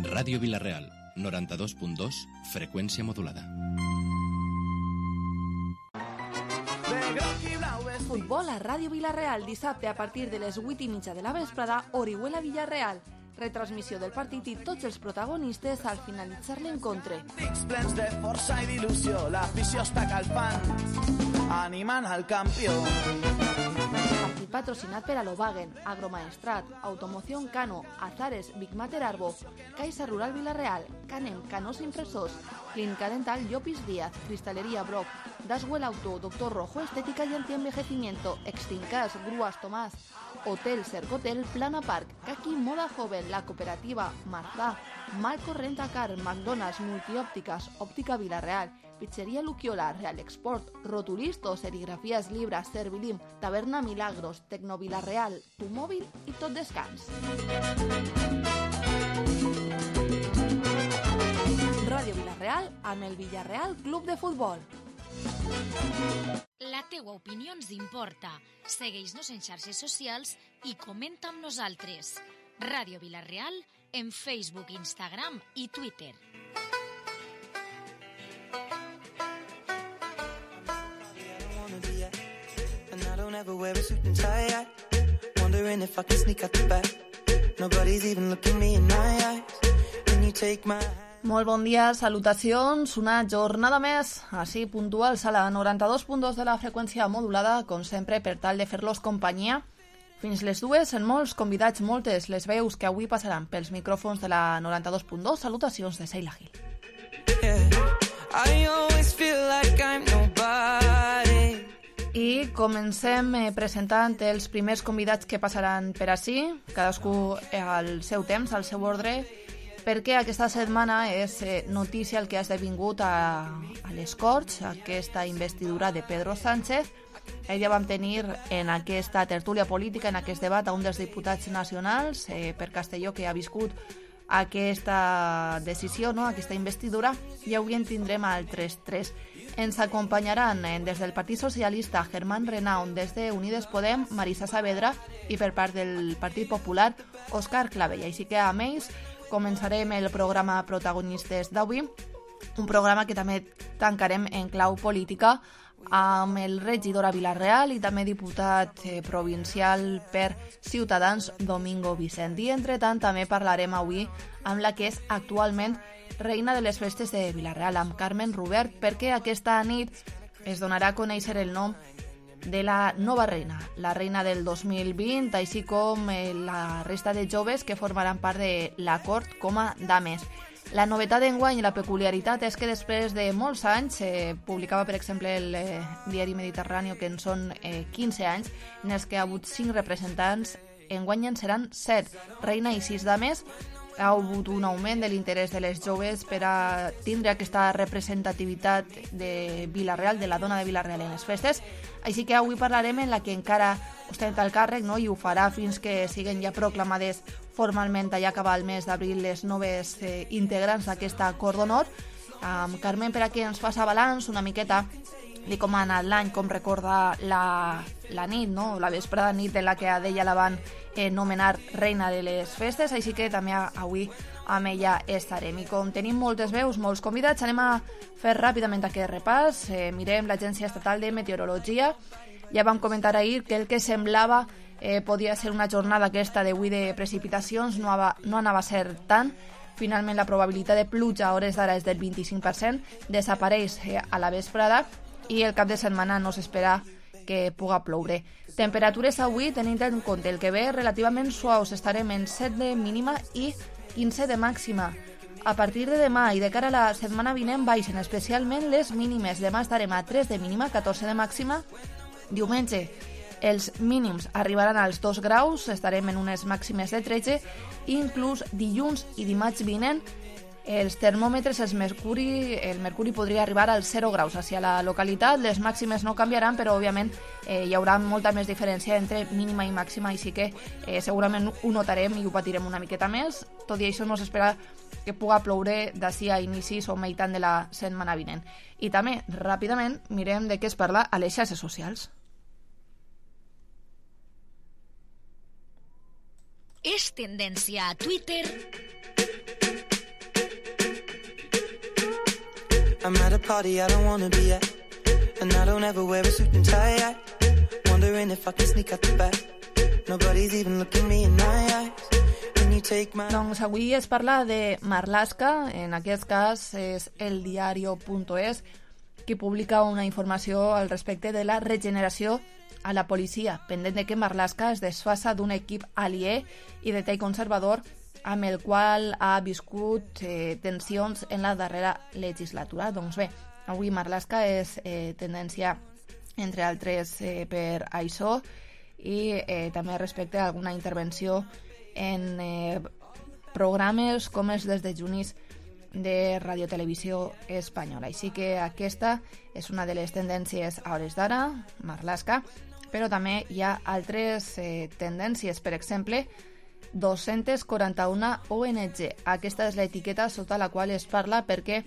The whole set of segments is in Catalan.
Ràdio Vila-real, 92.2, freqüència modulada. Futbol a Ràdio Vila-real, dissabte a partir de les 8:30 de la vesprada, Orihuela-Villarreal. Retransmissió del partit i tots els protagonistes al finalitzar l'encontre. Dics plens de força i d'il·lusió, l'afició està calfant, animant al campió. Partit patrocinat per Alovagen, Agromaestrat, Automoción Cano, Azares, Big Mater Arbo, Caixa Rural Vila-real, Canem, Canos Impresors, Clínica Dental Llopis Díaz, Cristalería Brock, Daswell Auto, Doctor Rojo, Estética y Antienvejecimiento, Extincas, Grúas Tomás, Hotel Cercotel, Plana Park, Kaki Moda Joven, La Cooperativa, Marzá, Malco Rentacar, McDonald's, Multiópticas, Óptica Vila-real, Pizzería Luquiola, Real Export, Rotulistos, Serigrafías Libras, Servilim, Taberna Milagros, Tecno Vila-real, Tu Móvil i Tot Descans. Ràdio Vila-real amb el Villarreal Club de Futbol. La teua opinió ens importa. Segueix-nos en xarxes socials i comenta amb nosaltres. Ràdio Vila-real en Facebook, Instagram i Twitter. Molt bon dia, salutacions, una jornada més, així puntuals a la 92.2 de la freqüència modulada, com sempre, per tal de fer-los companyia. Fins les dues, en molts convidats, moltes les veus que avui passaran pels micròfons de la 92.2. Salutacions de Seila Gil. I comencem presentant els primers convidats que passaran per ací, cadascú al seu temps, al seu ordre, perquè aquesta setmana és notícia el que ha esdevingut a les Corts, aquesta investidura de Pedro Sánchez. Ja vam tenir en aquesta tertúlia política, en aquest debat, a un dels diputats nacionals per Castelló que ha viscut aquesta decisió, no? Aquesta investidura, i avui en tindrem altres tres. Ens acompanyaran des del Partit Socialista Germán Renaun, des de Unides Podem Marisa Saavedra i per part del Partit Popular Òscar Clavell. Així que amb ells començarem el programa Protagonistes d'avui, un programa que també tancarem en clau política amb el regidor a Vila-real i també diputat provincial per Ciutadans Domingo Vicent. I entretant també parlarem avui amb la que és actualment reina de les festes de Vila-real, amb Carmen Rubert, perquè aquesta nit es donarà a conèixer el nom de la nova reina, la reina del 2020, així com la resta de joves que formaran part de la cort com a dames. La novetat d'enguany i la peculiaritat és que després de molts anys, publicava per exemple el diari Mediterrani que en són 15 anys, en els que ha hagut 5 representants, enguany en seran 7, reina i 6 dames. Ha hagut un augment de l'interès de les joves per a tindre aquesta representativitat de Vila-real, de la dona de Vila-real en les festes. Així que avui parlarem en la que encara ostenta el càrrec, no? I ho farà fins que siguen ja proclamades formalment allà acabar el mes d'abril les noves integrants d'aquesta cort d'honor. Carmen, per aquí ens passa balanç una miqueta de com ha anat l'any, com recorda la nit, no? La vesprada nit de la que a ella la van nomenar reina de les festes, així que també avui amb ella estarem. I com tenim moltes veus, molts convidats, anem a fer ràpidament aquest repàs. Mirem l'Agència Estatal de Meteorologia. Ja vam comentar ahir que el que semblava podia ser una jornada aquesta d'avui de precipitacions, no anava a ser tant. Finalment la probabilitat de pluja a hores d'ara és del 25%, desapareix a la vesprada i el cap de setmana no s'espera que puga ploure. Temperatures avui, tenint en compte el que ve, relativament suaus, estarem en 7 de mínima i 15 de màxima. A partir de demà i de cara a la setmana vinent baixen especialment les mínimes. Demà estarem a 3 de mínima, 14 de màxima. Diumenge els mínims arribaran als 2 graus, estarem en unes màximes de 13, i inclús dilluns i dimarts vinent els termòmetres, el mercuri podria arribar als 0 graus hacia la localitat. Les màximes no canviaran, però òbviament hi haurà molta més diferència entre mínima i màxima, així que segurament ho notarem i ho patirem una miqueta més. Tot i això no s'espera que puga ploure d'ací a inicis o meitat de la setmana vinent. I també, ràpidament, mirem de què es parla a les xarxes socials. És tendència a Twitter I'm at a party I don't wanna be at, and I don't ever wear a suit and tie. Wondering if I can sneak out the back. Nobody's even looking me in my eyes. Doncs avui es parla de Marlaska, en aquest cas és eldiario.es, que publica una informació al respecte de la regeneració a la policia, pendent de que Marlaska es desfassa d'un equip aliè i de tall conservador amb el qual ha viscut tensions en la darrera legislatura. Doncs bé, avui Marlaska és tendència, entre altres, per això, i també respecte a alguna intervenció en programes com els des de Junis de Radiotelevisió Espanyola. Així que aquesta és una de les tendències a hores d'ara, Marlaska, però també hi ha altres tendències. Per exemple, 241 ONG. Aquesta és l'etiqueta sota la qual es parla perquè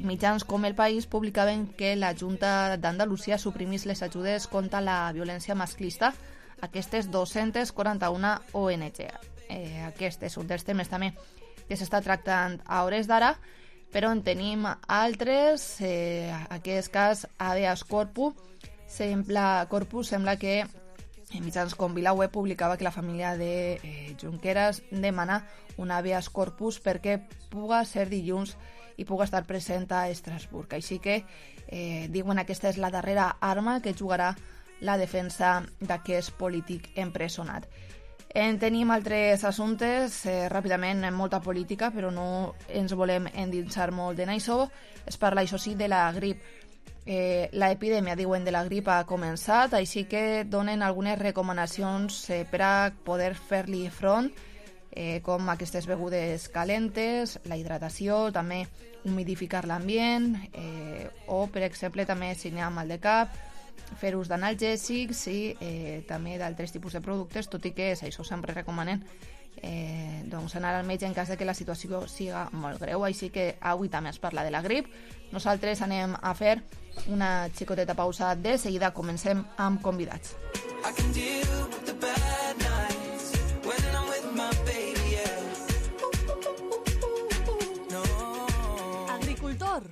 mitjans com El País publicaven que la Junta d'Andalusia suprimís les ajudes contra la violència masclista a aquestes 241 ONG. Aquest és un dels temes també que s'està tractant a hores d'ara, però en tenim altres. En aquest cas, Habeas Corpus sembla que en mitjans com VilaWeb publicava que la família de Junqueras demana un habeas corpus perquè puga ser dilluns i puga estar present a Estrasburg. Així que diuen que aquesta és la darrera arma que jugarà la defensa d'aquest polític empresonat. En tenim altres assumptes, ràpidament, molta política, però no ens volem endinsar molt en això. Es parla, això sí, de la grip. L'epidèmia, diuen, de la grip ha començat, així que donen algunes recomanacions per a poder fer-li front, com aquestes begudes calentes, la hidratació, també humidificar l'ambient, o, per exemple, també si n'hi ha mal de cap, fer ús d'analgèsics i també d'altres tipus de productes, tot i que això sempre recomanen doncs anar al metge en cas de que la situació siga molt greu. Així que avui també es parla de la grip. Nosaltres anem a fer una xicoteta pausa. De seguida comencem amb convidats. Agricultor.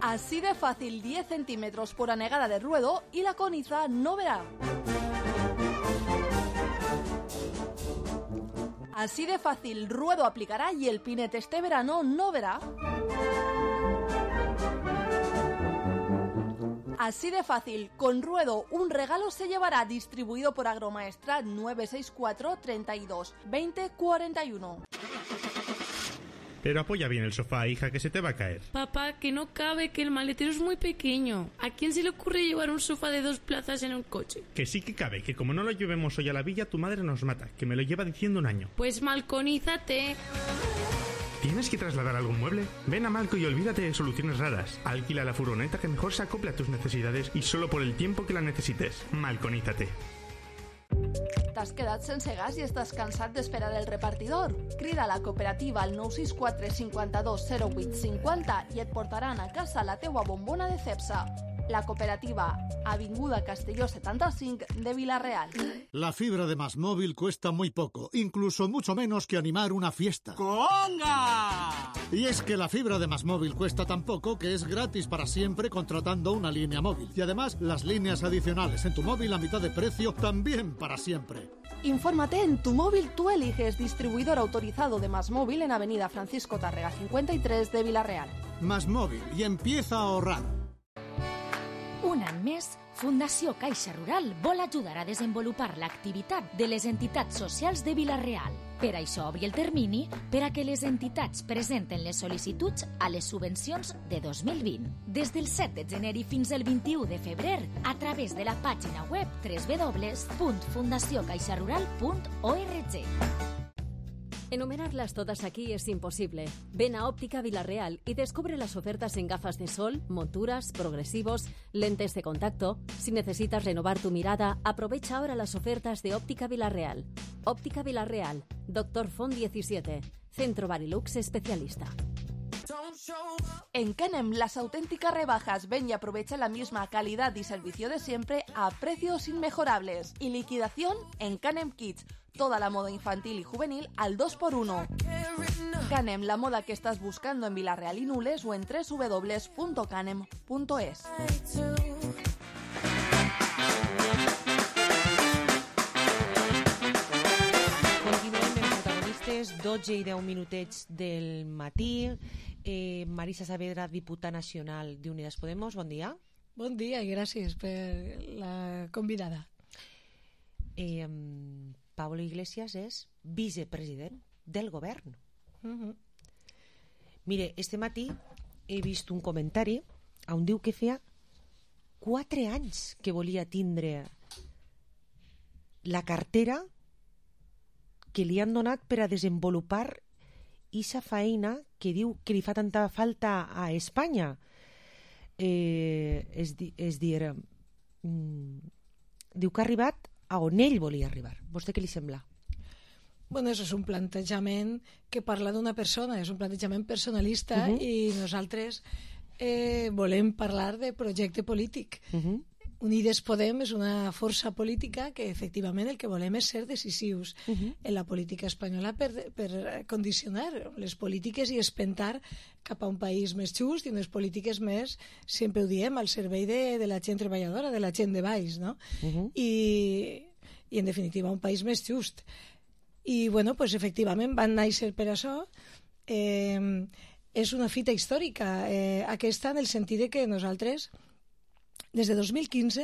Así de fácil, 10 centímetros por anegada de ruedo y la coniza no verá. Así de fácil, ruedo aplicará y el pinete este verano no verá. Así de fácil, con ruedo un regalo se llevará, distribuido por Agromaestrat 964 32 20 41. Pero apoya bien el sofá, hija, que se te va a caer. Papá, que no cabe, que el maletero es muy pequeño. ¿A quién se le ocurre llevar un sofá de 2 plazas en un coche? Que sí que cabe, que como no lo llevemos hoy a la villa, tu madre nos mata, que me lo lleva diciendo un año. Pues malconízate. ¿Tienes que trasladar algún mueble? Ven a Malco y olvídate de soluciones raras. Alquila la furgoneta que mejor se acople a tus necesidades y solo por el tiempo que la necesites. Malconízate. T'has quedat sense gas i estàs cansat d'esperar el repartidor? Crida a la cooperativa al 964 52 08 50 i et portaran a casa la teua bombona de Cepsa. La cooperativa, Avinguda Castelló 75 de Vila-real. La fibra de MásMóvil cuesta muy poco, incluso mucho menos que animar una fiesta. ¡Conga! Y es que la fibra de MásMóvil cuesta tan poco que es gratis para siempre contratando una línea móvil. Y además, las líneas adicionales en tu móvil a mitad de precio también para siempre. Infórmate en Tu Móvil Tú Eliges, distribuidor autorizado de MásMóvil en Avenida Francisco Tárrega 53 de Vila-real. MásMóvil, y empieza a ahorrar. Un any més, Fundació Caixa Rural vol ajudar a desenvolupar l'activitat de les entitats socials de Vila-real. Per això obri el termini per a que les entitats presenten les sol·licituds a les subvencions de 2020. Des del 7 de gener fins al 21 de febrer, a través de la pàgina web www.fundaciocaixarural.org. Enumerarlas todas aquí es imposible. Ven a Óptica Vila-real y descubre las ofertas en gafas de sol, monturas, progresivos, lentes de contacto. Si necesitas renovar tu mirada, aprovecha ahora las ofertas de Óptica Vila-real. Óptica Vila-real, Dr. Font 17, Centro Barilux Especialista. En Canem, las auténticas rebajas. Ven y aprovecha la misma calidad y servicio de siempre a precios inmejorables. Y liquidación en Canem Kids. toda la moda infantil y juvenil al 2x1. Canem, la moda que estás buscando en Vila-real y Nules o en www.canem.es. Continuem amb protagonistes, 12 i 10 minutets del matí. Marisa Saavedra, diputada nacional d'Unidas Podemos, bon dia. Bon dia i gràcies per la convidada. Pablo Iglesias és vicepresident del govern. Mire, este matí he vist un comentari on diu que feia 4 anys que volia tindre la cartera que li han donat per a desenvolupar esa feina que diu que li fa tanta falta a Espanya. És dir, diu que ha arribat a on ell volia arribar. Vostè què li sembla? Bueno, això és un plantejament que parla d'una persona, és un plantejament personalista i nosaltres volem parlar de projecte polític. Unides Podem és una força política que efectivament el que volem és ser decisius en la política espanyola per condicionar les polítiques i espentar cap a un país més just i unes polítiques més, sempre ho diem, al servei de la gent treballadora, de la gent de baix, no? I en definitiva un país més just. I bueno, pues efectivament van néixer per això. És una fita històrica aquesta en el sentit de que nosaltres des de 2015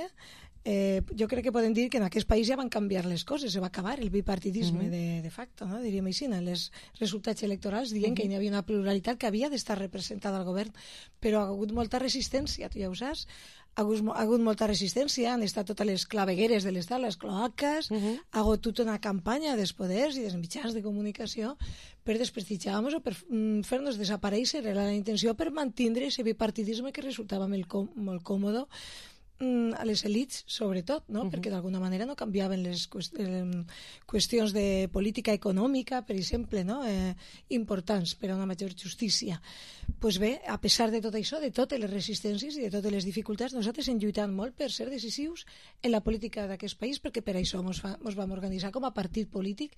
jo crec que podem dir que en aquest país ja van canviar les coses, se va acabar el bipartidisme de facto, no? Diríem així, en els resultats electorals dient que hi havia una pluralitat que havia d'estar representada al govern, però ha hagut molta resistència, tu ja ho saps, ha hagut molta resistència, han estat totes les clavegueres de l'estat, les cloaques, ha hagut tota una campanya dels poders i dels mitjans de comunicació per desprestigiar-nos o per fer-nos desaparèixer. Era la intenció per mantindre aquest bipartidisme que resultava molt còmode a les elits, sobretot, no? Perquè d'alguna manera no canviaven les qüestions de política econòmica, per exemple, no? Importants per a una major justícia. Pues bé, a pesar de tot això, de totes les resistències i de totes les dificultats, nosaltres hem lluitat molt per ser decisius en la política d'aquest país, perquè per això ens vam organitzar com a partit polític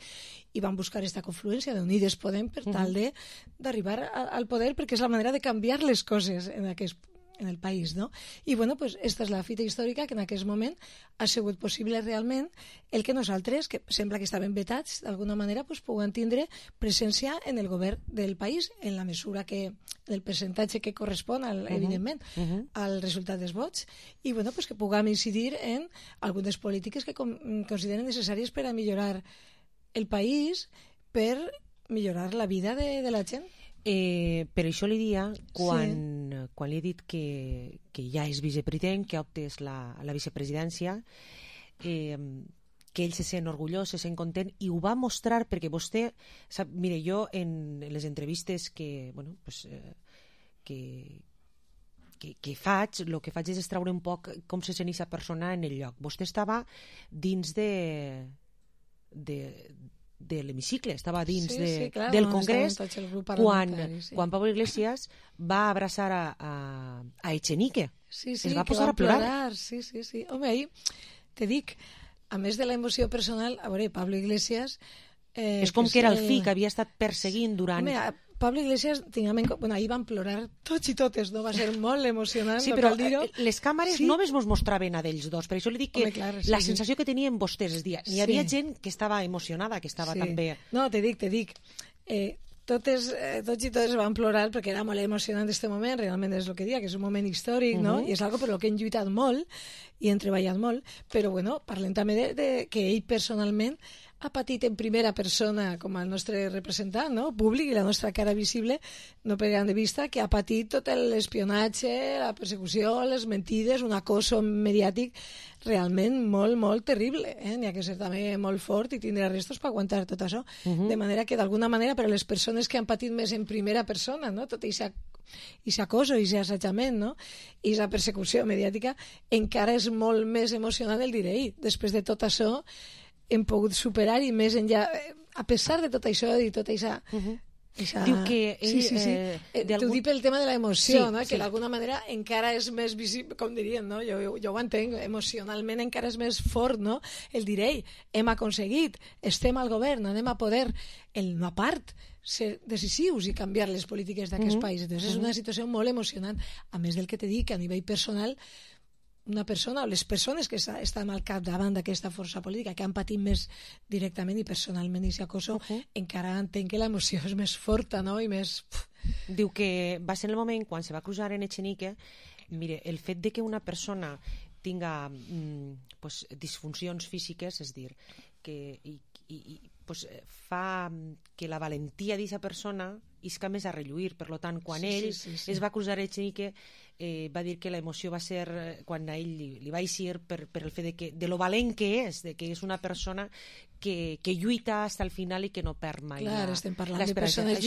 i vam buscar aquesta confluència d'Unides Podem per tal d'arribar al poder, perquè és la manera de canviar les coses en el país, no? I bueno, pues esta és la fita històrica que en aquest moment ha sigut possible realment el que nosaltres, que sembla que estaven vetats d'alguna manera, pues puguem tindre presència en el govern del país en la mesura que, del percentatge que correspon evidentment al resultat dels vots i bueno, pues que puguem incidir en algunes polítiques que consideren necessàries per a millorar el país, per millorar la vida de la gent. Per això li dia, quan li he dit que ja és vicepresident, que optes la vicepresidència, que ell se sent orgullós, se sent content, i ho va mostrar perquè vostè sap, mire, jo en les entrevistes que faig, el que faig és extraure un poc com se sent aquesta persona en el lloc. Vostè estava dins de l'hemicicle, estava dins del Congrés quan Pablo Iglesias va abraçar a Echenique. Es va posar a plorar. Sí. Home, ahí te dic, a més de la emoció personal, a veure, Pablo Iglesias... És com que era el fill que havia estat perseguint durant... Home, Pablo Iglesias, ahir van plorar tots i totes, no? Va ser molt emocionant, sí, no però cal dir-ho. Les càmeres només mos mostraven a d'ells dos, per això li dic que la sensació que tenien vostès, és dir, hi havia gent que estava emocionada, que estava també... No, te dic, tots i totes van plorar perquè era molt emocionant aquest moment, realment és el que dia, que és un moment històric, no? I és algo per lo que hem lluitat molt i hem treballat molt, però bueno, parlem també de que ell personalment ha patit en primera persona com el nostre representant, no? Públic, i la nostra cara visible, no perdem de vista que ha patit tot l'espionatge, la persecució, les mentides, un acoso mediàtic realment molt, molt terrible. N'hi ha que ser també molt fort i tindre restos per aguantar tot això. De manera que, d'alguna manera, per a les persones que han patit més en primera persona, no? Tot aquest acoso, aquest assetjament, no? I aquesta persecució mediàtica, encara és molt més emocionant el dir-hi. Després de tot això, hem pogut superar i més enllà, a pesar de tot això i tota aquesta Diu que ell... T'ho dic pel tema de l'emoció, no? Que sí. d'alguna manera encara és més visible, com dirien, no? Jo ho entenc, emocionalment encara és més fort, no? El dir, ei, hem aconseguit, estem al govern, anem a poder, a part, ser decisius i canviar les polítiques d'aquest país. Entonces és una situació molt emocionant. A més del que te dic, a nivell personal, una persona o les persones que estan al capdavant d'aquesta força política, que han patit més directament i personalment aquest acoso, encara entenc que l'emoció és més forta, no? I més... Diu que va ser el moment quan se va cruzar en Echenique. Mire, el fet de que una persona tinga disfuncions físiques, és dir, que fa que la valentia d'aquesta persona isca més a relluir. Per tant, quan ell es va cruzar a Echenique, va dir que l'emoció va ser quan a ell li va eixir per el fet de lo valent que és, de que és una persona que lluita fins al final i que no perd mai estem parlant de persones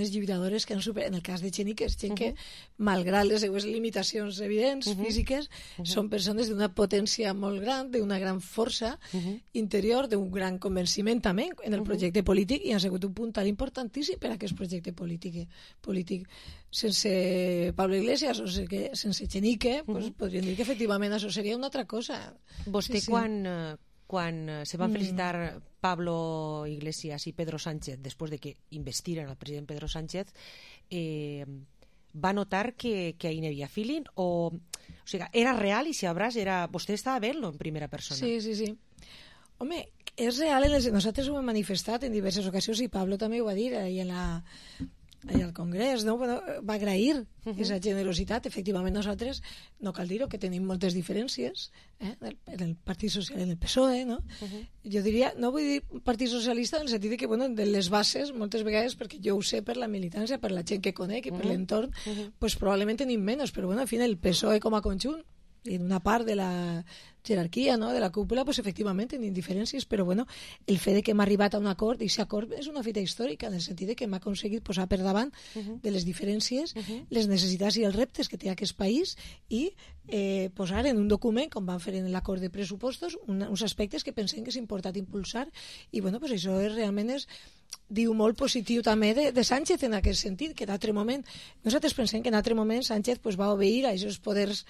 lluitadores que han superat, en el cas de Echenique, és gent que, malgrat les seues limitacions evidents, físiques, són persones d'una potència molt gran, d'una gran força interior, d'un gran convenciment també en el projecte polític, i han sigut un punt tan importantíssim per a aquest projecte polític. Sense Pablo Iglesias o sense Echenique, podríem dir que efectivament això seria una altra cosa. Vostè quan se van felicitar Pablo Iglesias i Pedro Sánchez després de que investiren el president Pedro Sánchez, va notar que ahí no havia feeling o sigui, era real i si abraç vostè estava veient-lo en primera persona? Sí. Home, és real, nosaltres ho hem manifestat en diverses ocasions i Pablo també ho va dir ahir al Congrés, no? Va agrair aquesta generositat. Efectivament, nosaltres, no cal dir-ho, que tenim moltes diferències en el Partit Social i en el PSOE, no? Jo diria, no vull dir Partit Socialista en el sentit que, de les bases, moltes vegades, perquè jo ho sé per la militància, per la gent que conec i per l'entorn, pues probablement tenim menys, però al final el PSOE com a conjunt i en una part de la jerarquia, no?, de la cúpula, pues efectivament tenim diferències, però el fet de que hem arribat a un acord, i aquest acord és una fita històrica en el sentit de que hem aconseguit posar per davant de les diferències les necessitats i els reptes que té aquest país i posar en un document, com van fer en l'acord de pressupostos, uns aspectes que pensem que és important impulsar, i pues això realment diu molt positiu també de Sánchez en aquest sentit, que d'altre moment nosaltres pensem que en altre moment Sánchez va obeir a aquests poders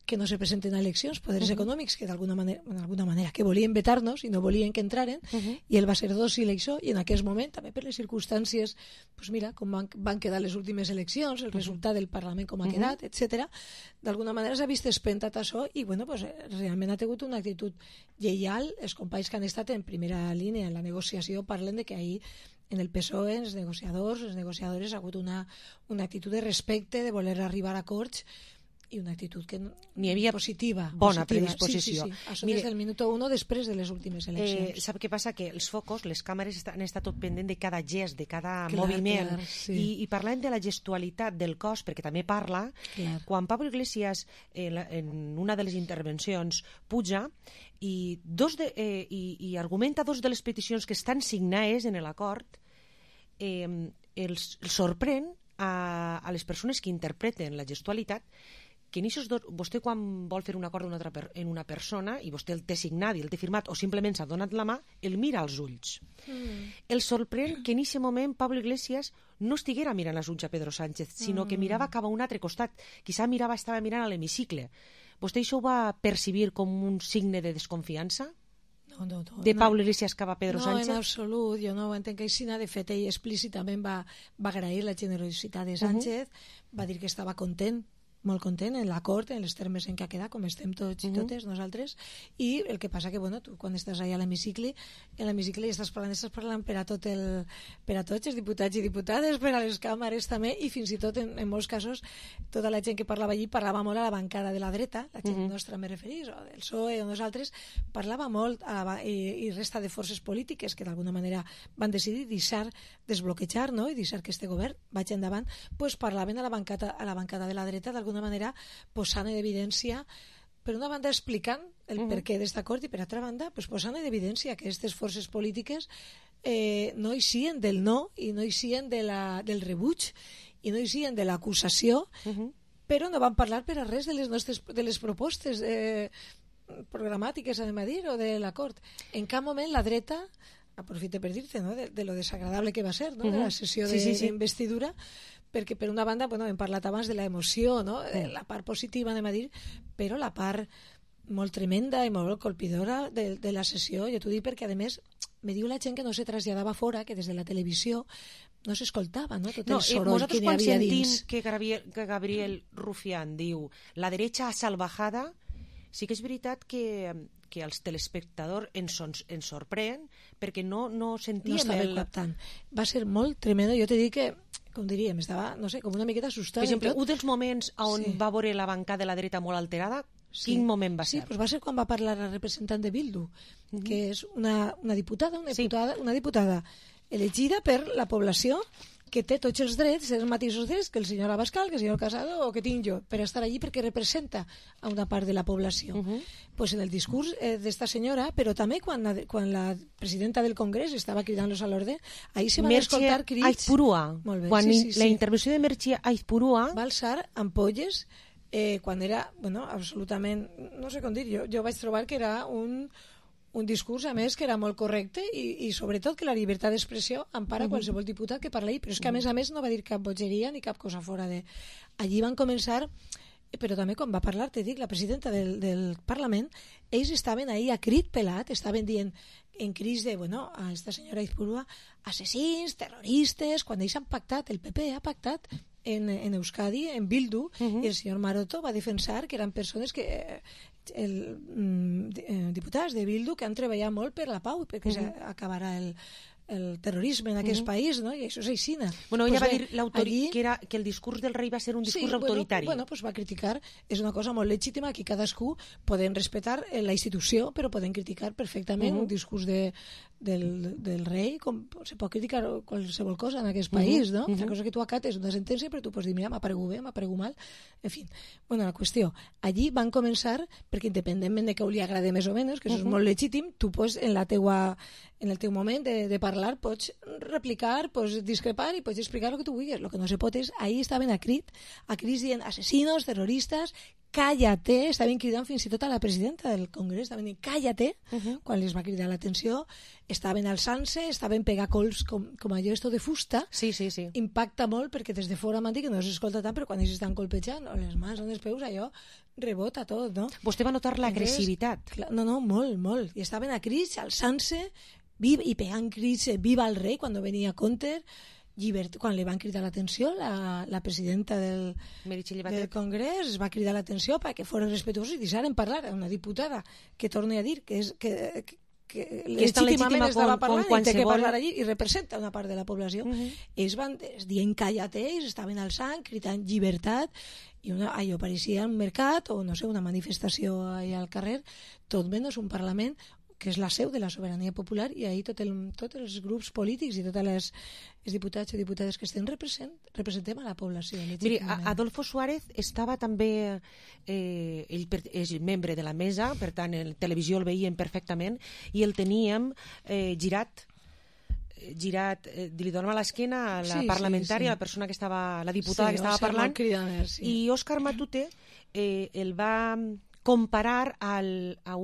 que no se presenten a eleccions, poders econòmics que d'alguna manera que volien vetar-nos i no volien que entraren, i ell va ser dòcil a això, i en aquest moment també per les circumstàncies, pues mira, com van quedar les últimes eleccions, el resultat del Parlament com ha quedat, etc. D'alguna manera s'ha vist espentat això i realment ha tingut una actitud lleial. Els companys que han estat en primera línia en la negociació parlen de que ahir en el PSOE, els negociadors, les negociadores, ha hagut una actitud de respecte, de voler arribar a acords, i una actitud que n'hi havia positiva. Bona predisposició. Sí. Això des del minut 1 després de les últimes eleccions. Sap què passa? Que els focus, les càmeres han estat tot pendent de cada gest, de cada moviment. I parlant de la gestualitat del cos, perquè també parla, quan Pablo Iglesias en una de les intervencions puja i argumenta dos de les peticions que estan signades en l'acord, els sorprèn a les persones que interpreten la gestualitat que vostè quan vol fer un acord en una persona i vostè el té signat i el té firmat o simplement s'ha donat la mà, el mira als ulls. El sorprèn que en aquest moment Pablo Iglesias no estiguera mirant als ulls a Pedro Sánchez, sinó que mirava cap a un altre costat. Quizá estava mirant a l'hemicicle. Vostè això ho va percibir com un signe de desconfiança? No, de Pablo Iglesias cap a Pedro Sánchez? No, en absolut, jo no ho entenc així. De fet, ell explícitament va agrair la generositat de Sánchez, va dir que estava content, molt content en l'acord, en els termes en què ha quedat, com estem tots i totes nosaltres, i el que passa que, tu quan estàs allà a l'hemicicle, en l'hemicicle estàs parlant per a tots els diputats i diputades, per a les càmeres també, i fins i tot, en molts casos, tota la gent que parlava allí parlava molt a la bancada de la dreta, la gent nostra me referís, o del PSOE o nosaltres, parlava molt i resta de forces polítiques que d'alguna manera van decidir desbloquejar, no?, i deixar que este govern vagi endavant, parlaven a la bancada de la dreta d'alguna manera posant en evidència, per una banda explicant el perquè d'aquest acord i per altra banda posant en evidència que aquestes forces polítiques no eixien del no i no eixien del rebuig i no eixien de l'acusació, però no van parlar per a res de les propostes programàtiques, anem a dir, o de l'acord. En cap moment la dreta aprofite per dir-te, no? de lo desagradable que va ser, no? De la sessió d'investidura, perquè per una banda, hem parlat abans de l'emoció, no? La part positiva, anem a dir, però la part molt tremenda i molt colpidora de la sessió, jo t'ho dic perquè, a més, me diu la gent que no se traslladava fora, que des de la televisió no s'escoltava, no? Tot el soroll que n'hi havia dins. Que Gabriel Rufián diu la derecha salvajada, sí que és veritat que els telespectadors ens sorprèn perquè no sentíem... No estava captant. Va ser molt tremendo. Jo t'he dit que, com diríem, estava, no sé, com una miqueta assustada. Per exemple, un dels moments on va veure la bancada de la dreta molt alterada, quin moment va ser? Sí, va ser quan va parlar la representant de Bildu, que és una diputada elegida per la població que té tots els drets, els mateixos drets que el senyor Abascal, que el senyor Casado o que tinc jo, per estar allí perquè representa a una part de la població. Pues en el discurs d'esta senyora, però també quan la presidenta del Congrés estava cridant-los a l'ordre, ahí se van escoltar crits... Aizpurua. Quan la intervenció de Merche Aizpurua... Va alçar ampolles quan era, absolutament, no sé com dir, jo vaig trobar que era un discurs, a més, que era molt correcte i sobretot que la llibertat d'expressió empara qualsevol diputat que parla ahí, però és que a més no va dir cap bogeria ni cap cosa fora de... Allí van començar, però també quan va parlar, te dic, la presidenta del Parlament, ells estaven ahí a crit pelat, estaven dient en crits de, a esta senyora Aizpurua, assassins, terroristes, quan ells han pactat, el PP ha pactat en Euskadi, en Bildu, i el senyor Maroto va defensar que eren persones que... diputats de Bildu que han treballat molt per la pau perquè s'acabarà el terrorisme en aquest país, no? I això és aixina. Ella va dir que el discurs del rei va ser un discurs autoritari. Pues va criticar, és una cosa molt legítima, aquí cadascú podem respectar la institució, però podem criticar perfectament un discurs del rei, com se pot criticar qualsevol cosa en aquest país, no? La cosa que tu acates una sentència, però tu pots dir, mira, m'ha paregut bé, m'ha paregut mal, en fi. La qüestió, allí van començar, perquè independentment de que li agrade més o menys, que això és molt legítim, tu pots en el teu moment de parlar pots replicar, pots discrepar i pots explicar el que tu vulguis. El que no se pot és, ahí estaven a crits dient assassinos, terroristes, cállate, estaven cridant fins i tot a la presidenta del Congrés, estaven dient cállate, quan les va cridar l'atenció, estaven alçant-se, estaven pegant cols com allò esto de fusta, impacta molt perquè des de fora m'han dit que no s'escolta tant, però quan ells estan colpejant, les mans o els peus, allò rebota tot, no? Vostè va notar l'agressivitat? No, molt, i estaven a crits, alçant-se, i pegant crits, viva el rei, quan venia Conter, quan li van cridar l'atenció, la presidenta del Congrés va cridar l'atenció perquè foren respetuosos i deixaren parlar a una diputada que torna a dir que legítimament estava parlant i té que parlar allí i representa una part de la població. Ells van dient cállate, ells estaven alçant, cridant llibertat, i allò pareixia un mercat o no sé, una manifestació allà al carrer, tot menys un Parlament que és la seu de la sobirania popular, i ahir tots els grups polítics i totes les diputats i diputades que estem representem a la població. Miri, Adolfo Suárez estava també, ell és membre de la mesa, per tant, en televisió el veiem perfectament, i el teníem girat, li donava l'esquena a la parlamentària, la persona que estava, la diputada que estava parlant, i Òscar Matute el va comparar a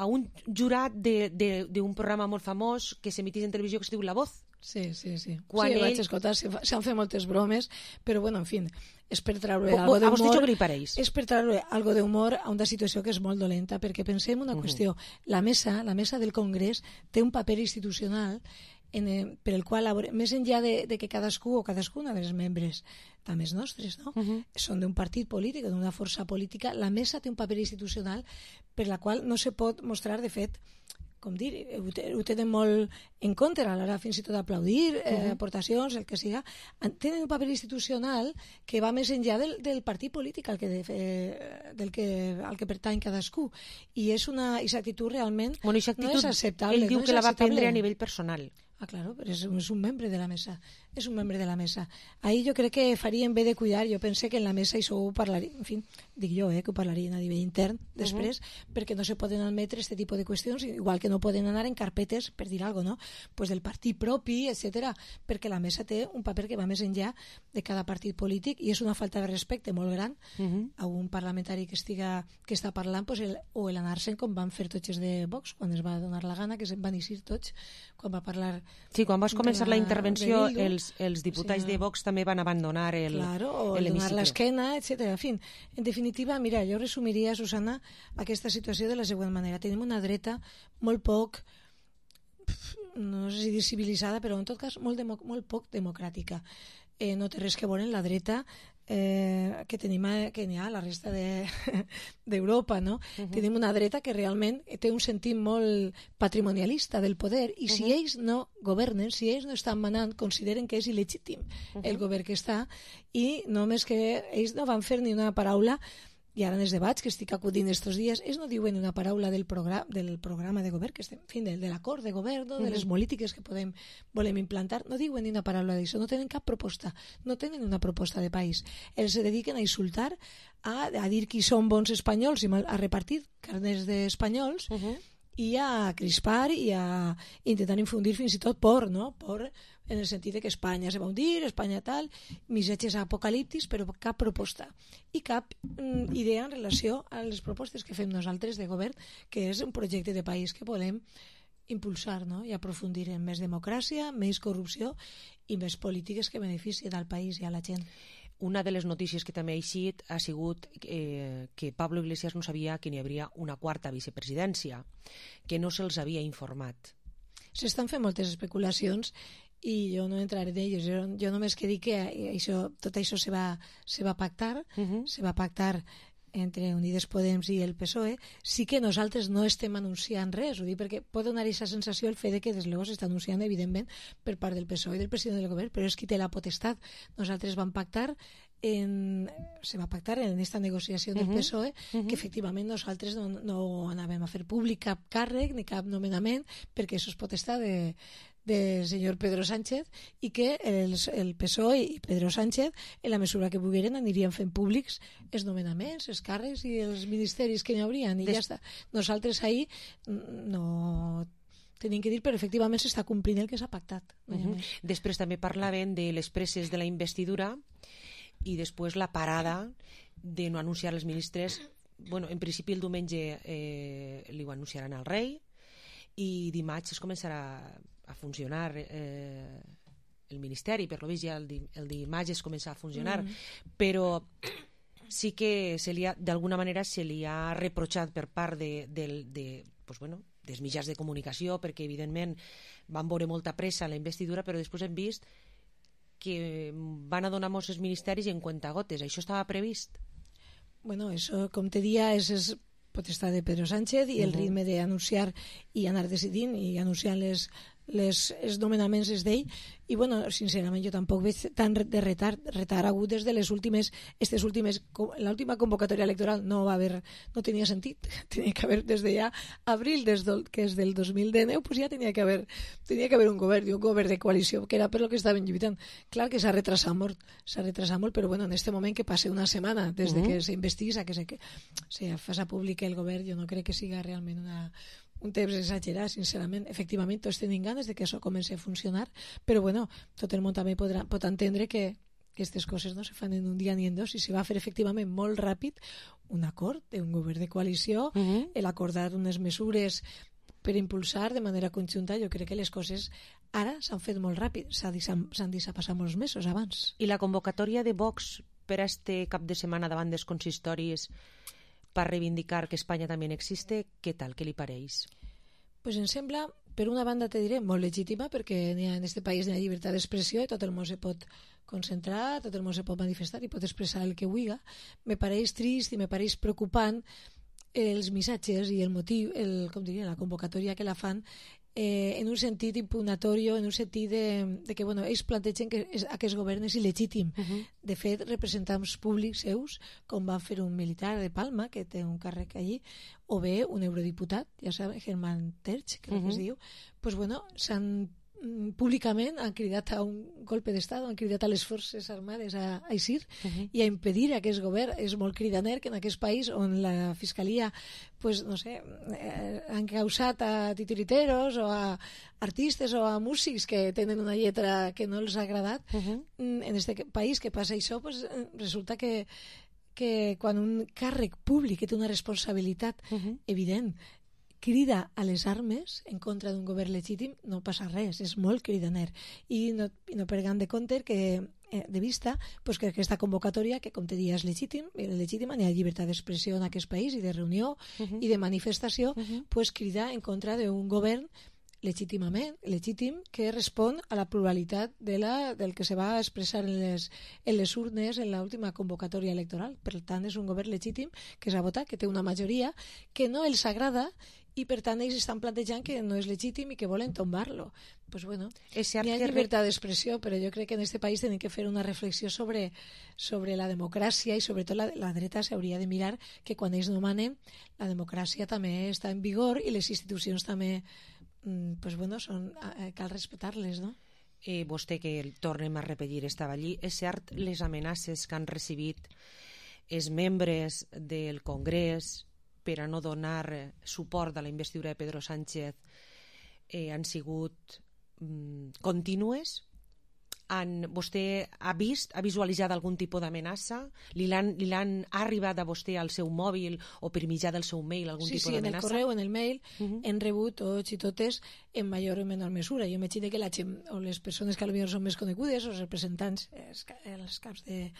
un jurat d'un programa molt famós que s'emitís en televisió que es diu La Voz. Sí. Vaig escoltar, s'han fet moltes bromes, però en fi, és per treure algo d'humor. A vostè jo que li pareix? És per treure algo d'humor a una situació que és molt dolenta, perquè pensem una qüestió, la mesa del Congrés té un paper institucional per el qual, més enllà de que cadascú o cadascuna dels membres, també els nostres, no? Són d'un partit polític o d'una força política, la mesa té un paper institucional per la qual no se pot mostrar, de fet, com dir, ho tenen molt en compte a l'hora fins i tot d'aplaudir aportacions, el que siga, tenen un paper institucional que va més enllà del partit polític al que pertany cadascú, i és aquesta actitud realment no és acceptable. Ell diu que la va prendre a nivell personal. Claro, però és un membre de la mesa. és un membre de la mesa. Ahir jo crec que farien bé de cuidar, jo pense que en la mesa això ho parlaria, en fi, dic jo, que ho parlarien a nivell intern després, perquè no se poden admetre aquest tipus de qüestions, igual que no poden anar en carpetes, per dir alguna cosa, no? Pues del partit propi, etc. Perquè la mesa té un paper que va més enllà de cada partit polític i és una falta de respecte molt gran a un parlamentari que està parlant, pues o l'anar-se'n com van fer tots els de Vox, quan es va donar la gana, que se'n van eixir tots, quan va parlar... Sí, quan vas començar la intervenció, els diputats de Vox també van abandonar l'hemicicle. O donar l'esquena, etc. En fi, en definitiva, mira, jo resumiria, Susana, aquesta situació de la següent manera. Tenim una dreta molt poc, no sé si dir civilitzada, però en tot cas molt poc democràtica. No té res que veure en la dreta que n'hi ha a la resta d'Europa, no? Tenim una dreta que realment té un sentit molt patrimonialista del poder i si ells no governen, si ells no estan manant, consideren que és il·legítim el govern que està i només que ells no van fer ni una paraula. I ara en els debats que estic acudint estos dies, ells no diuen una paraula del programa de govern, que estem, en fi, de l'acord de govern, de les polítiques que volem implantar, no diuen ni una paraula d'això, no tenen cap proposta, no tenen una proposta de país. Ells se dediquen a insultar, a dir qui són bons espanyols i a repartir carnets d'espanyols i a crispar i a intentar infundir fins i tot por, no? Por en el sentit que Espanya se va hundir, Espanya tal, missatges apocalíptics, però cap proposta i cap idea en relació a les propostes que fem nosaltres de govern, que és un projecte de país que volem impulsar, no? I aprofundir en més democràcia, més corrupció i més polítiques que beneficien al país i a la gent. Una de les notícies que també ha eixit ha sigut que Pablo Iglesias no sabia que n'hi hauria una quarta vicepresidència, que no se'ls havia informat. S'estan fent moltes especulacions i jo no entraré en ells. Jo només que dic que tot això se va pactar, se va pactar entre Unides Podem i el PSOE. Sí que nosaltres no estem anunciant res, ho dic perquè pot donar aquesta sensació el fet de que des luego s'està anunciant evidentment per part del PSOE i del president del govern, però és qui té la potestat. Nosaltres vam pactar se va pactar en aquesta negociació del PSOE que efectivament nosaltres no anàvem a fer públic cap càrrec ni cap nomenament perquè això és potestat del senyor Pedro Sánchez i que el PSOE i Pedro Sánchez en la mesura que pogueren anirien fent públics els nomenaments, els càrrecs i els ministeris que n'hi haurien i ja està. Nosaltres ahir no tenim que dir, però efectivament s'està complint el que s'ha pactat. Després també parlaven de les presses de la investidura i després la parada de no anunciar els ministres. Bueno, en principi el diumenge li ho anunciaran al rei i dimarts es començarà a funcionar el ministeri, per lo vist ja el dimarts es comença a funcionar, però sí que d'alguna manera se li ha reprotxat per part dels mitjans de comunicació, perquè evidentment van veure molta pressa a la investidura, però després hem vist que van a donar molts ministeris en cuentagotes. Això estava previst? Bueno, això, com te dia, és potestat de Pedro Sánchez i el ritme d'anunciar i anar decidint i anunciant els nomenaments és d'ell i bueno, sincerament jo tampoc veig tant de retard hagut des de l'última convocatòria electoral no tenia sentit, tenia que haver des de ja abril, que és del 2019, pues ja tenia que haver un govern de coalició, que era per lo que estaven lluitant. Clar que s'ha retrasat molt, però bueno, en este moment que passe una setmana des de que s'investís a que se faça públic el govern, jo no crec que siga realment un temps exagerat, sincerament. Efectivament, tots tenim ganes de que això comenci a funcionar, però bueno, tot el món també pot entendre que aquestes coses no se fan en un dia ni en dos i se va fer efectivament molt ràpid un acord d'un govern de coalició, l'acordar unes mesures per impulsar de manera conjunta. Jo crec que les coses ara s'han fet molt ràpid, s'han deixat passar molts mesos abans. I la convocatòria de Vox per a este cap de setmana davant dels consistoris per reivindicar que Espanya també existe, què tal, què li pareix? Pues em sembla, per una banda te diré, molt legítima, perquè en aquest país hi ha llibertat d'expressió i tot el món se pot concentrar, tot el món se pot manifestar i pot expressar el que vulgui. Me pareix trist i me pareix preocupant els missatges i el motiu, la convocatòria que la fan en un sentit impugnatorio, en un sentit de que bueno, ells plantegen que aquest govern és il·legítim. De fet, representants públics seus, com va fer un militar de Palma, que té un càrrec allí, o bé un eurodiputat, ja saben, Germán Terch, crec que es diu, pues bueno, s'han públicament han cridat a un golpe d'estat, han cridat a les forces armades a eixir i a impedir aquest govern. És molt cridaner que en aquest país on la fiscalia pues, no sé, han causat a titiriteros o a artistes o a músics que tenen una lletra que no els ha agradat, en aquest país que passa això, pues, resulta que quan un càrrec públic que té una responsabilitat evident crida a les armes en contra d'un govern legítim, no passa res, és molt cridaner. I no perdem de compte de vista pues, que aquesta convocatòria, que com te dia és legítima, n'hi ha llibertat d'expressió en aquest país i de reunió i de manifestació, pues, crida en contra d'un govern legítim que respon a la pluralitat del que se va expressar en les urnes en l'última convocatòria electoral. Per tant, és un govern legítim que s'ha votat, que té una majoria que no els agrada i per tant ells estan plantejant que no és legítim i que volen tombar-lo. Pues bueno, hi ha llibertat d'expressió, però jo crec que en aquest país tenim que fer una reflexió sobre la democràcia i sobretot la dreta s'hauria de mirar que quan ells no manen la democràcia també està en vigor i les institucions també pues bueno, cal respectar-les, no? Vostè, que tornem a repetir, estava allí. És cert les amenaces que han recibit els membres del Congrés per a no donar suport a la investidura de Pedro Sánchez han sigut contínues? Vostè ha visualitzat algun tipus d'amenaça? Li l'han arribat a vostè al seu mòbil o per mitjà del seu mail algun tipus d'amenaça? Sí, en el correu, en el mail, hem rebut tots i totes en major o menor mesura. Jo m'imagino que la gent o les persones que potser són més conegudes, els representants, els caps de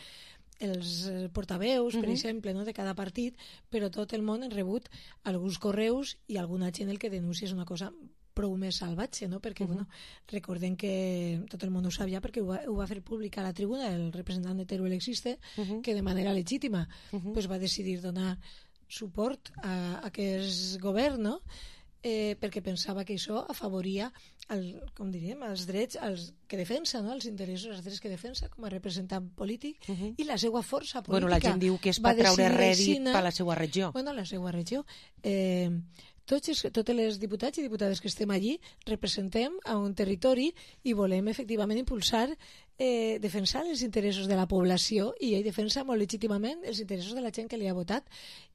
els portaveus, per exemple, no, de cada partit, però tot el món ha rebut alguns correus i alguna gent el que denuncia és una cosa prou més salvatge, no? Perquè bueno, recordem que tot el món ho sabia perquè ho va fer públic a la tribuna el representant de Teruel Existe, que de manera legítima pues va decidir donar suport a aquest govern, no? Perquè pensava que això afavoria com diríem, els drets que defensa, no? Els interessos, els drets que defensa com a representant polític i la seva força política. Bueno, la gent diu que és per treure rèdit per la seva regió. Bueno, la seva regió. Tots els diputats i diputades que estem allí representem a un territori i volem efectivament impulsar, defensar els interessos de la població i ell defensa molt legítimament els interessos de la gent que li ha votat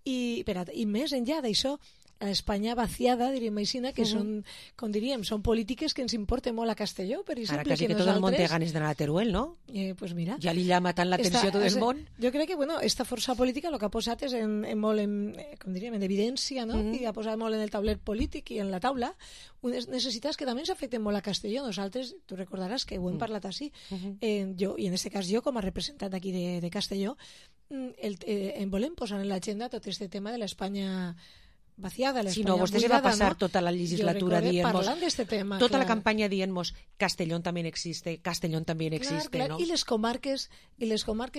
i més enllà d'això a l'Espanya vaciada, diríem així, que són, com diríem, són polítiques que ens importen molt a Castelló, per exemple. Ara quasi que tot el món té ganes d'anar a Teruel, no? Pues mira. Ja li llama tant l'atenció a tot el món. Jo crec que, bueno, esta força política el que ha posat és molt com diríem, en evidència, no? I ha posat molt en el tauler polític i en la taula unes necessitats que també ens afecten molt a Castelló. Nosaltres, tu recordaràs que ho hem parlat així, jo, i en aquest cas jo, com a representant d'aquí de Castelló, volem posar en l'agenda tot aquest tema de l'Espanya vaciada, l'Espanya buidada. Si no, vostè se va passar tota la legislatura dient-nos, tema, tota la campanya dient-nos Castellón també existe, Castellón també existe, clar, no? I les comarques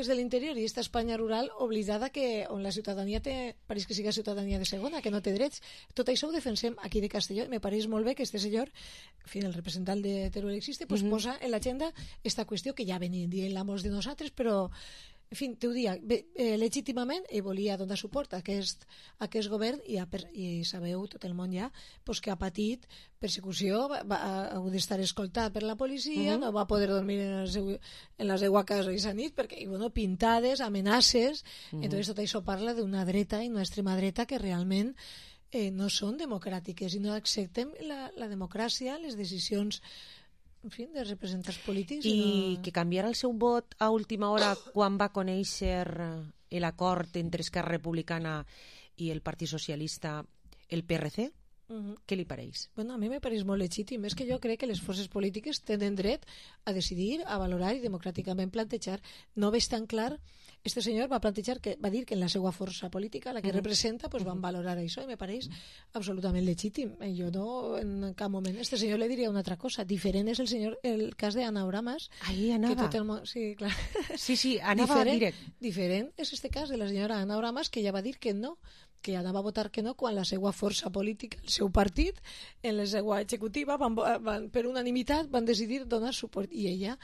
de l'interior i esta Espanya rural oblidada on la ciutadania pareix que siga ciutadania de segona, que no té drets. Tot això ho defensem aquí de Castelló i me pareix molt bé que este senyor, en fi, el representant de Teruel Existe, pues posa en l'agenda esta qüestió que ja venien dient-la molts de nosaltres, però en fi, t'ho dia, legítimament ell volia donar suport a aquest govern i sabeu, tot el món ja, pues, que ha patit persecució, ha hagut d'estar escoltat per la policia, no va poder dormir en la seva casa aquesta nit, perquè, bueno, pintades, amenaces, entonces tot això parla d'una dreta i una extrema dreta que realment no són democràtiques i no acceptem la democràcia, les decisions en fi, de representants polítics. I que canviarà el seu vot a última hora quan va conèixer l'acord entre Esquerra Republicana i el Partit Socialista, el PRC? Què li pareix? Bueno, a mi me pareix molt legítim. És que jo crec que les forces polítiques tenen dret a decidir, a valorar i democràticament plantejar. No veig tan clar. Este senyor va dir que en la seva força política, la que representa, pues van valorar això i me pareix absolutament legítim. Jo no, en cap moment. Este senyor le diria una altra cosa. Diferent és el cas d'Anna Oramas. Ahí anava. Sí, clar. Sí, anava direct. Diferent és este cas de la senyora Anna Oramas, que ja va dir que no, que anava a votar que no quan la seva força política, el seu partit, en la seva executiva, per unanimitat van decidir donar suport. I ella,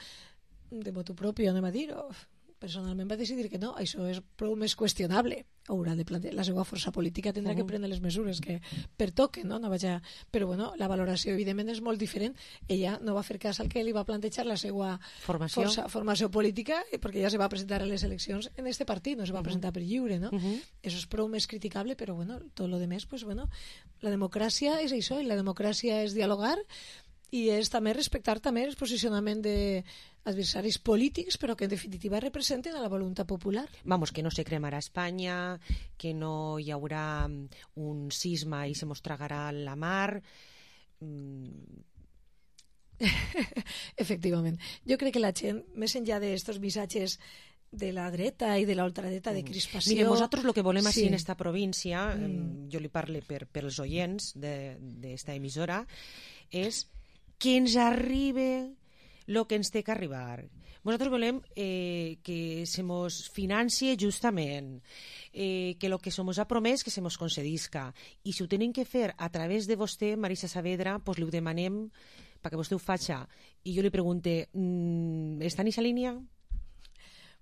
de motu propi, anem a dir, personalment va decidir que no, això és prou més qüestionable. haurà de plantejar, la seva força política tindrà que prendre les mesures que pertoquen, no? Però bueno, la valoració evidentment és molt diferent. Ella no va fer cas al que li va plantejar la seva formació política, perquè ella se va presentar a les eleccions en este partit, no se va presentar per lliure, no? Eso és prou més criticable, però bueno, tot lo demés, pues bueno, la democràcia és això, i la democràcia és dialogar i és també respectar també el posicionament d'adversaris polítics, però que en definitiva representen a la voluntat popular. Vamos, que no se cremarà Espanya, que no hi haurà un sisme i se mos tragarà la mar. Efectivament. Jo crec que la gent, més enllà d'estos missatges de la dreta i de l'ultradreta de crispació... Mire, nosaltres el que volem així en esta província, jo li parle per els oients d'esta emissora, és que ens arribe el que ens té que arribar. Nosaltres volem que se mos financie justament, que el que se mos ha promès que se mos concedisca. I si ho tenen que fer a través de vostè, Marisa Saavedra, pues li ho demanem perquè vostè ho faci. I jo li pregunte, està en aquesta línia?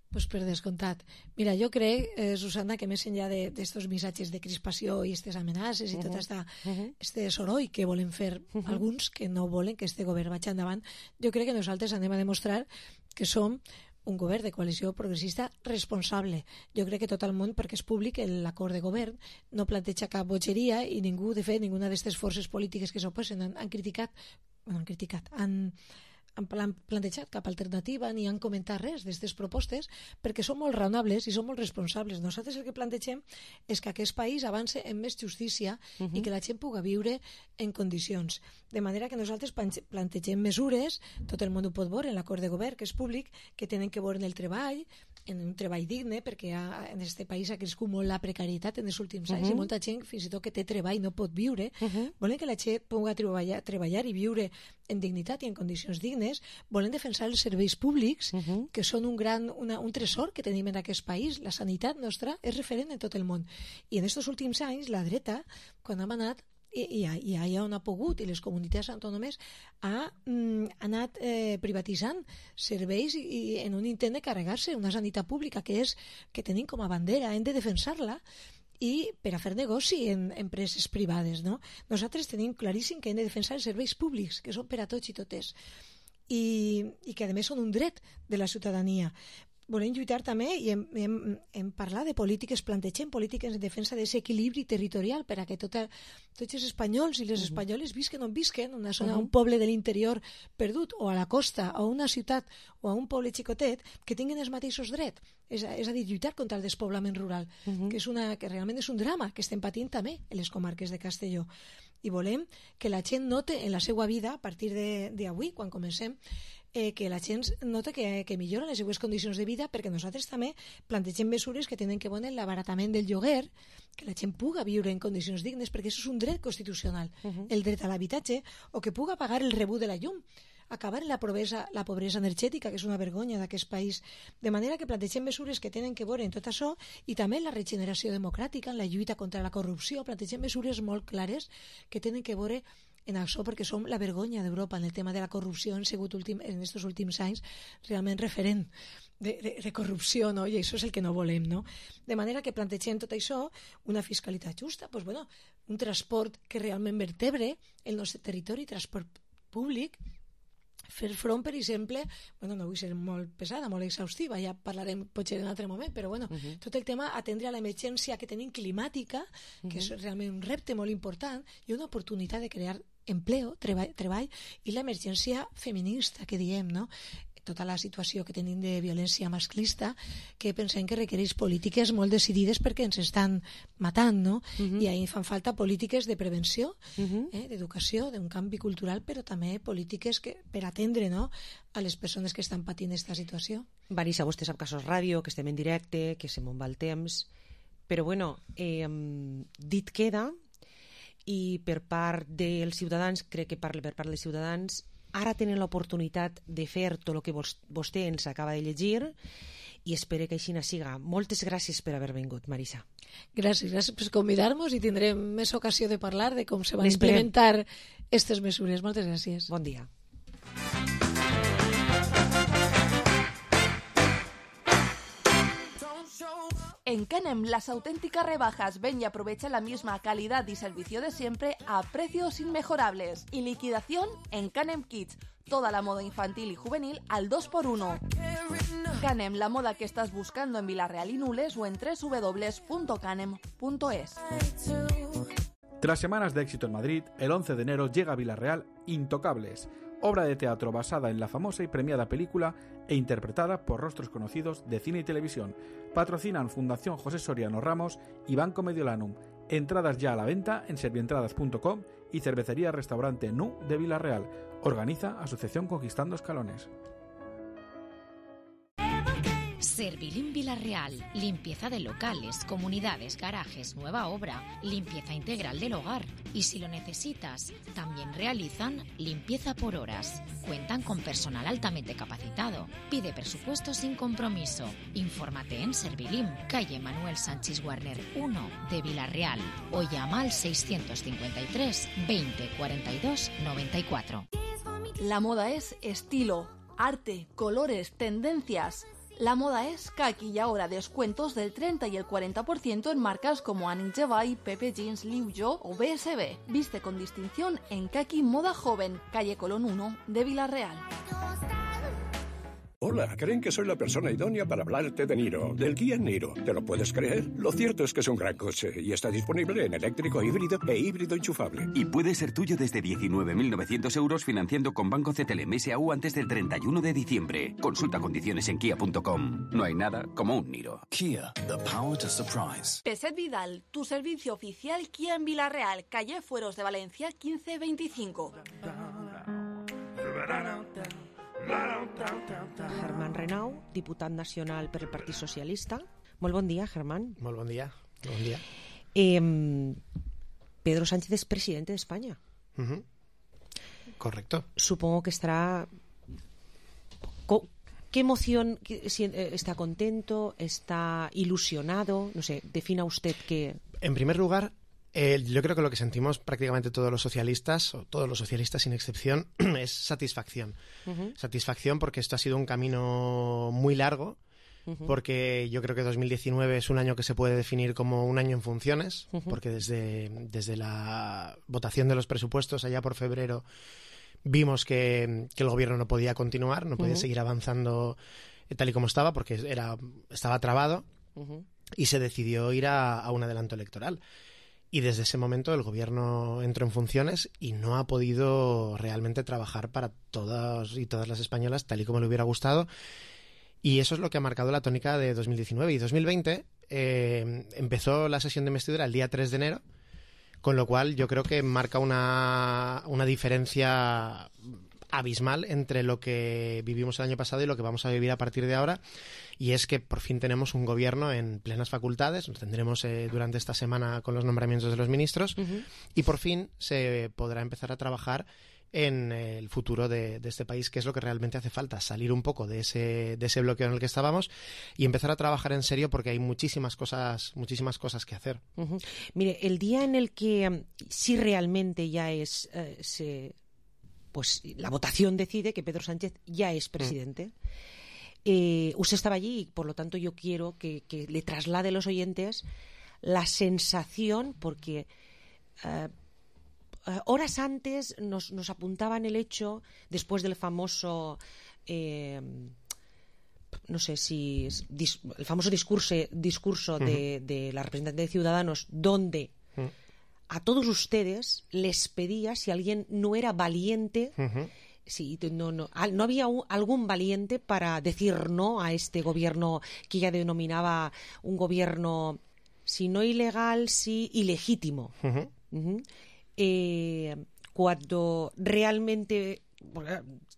Pues per descomptat. Mira, jo crec, Susana, que més enllà d'estos missatges de crispació i aquestes amenaces i tot este soroll que volen fer alguns que no volen que este govern vagi endavant, jo crec que nosaltres anem a demostrar que som un govern de coalició progressista responsable. Jo crec que tot el món, perquè és públic, l'acord de govern no planteja cap bogeria i ningú, de fet, ninguna d'aquestes forces polítiques que s'oposen han plantejat cap alternativa ni han comentat res d'aquestes propostes perquè són molt raonables i són molt responsables. Nosaltres el que plantegem és que aquest país avance en més justícia i que la gent pugui viure en condicions. De manera que nosaltres plantegem mesures, tot el món ho pot veure en l'acord de govern, que és públic, que tenen que veure en el treball, en un treball digne, perquè en aquest país ha crescut molt la precarietat en els últims anys i molta gent, fins i tot que té treball, no pot viure. Volen que la gent pugui treballar i viure en dignitat i en condicions dignes. Volen defensar els serveis públics, que són un tresor que tenim en aquest país. La sanitat nostra és referent en tot el món. I en aquests últims anys, la dreta, quan hem anat i allà on ha pogut, i les comunitats autònomes ha anat privatitzant serveis i en un intent de carregar-se una sanitat pública que tenim com a bandera, hem de defensar-la i per a fer negoci en empreses privades, no? Nosaltres tenim claríssim que hem de defensar els serveis públics, que són per a tots i totes, i que a més són un dret de la ciutadania. Volem lluitar també i hem parlat de polítiques, plantegem polítiques en defensa d'aquest equilibri territorial per a que tots els espanyols i les espanyoles visquen on visquen, una zona, un poble de l'interior perdut, o a la costa, o a una ciutat, o a un poble xicotet, que tinguin els mateixos drets. És a dir, lluitar contra el despoblament rural, que realment és un drama que estem patint també en les comarques de Castelló. I volem que la gent note en la seva vida, a partir d'avui, quan comencem, que la gent nota que millora les seues condicions de vida, perquè nosaltres també plantegem mesures que tenen que veure l'abaratament del lloguer, que la gent pugui viure en condicions dignes, perquè això és un dret constitucional, el dret a l'habitatge, o que pugui pagar el rebut de la llum, acabar la pobresa energètica, que és una vergonya d'aquest país. De manera que plantegem mesures que tenen que veure en tot això, i també en la regeneració democràtica, en la lluita contra la corrupció, plantegem mesures molt clares que tenen que veure en això, perquè som la vergonya d'Europa en el tema de la corrupció. Hem sigut en aquests últims anys realment referent de corrupció, no? I això és el que no volem, no? De manera que plantegem tot això, una fiscalitat justa, pues bueno, un transport que realment vertebre el nostre territori, transport públic, fer front, per exemple, bueno, no vull ser molt pesada, molt exhaustiva, ja parlarem potser en un altre moment, però bueno, tot el tema atendre a l'emergència que tenim climàtica, que és realment un repte molt important i una oportunitat de crear empleo, treball, i l'emergència feminista que diem, no? Tota la situació que tenim de violència masclista, que pensem que requereix polítiques molt decidides perquè ens estan matant, no? I ahí fan falta polítiques de prevenció, d'educació, d'un canvi cultural, però també polítiques per atendre, no?, a les persones que estan patint aquesta situació. Marisa, vostè sap que això és ràdio, que estem en directe, que se me'n va el temps, però bueno, dit queda, i per part dels ciutadans, crec que parla per part dels ciutadans, ara tenen l'oportunitat de fer tot el que vostè ens acaba de llegir i espero que així siga. Moltes gràcies per haver vingut, Marisa. Gràcies per convidar-nos i tindrem més ocasió de parlar de com se van implementar aquestes mesures. Moltes gràcies. Bon dia. En Canem, las auténticas rebajas. Ven y aprovecha la misma calidad y servicio de siempre a precios inmejorables. Y liquidación en Canem Kids. Toda la moda infantil y juvenil al 2x1. Canem, la moda que estás buscando en Vilarreal y Nules o en www.canem.es. Tras semanas de éxito en Madrid, el 11 de enero llega a Vilarreal Intocables, obra de teatro basada en la famosa y premiada película e interpretada por rostros conocidos de cine y televisión. Patrocinan Fundación José Soriano Ramos y Banco Mediolanum. Entradas ya a la venta en servientradas.com y Cervecería Restaurante Nu de Vilarreal. Organiza Asociación Conquistando Escalones. Servilim Vilarreal, limpieza de locales, comunidades, garajes, nueva obra, limpieza integral del hogar. Y si lo necesitas, también realizan limpieza por horas. Cuentan con personal altamente capacitado. Pide presupuesto sin compromiso. Infórmate en Servilim, calle Manuel Sánchez Warner 1 de Vilarreal o llama al 653 20 42 94. La moda es estilo, arte, colores, tendencias. La moda es Kaki y ahora descuentos del 30 y el 40% en marcas como Annie Jevay, Pepe Jeans, Liu Yo o BSB. Viste con distinción en Kaki Moda Joven, calle Colón 1 de Vilarreal. Hola, creen que soy la persona idónea para hablarte de Niro, del Kia Niro. ¿Te lo puedes creer? Lo cierto es que es un gran coche y está disponible en eléctrico híbrido e híbrido enchufable. Y puede ser tuyo desde 19.900 euros financiando con Banco CTLM SAU antes del 31 de diciembre. Consulta condiciones en kia.com. No hay nada como un Niro. Kia, the power to surprise. Peset Vidal, tu servicio oficial Kia en Vilarreal, calle Fueros de Valencia 1525. Germán Renau, diputat nacional per el Partit Socialista. Molt bon dia, Germán. Molt bon dia. Bon dia. Pedro Sánchez es presidente de España. Correcto. Supongo que estará... ¿Qué emoción? ¿Está contento? ¿Está ilusionado? No sé, defina usted qué... En primer lugar, yo creo que lo que sentimos prácticamente todos los socialistas, o todos los socialistas sin excepción, es satisfacción. Satisfacción porque esto ha sido un camino muy largo, porque yo creo que 2019 es un año que se puede definir como un año en funciones, porque desde la votación de los presupuestos allá por febrero vimos que el gobierno no podía continuar, no podía seguir avanzando tal y como estaba, porque estaba trabado, y se decidió ir a un adelanto electoral. Y desde ese momento el gobierno entró en funciones y no ha podido realmente trabajar para todos y todas las españolas tal y como le hubiera gustado. Y eso es lo que ha marcado la tónica de 2019. Y 2020 empezó la sesión de investidura el día 3 de enero, con lo cual yo creo que marca una diferencia abismal entre lo que vivimos el año pasado y lo que vamos a vivir a partir de ahora, y es que por fin tenemos un gobierno en plenas facultades, lo tendremos durante esta semana con los nombramientos de los ministros, y por fin se podrá empezar a trabajar en el futuro de este país, que es lo que realmente hace falta, salir un poco de ese bloqueo en el que estábamos y empezar a trabajar en serio, porque hay muchísimas cosas que hacer. Mire, el día en el que sí realmente ya es... pues la votación decide que Pedro Sánchez ya es presidente. Usted estaba allí y, por lo tanto, yo quiero que le traslade a los oyentes la sensación, porque horas antes nos apuntaban el hecho, después del famoso... no sé si... el famoso discurso de la representante de Ciudadanos, donde... a todos ustedes les pedía si alguien no era valiente, si no había algún valiente para decir no a este gobierno que ella denominaba un gobierno, si no ilegal, sí ilegítimo. Cuando realmente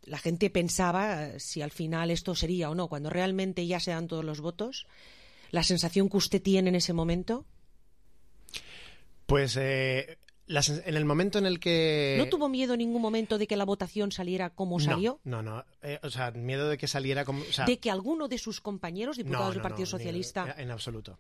la gente pensaba si al final esto sería o no, cuando realmente ya se dan todos los votos, la sensación que usted tiene en ese momento... Pues en el momento en el que... ¿No tuvo miedo en ningún momento de que la votación saliera como salió? No. O sea, miedo de que saliera como... O sea, ¿de que alguno de sus compañeros, diputados del Partido Socialista... En absoluto.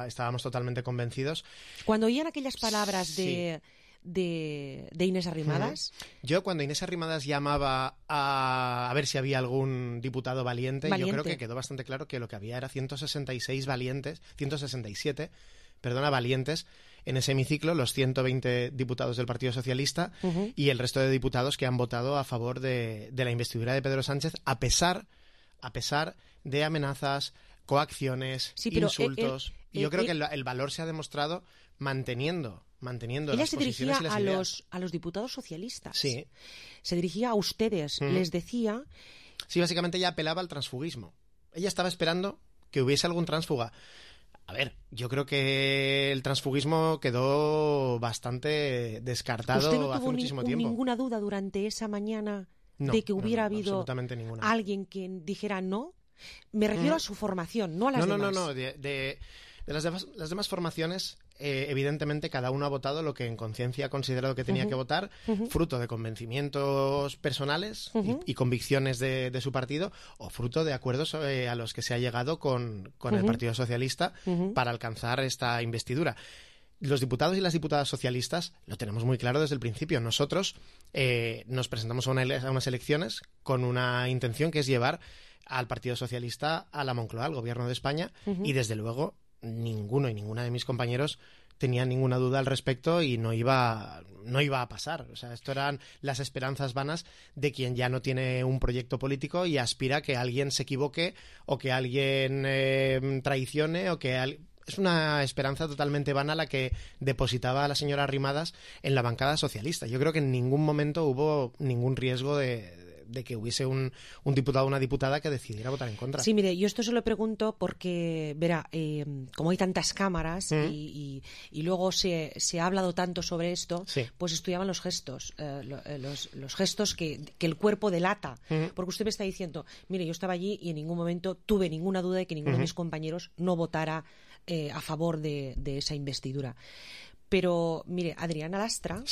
Estábamos totalmente convencidos. Cuando oían aquellas palabras de de Inés Arrimadas. Yo, cuando Inés Arrimadas llamaba a ver si había algún diputado valiente, yo creo que quedó bastante claro que lo que había era 167 valientes en ese hemiciclo, los 120 diputados del Partido Socialista y el resto de diputados que han votado a favor de la investidura de Pedro Sánchez, a pesar de amenazas, coacciones, insultos. Y yo creo que el valor se ha demostrado manteniendo ella las se posiciones dirigía y las ideas. a los diputados socialistas. Sí. Se dirigía a ustedes, les decía... Sí, básicamente ella apelaba al transfugismo. Ella estaba esperando que hubiese algún tránsfuga. A ver, yo creo que el transfugismo quedó bastante descartado ¿Usted no hace tuvo muchísimo tiempo. ninguna duda durante esa mañana de que hubiera habido ninguna. alguien que dijera no? Me refiero a su formación, no a las demás. No. De las demás formaciones, evidentemente cada uno ha votado lo que en conciencia ha considerado que tenía que votar, fruto de convencimientos personales y convicciones de su partido, o fruto de acuerdos a los que se ha llegado con el Partido Socialista para alcanzar esta investidura. Los diputados y las diputadas socialistas lo tenemos muy claro desde el principio. Nosotros nos presentamos a unas elecciones con una intención que es llevar al Partido Socialista a la Moncloa, al Gobierno de España, y desde luego ninguno y ninguna de mis compañeros tenía ninguna duda al respecto y no iba a pasar. O sea, esto eran las esperanzas vanas de quien ya no tiene un proyecto político y aspira a que alguien se equivoque o que alguien traicione o que... Es una esperanza totalmente vana la que depositaba la señora Arrimadas en la bancada socialista. Yo creo que en ningún momento hubo ningún riesgo de que hubiese un diputado o una diputada que decidiera votar en contra. Sí, mire, yo esto se lo pregunto porque, verá, como hay tantas cámaras y luego se ha hablado tanto sobre esto, pues estudiaban los gestos, los gestos que el cuerpo delata. Porque usted me está diciendo, mire, yo estaba allí y en ningún momento tuve ninguna duda de que ninguno de mis compañeros no votara a favor de esa investidura. Pero, mire, Adriana Lastra,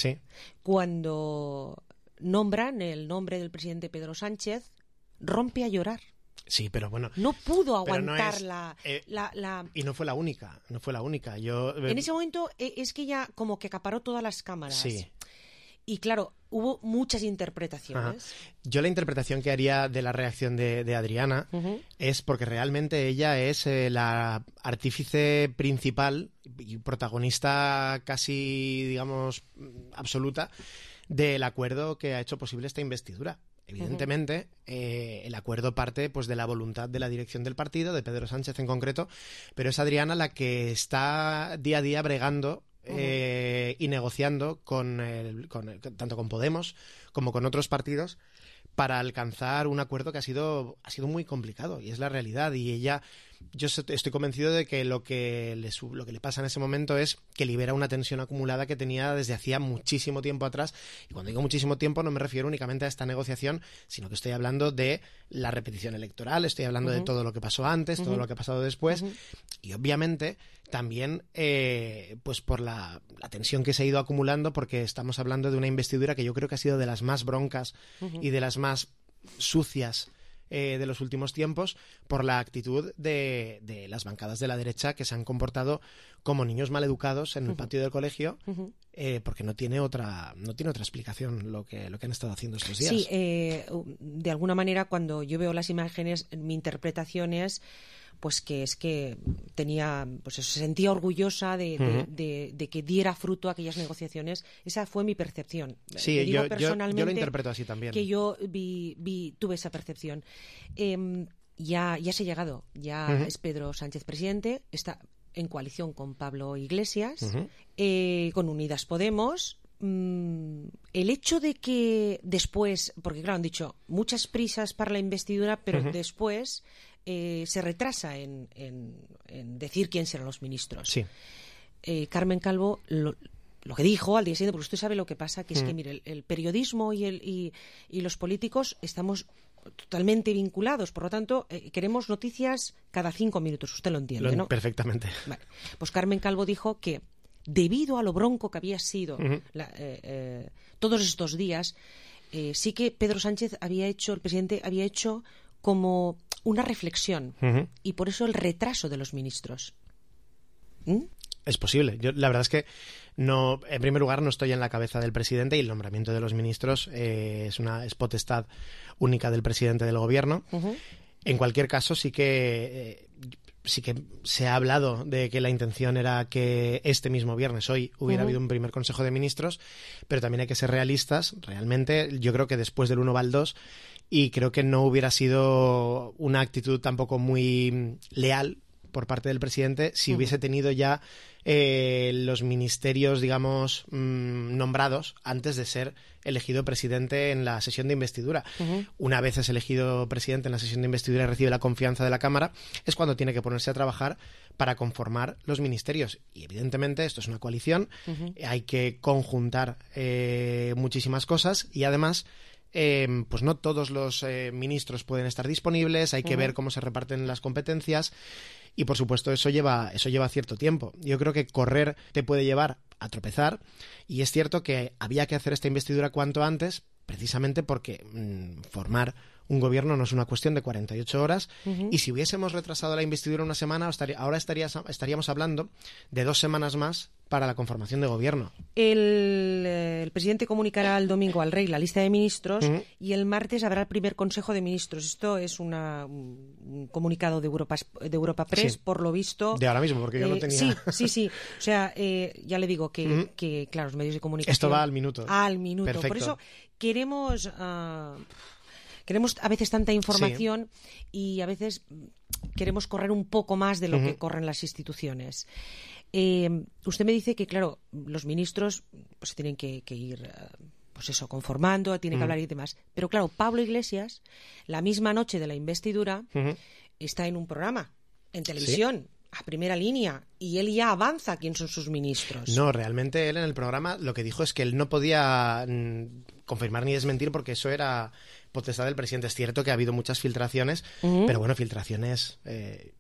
cuando nombran el nombre del presidente Pedro Sánchez, rompe a llorar. Sí, pero bueno... No pudo aguantar Y no fue la única, En ese momento es que ella como que acaparó todas las cámaras. Sí. Y claro, hubo muchas interpretaciones. Yo la interpretación que haría de la reacción de Adriana es porque realmente ella es la artífice principal y protagonista casi, digamos, absoluta del acuerdo que ha hecho posible esta investidura. Evidentemente, el acuerdo parte pues de la voluntad de la dirección del partido, de Pedro Sánchez en concreto, pero es Adriana la que está día a día bregando y negociando tanto con Podemos como con otros partidos para alcanzar un acuerdo que ha sido muy complicado, y es la realidad. Y ella, yo estoy convencido de que lo que le pasa en ese momento es que libera una tensión acumulada que tenía desde hacía muchísimo tiempo atrás. Y cuando digo muchísimo tiempo no me refiero únicamente a esta negociación, sino que estoy hablando de la repetición electoral, estoy hablando de todo lo que pasó antes, todo lo que ha pasado después, y obviamente también pues por la tensión que se ha ido acumulando, porque estamos hablando de una investidura que yo creo que ha sido de las más broncas y de las más sucias de los últimos tiempos, por la actitud de las bancadas de la derecha, que se han comportado como niños maleducados en el patio del colegio, porque no tiene otra explicación lo que han estado haciendo estos días. Sí, de alguna manera cuando yo veo las imágenes, mi interpretación es pues que es que tenía, pues eso, se sentía orgullosa de que diera fruto a aquellas negociaciones. Esa fue mi percepción. Sí, yo lo interpreto así también. Que yo tuve esa percepción. Ya se ha llegado, ya es Pedro Sánchez presidente, está en coalición con Pablo Iglesias, con Unidas Podemos. El hecho de que después, porque claro, han dicho muchas prisas para la investidura, pero después se retrasa en decir quién serán los ministros. Sí. Carmen Calvo lo que dijo al día siguiente, porque usted sabe lo que pasa, que es que mire, el periodismo y los políticos estamos totalmente vinculados, por lo tanto queremos noticias cada 5 minutos, usted lo entiende, ¿no? Perfectamente. Vale. Pues Carmen Calvo dijo que debido a lo bronco que había sido todos estos días, sí que Pedro Sánchez el presidente había hecho como una reflexión y por eso el retraso de los ministros. Es posible. La verdad es que No, en primer lugar, no estoy en la cabeza del presidente y el nombramiento de los ministros es potestad única del presidente del gobierno. En cualquier caso, sí que se ha hablado de que la intención era que este mismo viernes, hoy, hubiera habido un primer Consejo de Ministros, pero también hay que ser realistas. Realmente, yo creo que después del 1 va el 2, y creo que no hubiera sido una actitud tampoco muy leal por parte del presidente si hubiese tenido ya los ministerios, digamos, nombrados antes de ser elegido presidente en la sesión de investidura. Una vez es elegido presidente en la sesión de investidura y recibe la confianza de la Cámara, es cuando tiene que ponerse a trabajar para conformar los ministerios. Y evidentemente esto es una coalición, hay que conjuntar muchísimas cosas, y además pues no todos los ministros pueden estar disponibles, hay que ver cómo se reparten las competencias. Y, por supuesto, eso lleva cierto tiempo. Yo creo que correr te puede llevar a tropezar, y es cierto que había que hacer esta investidura cuanto antes, precisamente porque formar un gobierno no es una cuestión de 48 horas, y si hubiésemos retrasado la investidura una semana, ahora estaríamos hablando de 2 semanas más para la conformación de gobierno. El presidente comunicará el domingo al rey la lista de ministros y el martes habrá el primer Consejo de Ministros. Esto es un comunicado de Europa Press, por lo visto. De ahora mismo, porque yo no tenía... Sí. O sea, ya le digo que, claro, los medios de comunicación... Esto va al minuto. Al minuto. Perfecto. Por eso queremos a veces tanta información y a veces queremos correr un poco más de lo que corren las instituciones. Usted me dice que, claro, los ministros pues tienen que ir conformando, tienen que hablar y demás. Pero, claro, Pablo Iglesias, la misma noche de la investidura, está en un programa, en televisión, a primera línea, y él ya avanza quién son sus ministros. No, realmente él en el programa lo que dijo es que él no podía confirmar ni desmentir, porque eso era potestad del presidente. Es cierto que ha habido muchas filtraciones, pero bueno, filtraciones...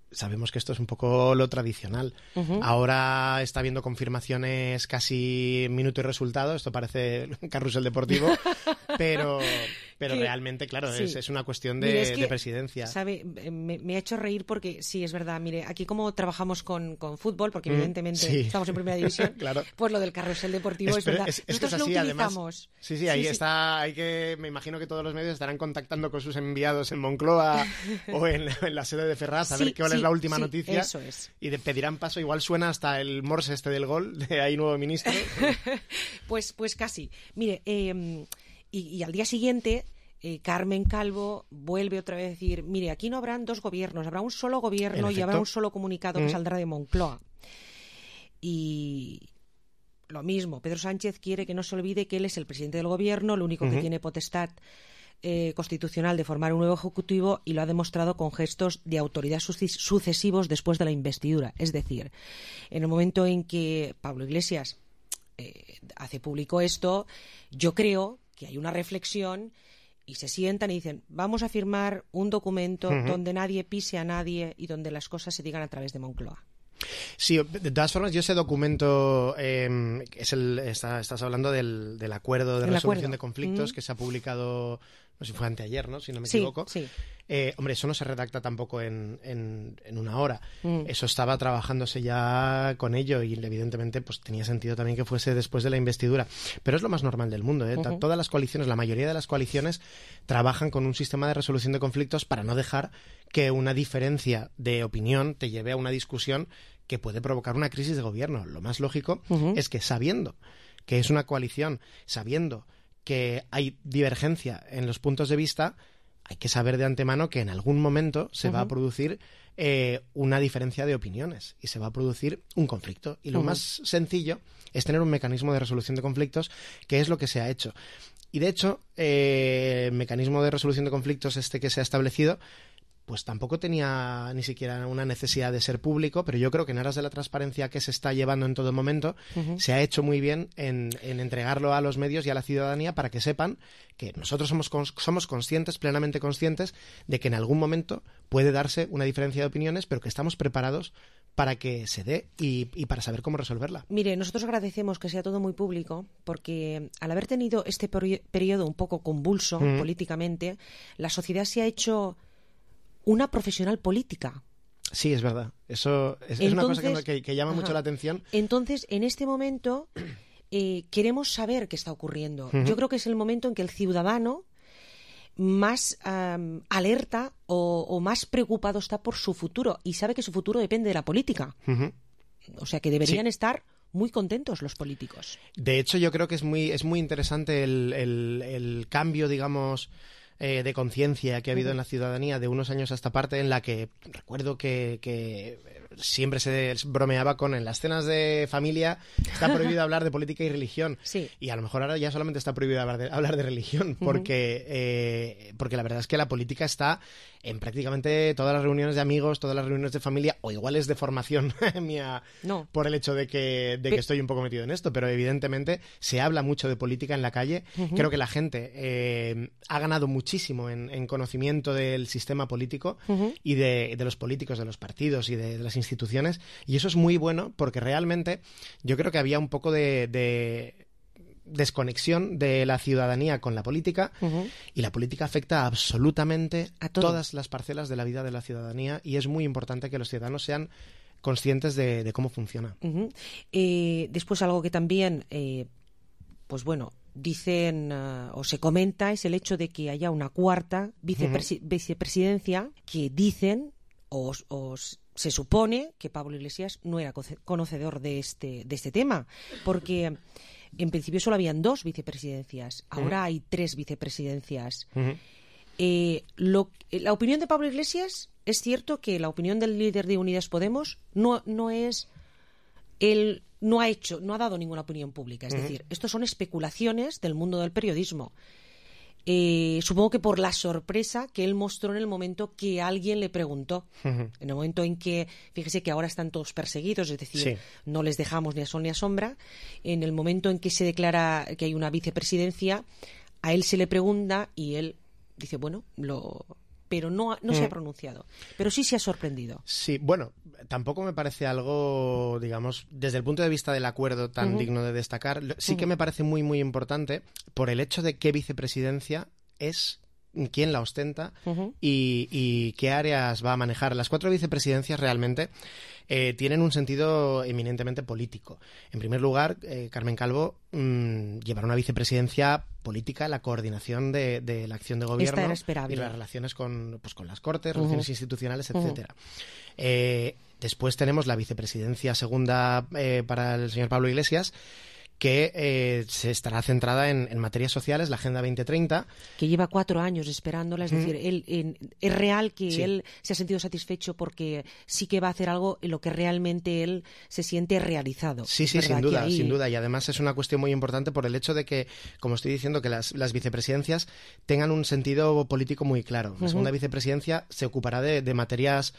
sabemos que esto es un poco lo tradicional. Ahora está habiendo confirmaciones casi minuto y resultado. Esto parece un carrusel deportivo, pero realmente, claro, es una cuestión de presidencia. ¿Sabe? Me ha hecho reír porque sí, es verdad. Mire, aquí como trabajamos con fútbol, porque evidentemente estamos en primera división, claro. Pues lo del carrusel deportivo es verdad. Nosotros lo utilizamos. Además, ahí está. Me imagino que todos los medios estarán contactando con sus enviados en Moncloa o en la sede de Ferraz a ver qué es la última noticia. Eso es. Y pedirán paso. Igual suena hasta el morse del gol de ahí nuevo ministro. pues casi. Mire, y al día siguiente Carmen Calvo vuelve otra vez a decir, mire, aquí no habrán 2 gobiernos, habrá un solo gobierno y habrá un solo comunicado que saldrá de Moncloa. Y lo mismo, Pedro Sánchez quiere que no se olvide que él es el presidente del gobierno, lo único que tiene potestad constitucional de formar un nuevo ejecutivo, y lo ha demostrado con gestos de autoridad sucesivos después de la investidura. Es decir, en el momento en que Pablo Iglesias hace público esto, yo creo que hay una reflexión y se sientan y dicen, vamos a firmar un documento donde nadie pise a nadie y donde las cosas se digan a través de Moncloa. Sí, de todas formas, yo ese documento estás hablando del acuerdo de resolución de conflictos que se ha publicado, no sé si fue anteayer, ¿no? Si no me equivoco. Sí. Hombre, eso no se redacta tampoco en una hora. Eso estaba trabajándose ya con ello, y evidentemente pues tenía sentido también que fuese después de la investidura. Pero es lo más normal del mundo, ¿eh? Todas las coaliciones, la mayoría de las coaliciones, trabajan con un sistema de resolución de conflictos para no dejar que una diferencia de opinión te lleve a una discusión que puede provocar una crisis de gobierno. Lo más lógico es que, sabiendo que es una coalición, sabiendo que hay divergencia en los puntos de vista, hay que saber de antemano que en algún momento se va a producir una diferencia de opiniones y se va a producir un conflicto. Y lo más sencillo es tener un mecanismo de resolución de conflictos, que es lo que se ha hecho. Y de hecho, el mecanismo de resolución de conflictos que se ha establecido, pues tampoco tenía ni siquiera una necesidad de ser público, pero yo creo que en aras de la transparencia que se está llevando en todo momento, se ha hecho muy bien en entregarlo a los medios y a la ciudadanía para que sepan que nosotros somos conscientes, plenamente conscientes, de que en algún momento puede darse una diferencia de opiniones, pero que estamos preparados para que se dé y para saber cómo resolverla. Mire, nosotros agradecemos que sea todo muy público, porque al haber tenido este periodo un poco convulso políticamente, la sociedad se ha hecho una profesional política. Sí, es verdad. Eso es una cosa que llama mucho la atención. Entonces, en este momento, queremos saber qué está ocurriendo. Yo creo que es el momento en que el ciudadano más alerta o más preocupado está por su futuro y sabe que su futuro depende de la política. O sea, que deberían estar muy contentos los políticos. De hecho, yo creo que es muy interesante el cambio, digamos, de conciencia que ha habido en la ciudadanía de unos años a esta parte, en la que recuerdo que siempre se bromeaba con en las cenas de familia está prohibido hablar de política y religión. Sí. Y a lo mejor ahora ya solamente está prohibido hablar de religión, porque la verdad es que la política está en prácticamente todas las reuniones de amigos, todas las reuniones de familia, o igual es de formación mía por el hecho de que estoy un poco metido en esto, pero evidentemente se habla mucho de política en la calle. Creo que la gente ha ganado muchísimo en conocimiento del sistema político y de los políticos, de los partidos y de las instituciones, y eso es muy bueno porque realmente yo creo que había un poco de desconexión de la ciudadanía con la política, y la política afecta absolutamente a todas las parcelas de la vida de la ciudadanía, y es muy importante que los ciudadanos sean conscientes de cómo funciona. Después algo que también pues bueno, dicen o se comenta es el hecho de que haya una cuarta vicepresidencia, que dicen o se supone que Pablo Iglesias no era conocedor de este tema, porque en principio solo habían 2 vicepresidencias, ahora hay 3 vicepresidencias. La opinión de Pablo Iglesias, es cierto que la opinión del líder de Unidas Podemos no es... Él no ha dado ninguna opinión pública, es decir, estos son especulaciones del mundo del periodismo. Supongo que por la sorpresa que él mostró en el momento que alguien le preguntó, en el momento en que, fíjese que ahora están todos perseguidos, es decir, no les dejamos ni a sol ni a sombra, en el momento en que se declara que hay una vicepresidencia, a él se le pregunta y él dice, bueno, pero no se ha pronunciado, pero sí se ha sorprendido. Sí, bueno, tampoco me parece algo, digamos, desde el punto de vista del acuerdo tan digno de destacar. Sí que me parece muy, muy importante por el hecho de qué vicepresidencia es, quién la ostenta y qué áreas va a manejar. Las 4 vicepresidencias realmente tienen un sentido eminentemente político. En primer lugar, Carmen Calvo llevará una vicepresidencia política, la coordinación de la acción de gobierno y las relaciones con las Cortes, relaciones institucionales, etcétera. Después tenemos la vicepresidencia segunda para el señor Pablo Iglesias, que se estará centrada en materias sociales, la Agenda 2030. Que lleva 4 años esperándola, es decir, es real que él se ha sentido satisfecho porque sí que va a hacer algo en lo que realmente él se siente realizado. Sí, sin duda, sin duda. Y además es una cuestión muy importante por el hecho de que, como estoy diciendo, que las vicepresidencias tengan un sentido político muy claro. La segunda vicepresidencia se ocupará de materias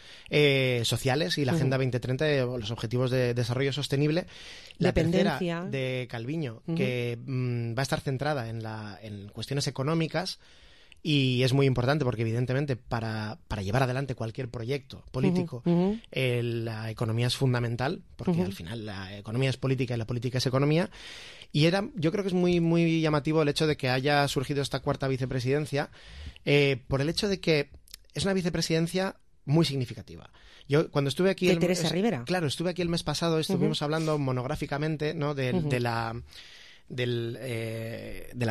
sociales y la Agenda 2030, los Objetivos de Desarrollo Sostenible. La tercera de Calviño, que va a estar centrada en cuestiones económicas, y es muy importante porque evidentemente para llevar adelante cualquier proyecto político la economía es fundamental, porque al final la economía es política y la política es economía, y yo creo que es muy, muy llamativo el hecho de que haya surgido esta 4ª vicepresidencia por el hecho de que es una vicepresidencia muy significativa. Yo cuando estuve aquí... Teresa Rivera. Claro, estuve aquí el mes pasado, estuvimos hablando monográficamente, ¿no?, de la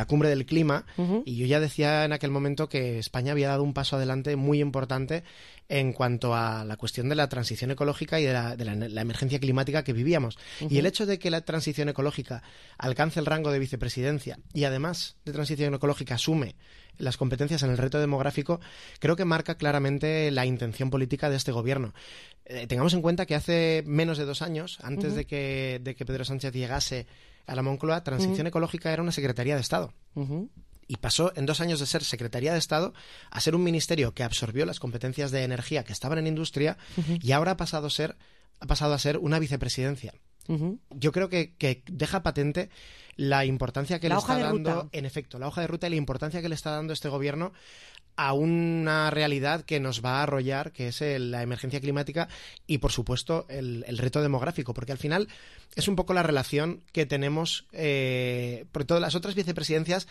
cumbre del clima, y yo ya decía en aquel momento que España había dado un paso adelante muy importante en cuanto a la cuestión de la transición ecológica y de la emergencia climática que vivíamos. Y el hecho de que la transición ecológica alcance el rango de vicepresidencia y además de transición ecológica asume las competencias en el reto demográfico, creo que marca claramente la intención política de este gobierno. Tengamos en cuenta que hace menos de 2 años, antes de que Pedro Sánchez llegase a la Moncloa, transición ecológica era una Secretaría de Estado. Y pasó en 2 años de ser Secretaría de Estado a ser un ministerio que absorbió las competencias de energía que estaban en industria, y ahora ha pasado a ser una vicepresidencia. Yo creo que deja patente la importancia que le está dando, en efecto, la hoja de ruta y la importancia que le está dando este gobierno a una realidad que nos va a arrollar, que es la emergencia climática y, por supuesto, el reto demográfico, porque al final es un poco la relación que tenemos, porque todas las otras vicepresidencias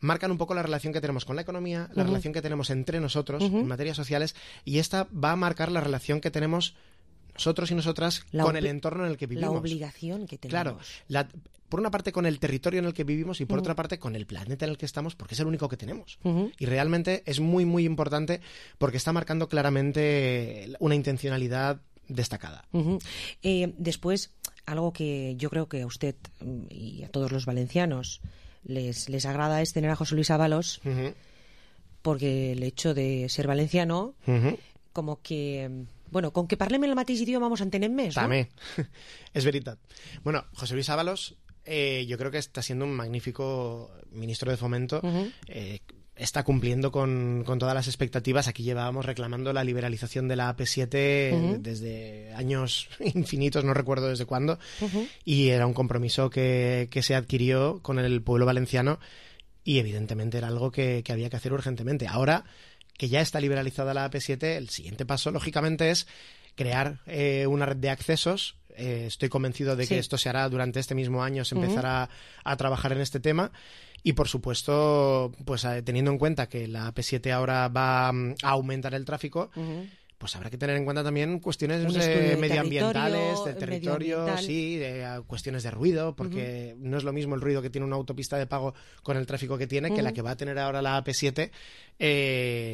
marcan un poco la relación que tenemos con la economía, la relación que tenemos entre nosotros en materias sociales, y esta va a marcar la relación que tenemos nosotros y nosotras con el entorno en el que vivimos. La obligación que tenemos. Claro, por una parte con el territorio en el que vivimos y por otra parte con el planeta en el que estamos, porque es el único que tenemos. Y realmente es muy, muy importante porque está marcando claramente una intencionalidad destacada. Después, algo que yo creo que a usted y a todos los valencianos les agrada es tener a José Luis Ábalos, porque el hecho de ser valenciano, como que... Bueno, con que parlem el mateix idioma vamos a entender més, ¿no? També, és veritat. Bueno, José Luis Ábalos yo creo que está siendo un magnífico ministro de Fomento. Está cumpliendo con todas las expectativas. Aquí llevábamos reclamando la liberalización de la AP7 desde años infinitos, no recuerdo desde cuándo, y era un compromiso que se adquirió con el pueblo valenciano y evidentemente era algo que había que hacer urgentemente. Ahora que ya está liberalizada la AP7, el siguiente paso, lógicamente, es crear una red de accesos. Estoy convencido de que esto se hará durante este mismo año, se empezará a trabajar en este tema. Y, por supuesto, pues teniendo en cuenta que la AP7 ahora va a aumentar el tráfico, pues habrá que tener en cuenta también cuestiones medioambientales, del territorio, cuestiones de ruido, porque no es lo mismo el ruido que tiene una autopista de pago con el tráfico que tiene que la que va a tener ahora la AP7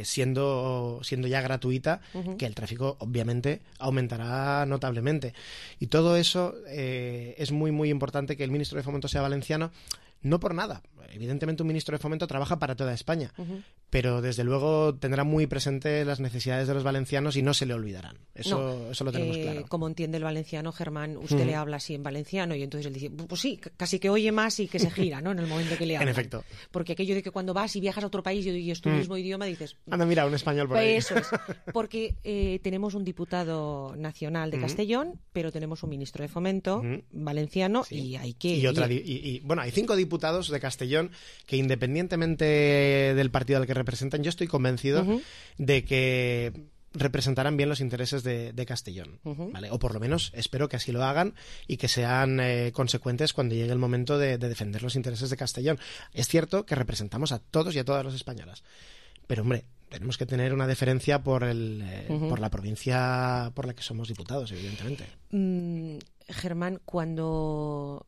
siendo ya gratuita, que el tráfico obviamente aumentará notablemente. Y todo eso es muy, muy importante que el ministro de Fomento sea valenciano. No por nada. Evidentemente un ministro de Fomento trabaja para toda España, pero desde luego tendrá muy presente las necesidades de los valencianos y no se le olvidarán. Eso lo tenemos claro. Como entiende el valenciano, Germán, usted le habla así en valenciano y entonces él dice, pues sí, casi que oye más y que se gira, ¿no? En el momento que le habla. En efecto. Porque aquello de que cuando vas y viajas a otro país y es tu mismo idioma, dices... Anda, mira, un español por ahí. Eso es. Porque tenemos un diputado nacional de Castellón, pero tenemos un ministro de Fomento valenciano y hay que... Bueno, hay 5 diputados de Castellón que, independientemente del partido al que representan, yo estoy convencido de que representarán bien los intereses de Castellón, ¿vale? O por lo menos espero que así lo hagan y que sean consecuentes cuando llegue el momento de defender los intereses de Castellón. Es cierto que representamos a todos y a todas las españolas, pero hombre, tenemos que tener una deferencia por la provincia por la que somos diputados, evidentemente. Germán, cuando...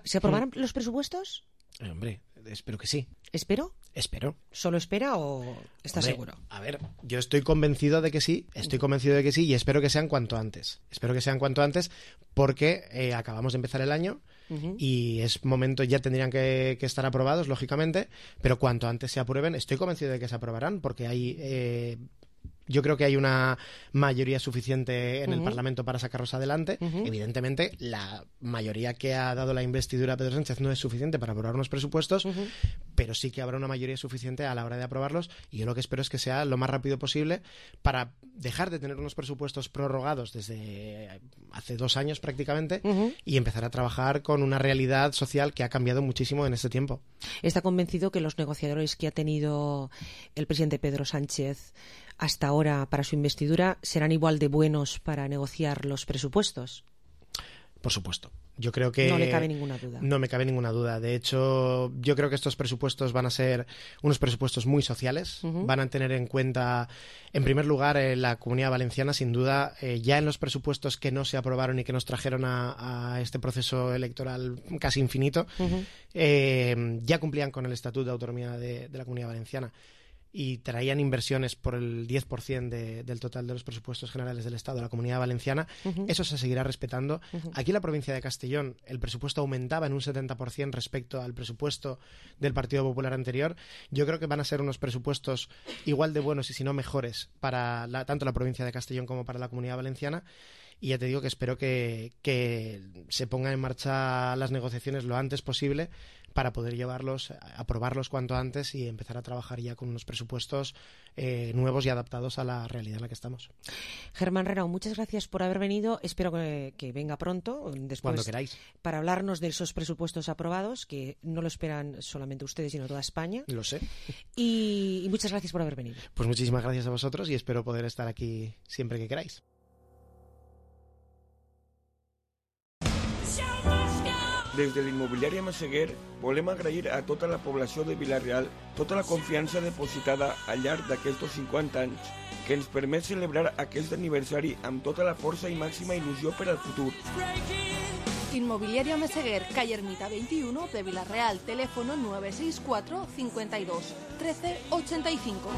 ¿Se aprobarán los presupuestos? Hombre, espero que sí. ¿Espero? Espero. ¿Solo espera o está seguro? A ver, yo estoy convencido de que sí, y espero que sean cuanto antes. Espero que sean cuanto antes porque acabamos de empezar el año y es momento, ya tendrían que estar aprobados, lógicamente, pero cuanto antes se aprueben, estoy convencido de que se aprobarán porque hay... Yo creo que hay una mayoría suficiente en el Parlamento para sacarlos adelante. Evidentemente, la mayoría que ha dado la investidura a Pedro Sánchez no es suficiente para aprobar unos presupuestos, pero sí que habrá una mayoría suficiente a la hora de aprobarlos, y yo lo que espero es que sea lo más rápido posible para dejar de tener unos presupuestos prorrogados desde hace 2 años prácticamente y empezar a trabajar con una realidad social que ha cambiado muchísimo en este tiempo. ¿Está convencido que los negociadores que ha tenido el presidente Pedro Sánchez hasta ahora para su investidura serán igual de buenos para negociar los presupuestos? Por supuesto. Yo creo que... No le cabe ninguna duda. No me cabe ninguna duda. De hecho, yo creo que estos presupuestos van a ser unos presupuestos muy sociales. Van a tener en cuenta, en primer lugar, la Comunidad Valenciana, sin duda. Ya en los presupuestos que no se aprobaron y que nos trajeron a este proceso electoral casi infinito, ya cumplían con el Estatuto de Autonomía de la Comunidad Valenciana y traían inversiones por el 10% del total de los presupuestos generales del Estado a la Comunidad Valenciana. Eso se seguirá respetando. Aquí en la provincia de Castellón el presupuesto aumentaba en un 70% respecto al presupuesto del Partido Popular anterior. Yo creo que van a ser unos presupuestos igual de buenos y si no mejores para tanto la provincia de Castellón como para la Comunidad Valenciana. Y ya te digo que espero que se pongan en marcha las negociaciones lo antes posible para poder aprobarlos cuanto antes y empezar a trabajar ya con unos presupuestos nuevos y adaptados a la realidad en la que estamos. Germán Renau, muchas gracias por haber venido. Espero que venga pronto, después, cuando queráis, para hablarnos de esos presupuestos aprobados, que no lo esperan solamente ustedes, sino toda España. Lo sé. Y muchas gracias por haber venido. Pues muchísimas gracias a vosotros y espero poder estar aquí siempre que queráis. Des de l'immobiliària Masseguer volem agrair a tota la població de Vila-real tota la confiança depositada al llarg d'aquests 50 anys que ens permet celebrar aquest aniversari amb tota la força i màxima il·lusió per al futur. Inmobiliaria Meseguer, calle Ermita 21 de Vila-real, teléfono 964 52 13 85.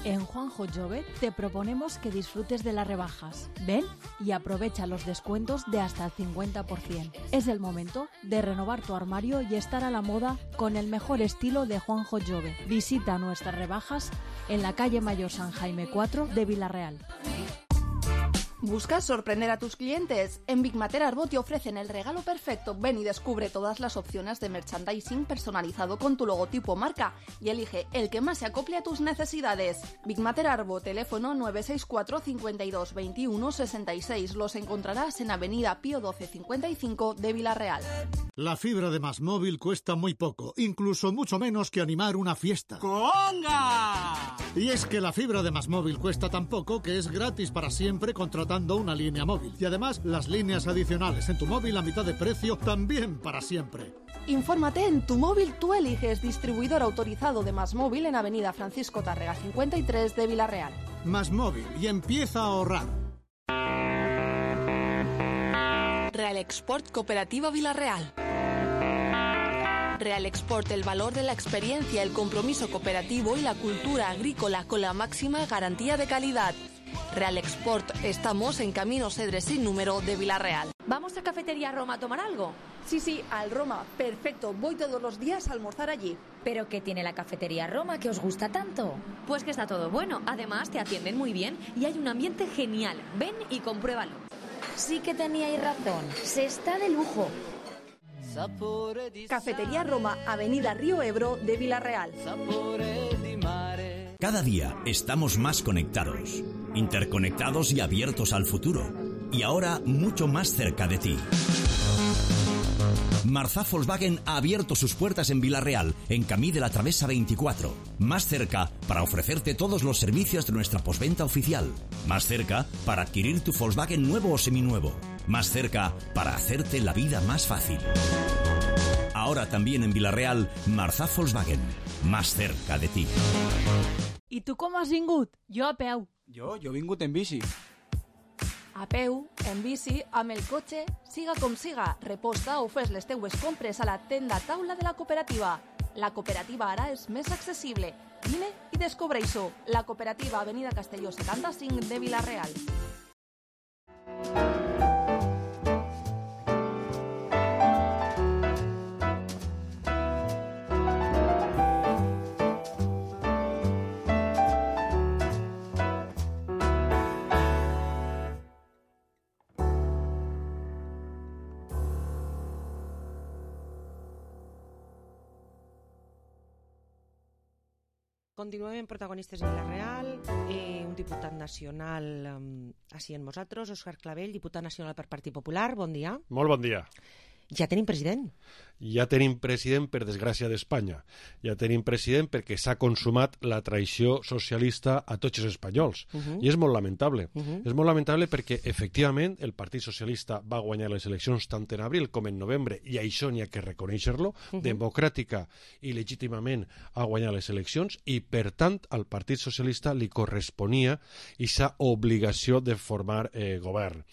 En Juanjo Jove te proponemos que disfrutes de las rebajas. Ven y aprovecha los descuentos de hasta el 50%. Es el momento de renovar tu armario y estar a la moda con el mejor estilo de Juanjo Jove. Visita nuestras rebajas en la calle Mayor San Jaime 4 de Vila-real. ¿Buscas sorprender a tus clientes? En Big Mater Arbo te ofrecen el regalo perfecto. Ven y descubre todas las opciones de merchandising personalizado con tu logotipo marca y elige el que más se acople a tus necesidades. Big Mater Arbo, teléfono 964 52 21 66. Los encontrarás en Avenida Pío 12 55 de Vila-real. La fibra de MásMóvil cuesta muy poco, incluso mucho menos que animar una fiesta. ¡Conga! Y es que la fibra de MásMóvil cuesta tan poco que es gratis para siempre contratando una línea móvil. Y además, las líneas adicionales en tu móvil a mitad de precio también para siempre. Infórmate en Tu Móvil Tú Eliges, distribuidor autorizado de MásMóvil en Avenida Francisco Tárrega 53 de Vila-real. MásMóvil, y empieza a ahorrar. Real Export Cooperativa Vila-real. Real Export, el valor de la experiencia, el compromiso cooperativo y la cultura agrícola con la máxima garantía de calidad. Real Export, estamos en Camino Cedres sin número de Vila-real. ¿Vamos a Cafetería Roma a tomar algo? Sí, al Roma, perfecto, voy todos los días a almorzar allí. ¿Pero qué tiene la Cafetería Roma que os gusta tanto? Pues que está todo bueno, además te atienden muy bien y hay un ambiente genial. Ven y compruébalo. Sí que teníais razón, se está de lujo. Cafetería Roma, Avenida Río Ebro de Vila-real. Cada día estamos más conectados, interconectados y abiertos al futuro. Y ahora mucho más cerca de ti. Marzá Volkswagen ha abierto sus puertas en Vila-real, en Camí de la Travesa 24. Más cerca para ofrecerte todos los servicios de nuestra postventa oficial. Más cerca para adquirir tu Volkswagen nuevo o seminuevo. Más cerca para hacerte la vida más fácil. Ahora también en Vila-real, Marzá Volkswagen. Más cerca de ti. I tu com has vingut? Jo a peu. Jo he vingut en bici. A peu, en bici, amb el cotxe, siga com siga, reposta o fes les teues compres a la tenda taula de la cooperativa. La cooperativa ara és més accessible. Vine i descobreix-ho. La cooperativa Avenida Castelló 75 de Vila-real. Continuem en protagonistes en Vila-real. Un diputat nacional així en nosaltres, Òscar Clavell, diputat nacional per Partit Popular. Bon dia. Molt bon dia. Ja tenim president. Ja tenim president, per desgràcia d'Espanya. Ja tenim president perquè s'ha consumat la traïció socialista a tots els espanyols. I és molt lamentable. És molt lamentable perquè, efectivament, el Partit Socialista va guanyar les eleccions tant en abril com en novembre, i això n'hi ha que reconèixer-lo. Democràtica i legítimament ha guanyat les eleccions, i, per tant, al Partit Socialista li corresponia aquesta obligació de formar govern.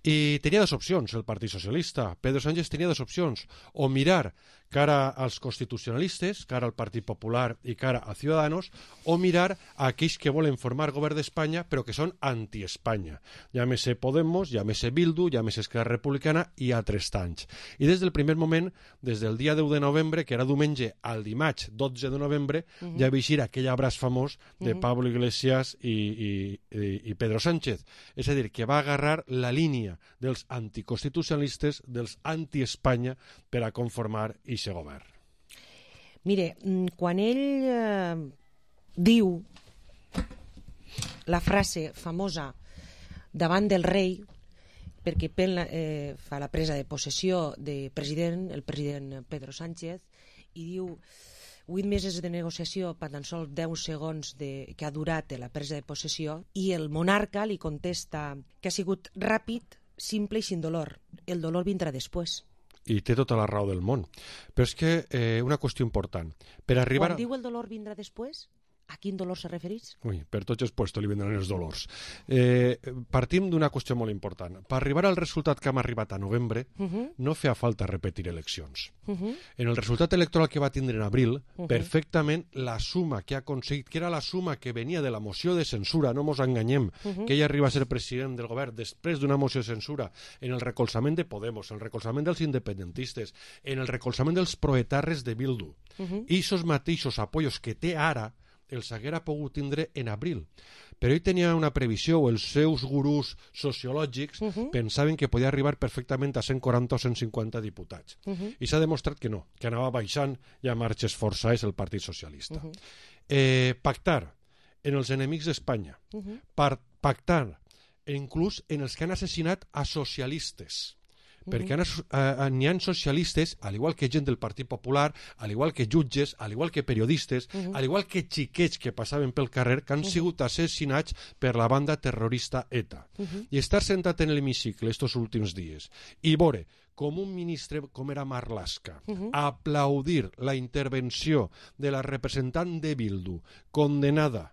I tenia dues opcions el Partit Socialista. Pedro Sánchez tenia dues opcions. O mirar cara als constitucionalistes, cara al Partit Popular i cara a Ciudadanos, o mirar a aquells que volen formar govern d'Espanya però que són anti-Espanya. Llámese Podemos, llámese Bildu, llámese Esquerra Republicana i altres tants. I des del primer moment, des del dia 10 de novembre, que era diumenge, al dimarts 12 de novembre, ja va eixir aquell abraç famós de Pablo Iglesias i Pedro Sánchez. És a dir, que va agarrar la línia dels anticonstitucionalistes, dels anti-Espanya, per a conformar ixe govern. Mire, quan ell diu la frase famosa davant del rei, perquè fa la presa de possessió de president, el president Pedro Sánchez, i diu 8 mesos de negociació per tan sols 10 segons que ha durat la presa de possessió, i el monarca li contesta que ha sigut ràpid, simple i sin dolor. El dolor vindrà després. I té tota la raó del món. Però és que una qüestió important. Per arribar Quan diu el dolor vindrà després, a quin dolor se referís? Ui, per tots els puestos li vindran els dolors. Partim d'una qüestió molt important. Per arribar al resultat que hem arribat a novembre, no feia falta repetir eleccions. En el resultat electoral que va tindre en abril, perfectament la suma que ha aconseguit, que era la suma que venia de la moció de censura, no mos enganyem, que ella arriba a ser president del govern després d'una moció de censura, en el recolzament de Podemos, en el recolzament dels independentistes, en el recolzament dels proetarres de Bildu, i aquests mateixos apoyos que té ara, els haguera pogut tindre en abril. Però ell tenia una previsió, o els seus gurús sociològics pensaven que podia arribar perfectament a 140 o 150 diputats. I s'ha demostrat que no, que anava baixant i a marxes forçades el Partit Socialista. Pactar en els enemics d'Espanya, pactar inclús en els que han assassinat a socialistes, perquè n'hi ha socialistes, al igual que gent del Partit Popular, al igual que jutges, al igual que periodistes, al igual que xiquets que passaven pel carrer, que han sigut assassinats per la banda terrorista ETA. I estar sentat en l'hemicicle estos últims dies i veure com un ministre com era Marlaska aplaudir la intervenció de la representant de Bildu condenada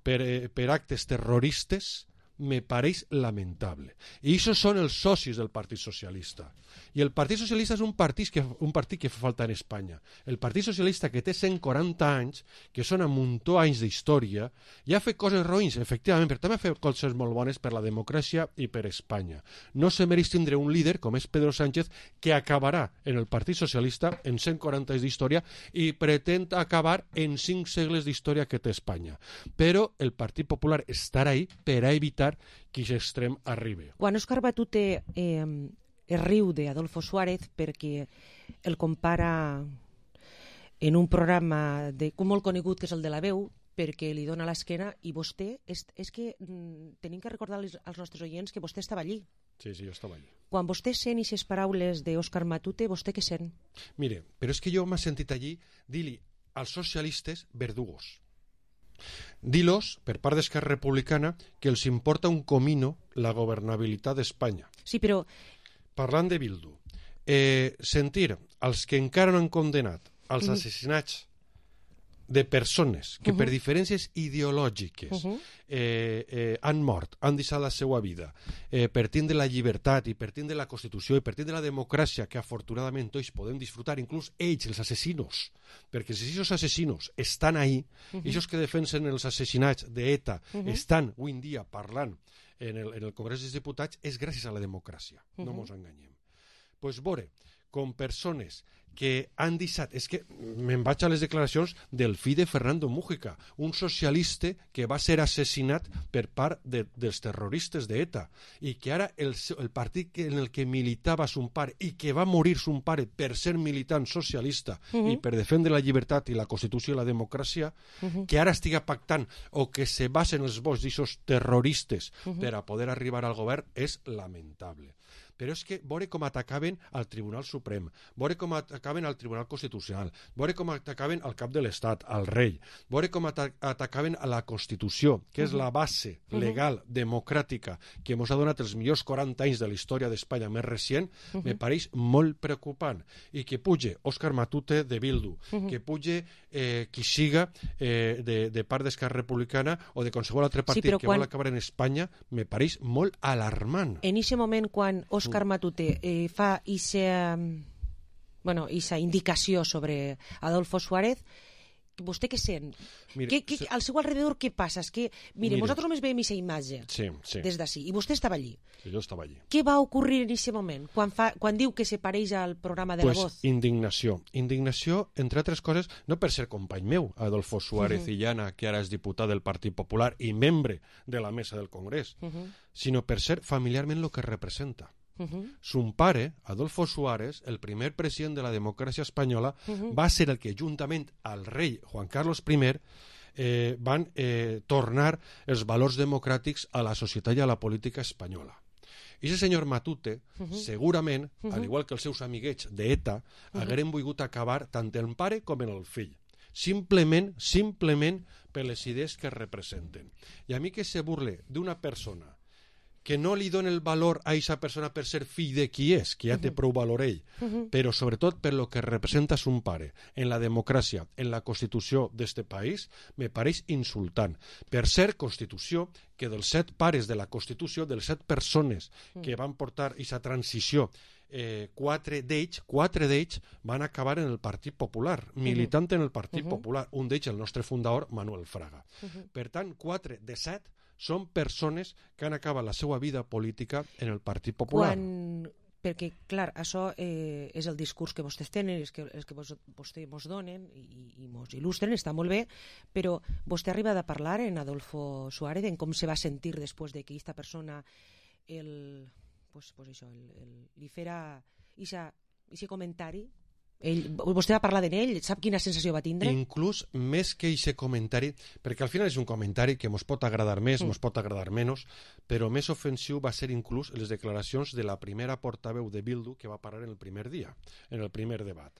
per actes terroristes, me pareix lamentable. I això són els socis del Partit Socialista. I el Partit Socialista és un partit que fa falta en Espanya. El Partit Socialista, que té 140 anys, que són un muntó anys d'història, ja ha fet coses roïns, efectivament, però també ha fet coses molt bones per la democràcia i per Espanya. No se mereix tindre un líder, com és Pedro Sánchez, que acabarà en el Partit Socialista en 140 anys d'història i pretén acabar en 5 segles d'història que té Espanya. Però el Partit Popular estarà ahí per a evitar que aquest extrem arribi. Quan Òscar Matute es riu d'Adolfo Suárez perquè el compara en un programa molt conegut que és el de La Veu, perquè li dona l'esquena, i vostè, és que tenim que recordar als nostres oients que vostè estava allí. Sí, jo estava allí. Quan vostè sent aquestes paraules d'Òscar Matute, vostè què sent? Mire, però és que jo m'he sentit allí dir-li als socialistes verdugos. Dir-los, per part d'Esquerra Republicana, que els importa un comino la governabilitat d'Espanya. Sí, però... Parlant de Bildu, sentir els que encara no han condenat els assassinats de persones que per diferències ideològiques han mort, han deixat la seva vida per tindre la llibertat i per tindre la Constitució i per tindre la democràcia que afortunadament tots podem disfrutar, inclús ells, els assassinos, perquè si aquests assassinos estan ahí, i els que defensen els assassinats d'ETA estan avui en dia parlant en el Congrés dels Diputats, és gràcies a la democràcia, no ens enganyem. Doncs veure, com persones que han deixat... És que me'n vaig a les declaracions del fill de Fernando Mújica, un socialista que va ser assassinat per part dels terroristes d'ETA i que ara el partit en el que militava son pare i que va morir son pare per ser militant socialista i per defendre la llibertat i la Constitució i la democràcia, que ara estiga pactant o que se basen els vots d'aquests terroristes per a poder arribar al govern és lamentable. Però és que veure com atacaven al Tribunal Suprem, veure com atacaven al Tribunal Constitucional, veure com atacaven al cap de l'Estat, al rei, veure com atacaven a la Constitució, que és la base legal, democràtica, que ens ha donat els millors 40 anys de la història d'Espanya més recent, me pareix molt preocupant. I que puge Òscar Matute de Bildu, que puge qui siga de part d'Esquerra Republicana o de qualsevol altre partit que vol acabar en Espanya, me pareix molt alarmant. En aquest moment, quan Òscar Matute fa aquesta indicació sobre Adolfo Suárez, vostè què sent? Al seu alrededor què passa? És que, mire, nosaltres només veiem aquesta imatge des d'ací, i vostè estava allí. Sí, jo estava allí. Què va ocorrir en aquest moment, quan diu que se pareix al programa de La Voz? Indignació. Indignació, entre altres coses, no per ser company meu, Adolfo Suárez Illana, que ara és diputat del Partit Popular i membre de la mesa del Congrés, sinó per ser familiarment el que representa. Son pare, Adolfo Suárez, el primer president de la democràcia espanyola, va ser el que juntament al rei Juan Carlos I van tornar els valors democràtics a la societat i a la política espanyola. I aquest senyor Matute, segurament, al igual que els seus amiguets d'ETA, hagueren volgut acabar tant el pare com el fill. Simplement per les idees que representen. I a mi que se burle d'una persona que no li doni el valor a aquesta persona per ser fill de qui és, que ja té prou valor ell, però sobretot per lo que representa son pare en la democràcia, en la Constitució d'este país, me pareix insultant. Per ser Constitució, que dels 7 pares de la Constitució, de les 7 persones que van portar aquesta transició, 4 d'ells van acabar en el Partit Popular, militant en el Partit Popular, un d'ells el nostre fundador, Manuel Fraga. Per tant, 4 de 7 són persones que han acabat la seva vida política en el Partit Popular. Perquè, clar, això és el discurs que vostès tenen, és que vostès mos donen i mos il·lustren, està molt bé, però vostè ha arribat a parlar en Adolfo Suárez en com se va sentir després de que aquesta persona li fera aquest comentari. Vostè va parlar d'ell, sap quina sensació va tindre? Inclús més que aquest comentari, perquè al final és un comentari que ens pot agradar més, ens pot agradar menys, però més ofensiu va ser inclús les declaracions de la primera portaveu de Bildu que va parar en el primer dia, en el primer debat.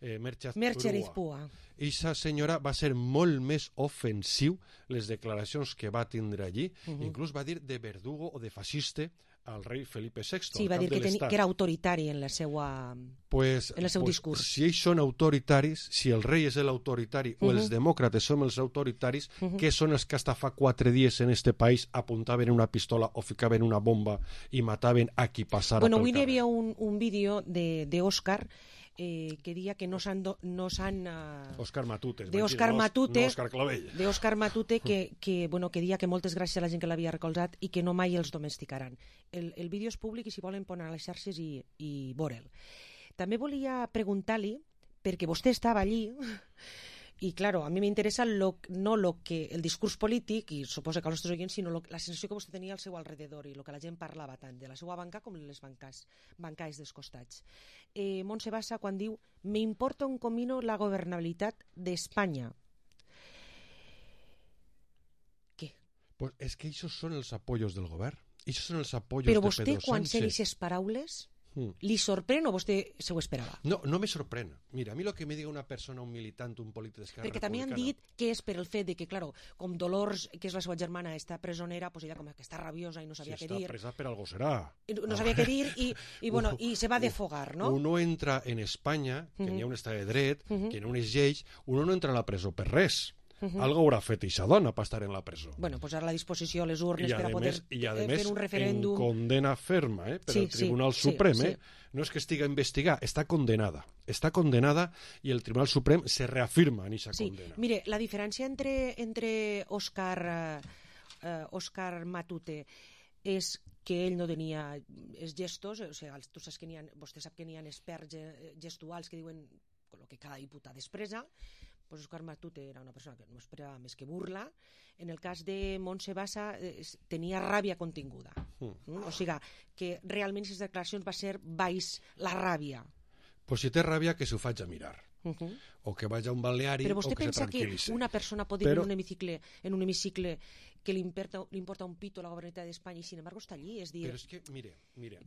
Merche Arizpua. Eixa senyora va ser molt més ofensiu les declaracions que va tindre allí, inclús va dir de verdugo o de fascista al rei Felipe VI. Sí, va dir que era autoritari en el seu discurs. Si ells són autoritaris, si el rei és l'autoritari o els demòcrates som els autoritaris, què són els que hasta fa 4 dies en este país apuntaven una pistola o ficaven una bomba i mataven a qui passara pel carrer? Avui hi havia un vídeo d'Òscar que dia que no s'han... Òscar Matute. D'Òscar Matute. No Òscar Clavell. D'Òscar Matute que dia que moltes gràcies a la gent que l'havia recolzat i que no mai els domesticaran. El vídeo és públic i si volen ponen a les xarxes i veure'l. També volia preguntar-li, perquè vostè estava allí, i claro, a mi m'interessa no el discurs polític, i suposo que als nostres oients, sinó la sensació que vostè tenia al seu alrededor i el que la gent parlava tant de la seva banca com de les bancais dels costats. Montse Bassa quan diu «Me importa un comino la governabilitat d'Espanya». Què? Pues és que això són els apoyos del govern. Això són els apoyos de Pedro Sánchez. Però vostè, quan sé aquestes paraules, li sorprèn o vostè se ho esperava? No me sorprèn. Mira, a mi el que me diga una persona, un militant, un polític d'Esquerra Republicana... Perquè també han dit que és per el fet de que, claro, com Dolors, que és la seva germana, està presonera, pues ella com que està rabiosa i no sabia què dir. Si està presa per algo serà. No sabia què dir i se va defogar, no? Uno entra en Espanya, que n'hi ha un estat de dret, que no es lleig, uno no entra a la presó per res. Algo haurà fet eixa dona per estar en la presó. Bueno, posar a la disposició les urnes per a poder fer un referèndum. En condena ferma per al Tribunal Suprem. No és que estiga investigada, està condenada. Està condenada i el Tribunal Suprem se reafirma en eixa condena. Mire, la diferència entre Òscar Matute és que ell no tenia els gestos, o sigui, vostè sap que n'hi ha experts gestuals que diuen el que cada diputat expressa. Pues Òscar Matute era una persona que no esperava més que burla. En el cas de Montse Bassa tenia ràbia continguda. O sigui, que realment aquestes declaracions va ser baix la ràbia. Pues si té ràbia, que s'ho faig a mirar. O que vagi a un balneari o que se tranquil·litzi. Però vostè pensa que una persona pot dir en un hemicicle que li importa un pito la governabilitat d'Espanya i sin embargo està allí, és dir... Però és que, mire...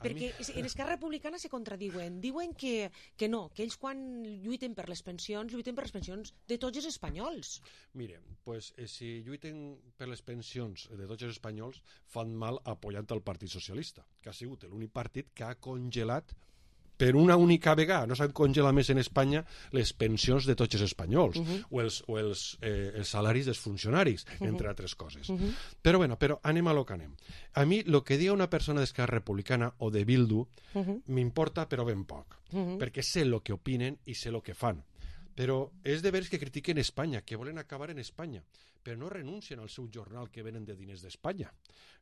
Perquè en Esquerra Republicana se contradiuen. Diuen que no, que ells quan lluiten per les pensions de tots els espanyols. Mire, pues si lluiten per les pensions de tots els espanyols fan mal apoyant el Partit Socialista, que ha sigut l'únic partit que ha congelat per una única vegada, no s'han congelat més en Espanya les pensions de tots els espanyols o els salaris dels funcionaris, entre altres coses. Però anem a lo que anem. A mi el que diga una persona d'Esquerra Republicana o de Bildu m'importa però ben poc, perquè sé el que opinen i sé el que fan. Però és de veres que critiquen Espanya, que volen acabar en Espanya, però no renuncien al seu jornal que venen de diners d'Espanya.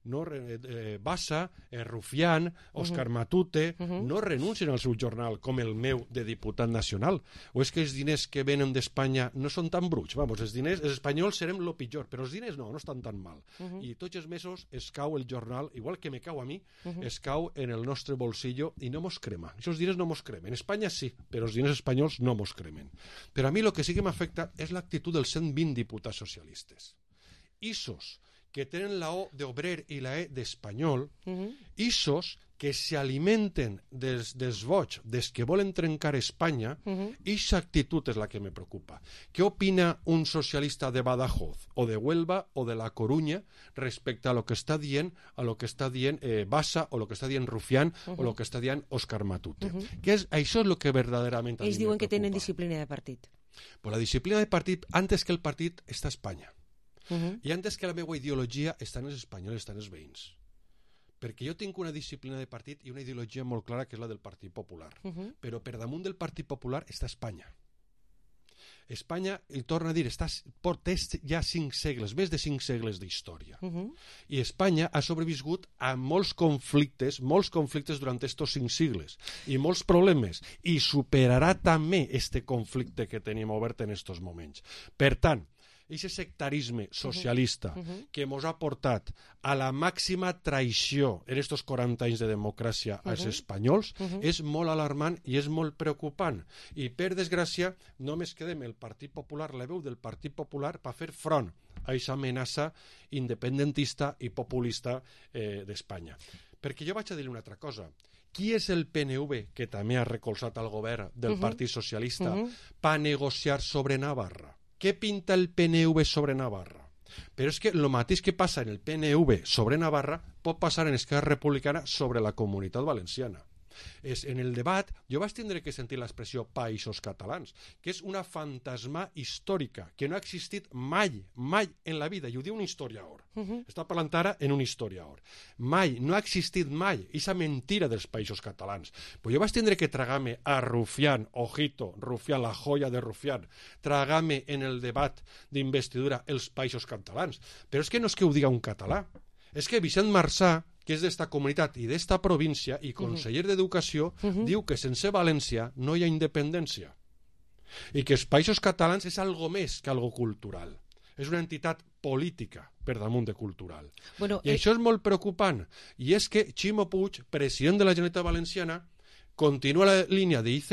Bassa, Rufián, Òscar Matute, no renuncien al seu jornal com el meu de diputat nacional. O és que els diners que venen d'Espanya no són tan bruts? Vamos, els espanyols serem lo pitjor, però els diners no estan tan mal. I tots els mesos es cau el jornal, igual que me cau a mi, es cau en el nostre bolsillo i no mos crema. Aquests diners no mos cremen. En Espanya sí, però els diners espanyols no mos cremen. Però a mi el que sí que m'afecta és l'actitud dels 120 diputats socialistes. Isos que tenen la O d'obrer i la E d'espanyol, isos que s'alimenten dels boig, des que volen trencar Espanya, i aquesta actitud és la que me preocupa. Què opina un socialista de Badajoz, o de Huelva, o de La Coruña, respecte a lo que està dient, Bassa, o lo que està dient Rufián, o lo que està dient Òscar Matute? Això és el que verdaderament a mi me preocupa. Ells diuen que tenen disciplina de partit. Pues la disciplina de partit, antes que el partit, està a Espanya. I antes que la meva ideologia estan els espanyols, estan els veïns. Perquè jo tinc una disciplina de partit i una ideologia molt clara, que és la del Partit Popular. Però per damunt del Partit Popular està Espanya. Espanya, i torno a dir, té ja 5 segles, més de 5 segles d'història. I Espanya ha sobreviscut a molts conflictes durant estos 5 segles, i molts problemes, i superarà també este conflicte que tenim obert en estos moments. Per tant, aquest sectarisme socialista que ens ha portat a la màxima traïció en estos 40 anys de democràcia als espanyols és molt alarmant i és molt preocupant. I per desgràcia només quedem el Partit Popular, la veu del Partit Popular, per fer front a aquesta amenaça independentista i populista d'Espanya. Perquè jo vaig a dir una altra cosa. Qui és el PNV, que també ha recolzat el govern del Partit Socialista, per negociar sobre Navarra? Què pinta el PNV sobre Navarra? Però és que el mateix que passa en el PNV sobre Navarra pot passar en Esquerra Republicana sobre la Comunitat Valenciana. En el debat jo vaig tindre que sentir l'expressió Països Catalans, que és una fantasma històrica que no ha existit mai en la vida, i ho diu un historiador. Està parlant ara en un historiador. No ha existit mai aquesta mentira dels Països Catalans. Però jo vaig tindre que tragar-me a Rufián, ojito, Rufián, la joia de Rufián, tragar-me en el debat d'investidura els Països Catalans. Però és que no és que ho diga un català, és que Vicent Marçà, que és d'esta comunitat i d'esta província i conseller d'Educació, diu que sense València no hi ha independència i que els Països Catalans és algo més que algo cultural. És una entitat política per damunt de cultural. I això és molt preocupant. I és que Ximo Puig, president de la Generalitat Valenciana, continua la línia d'IZ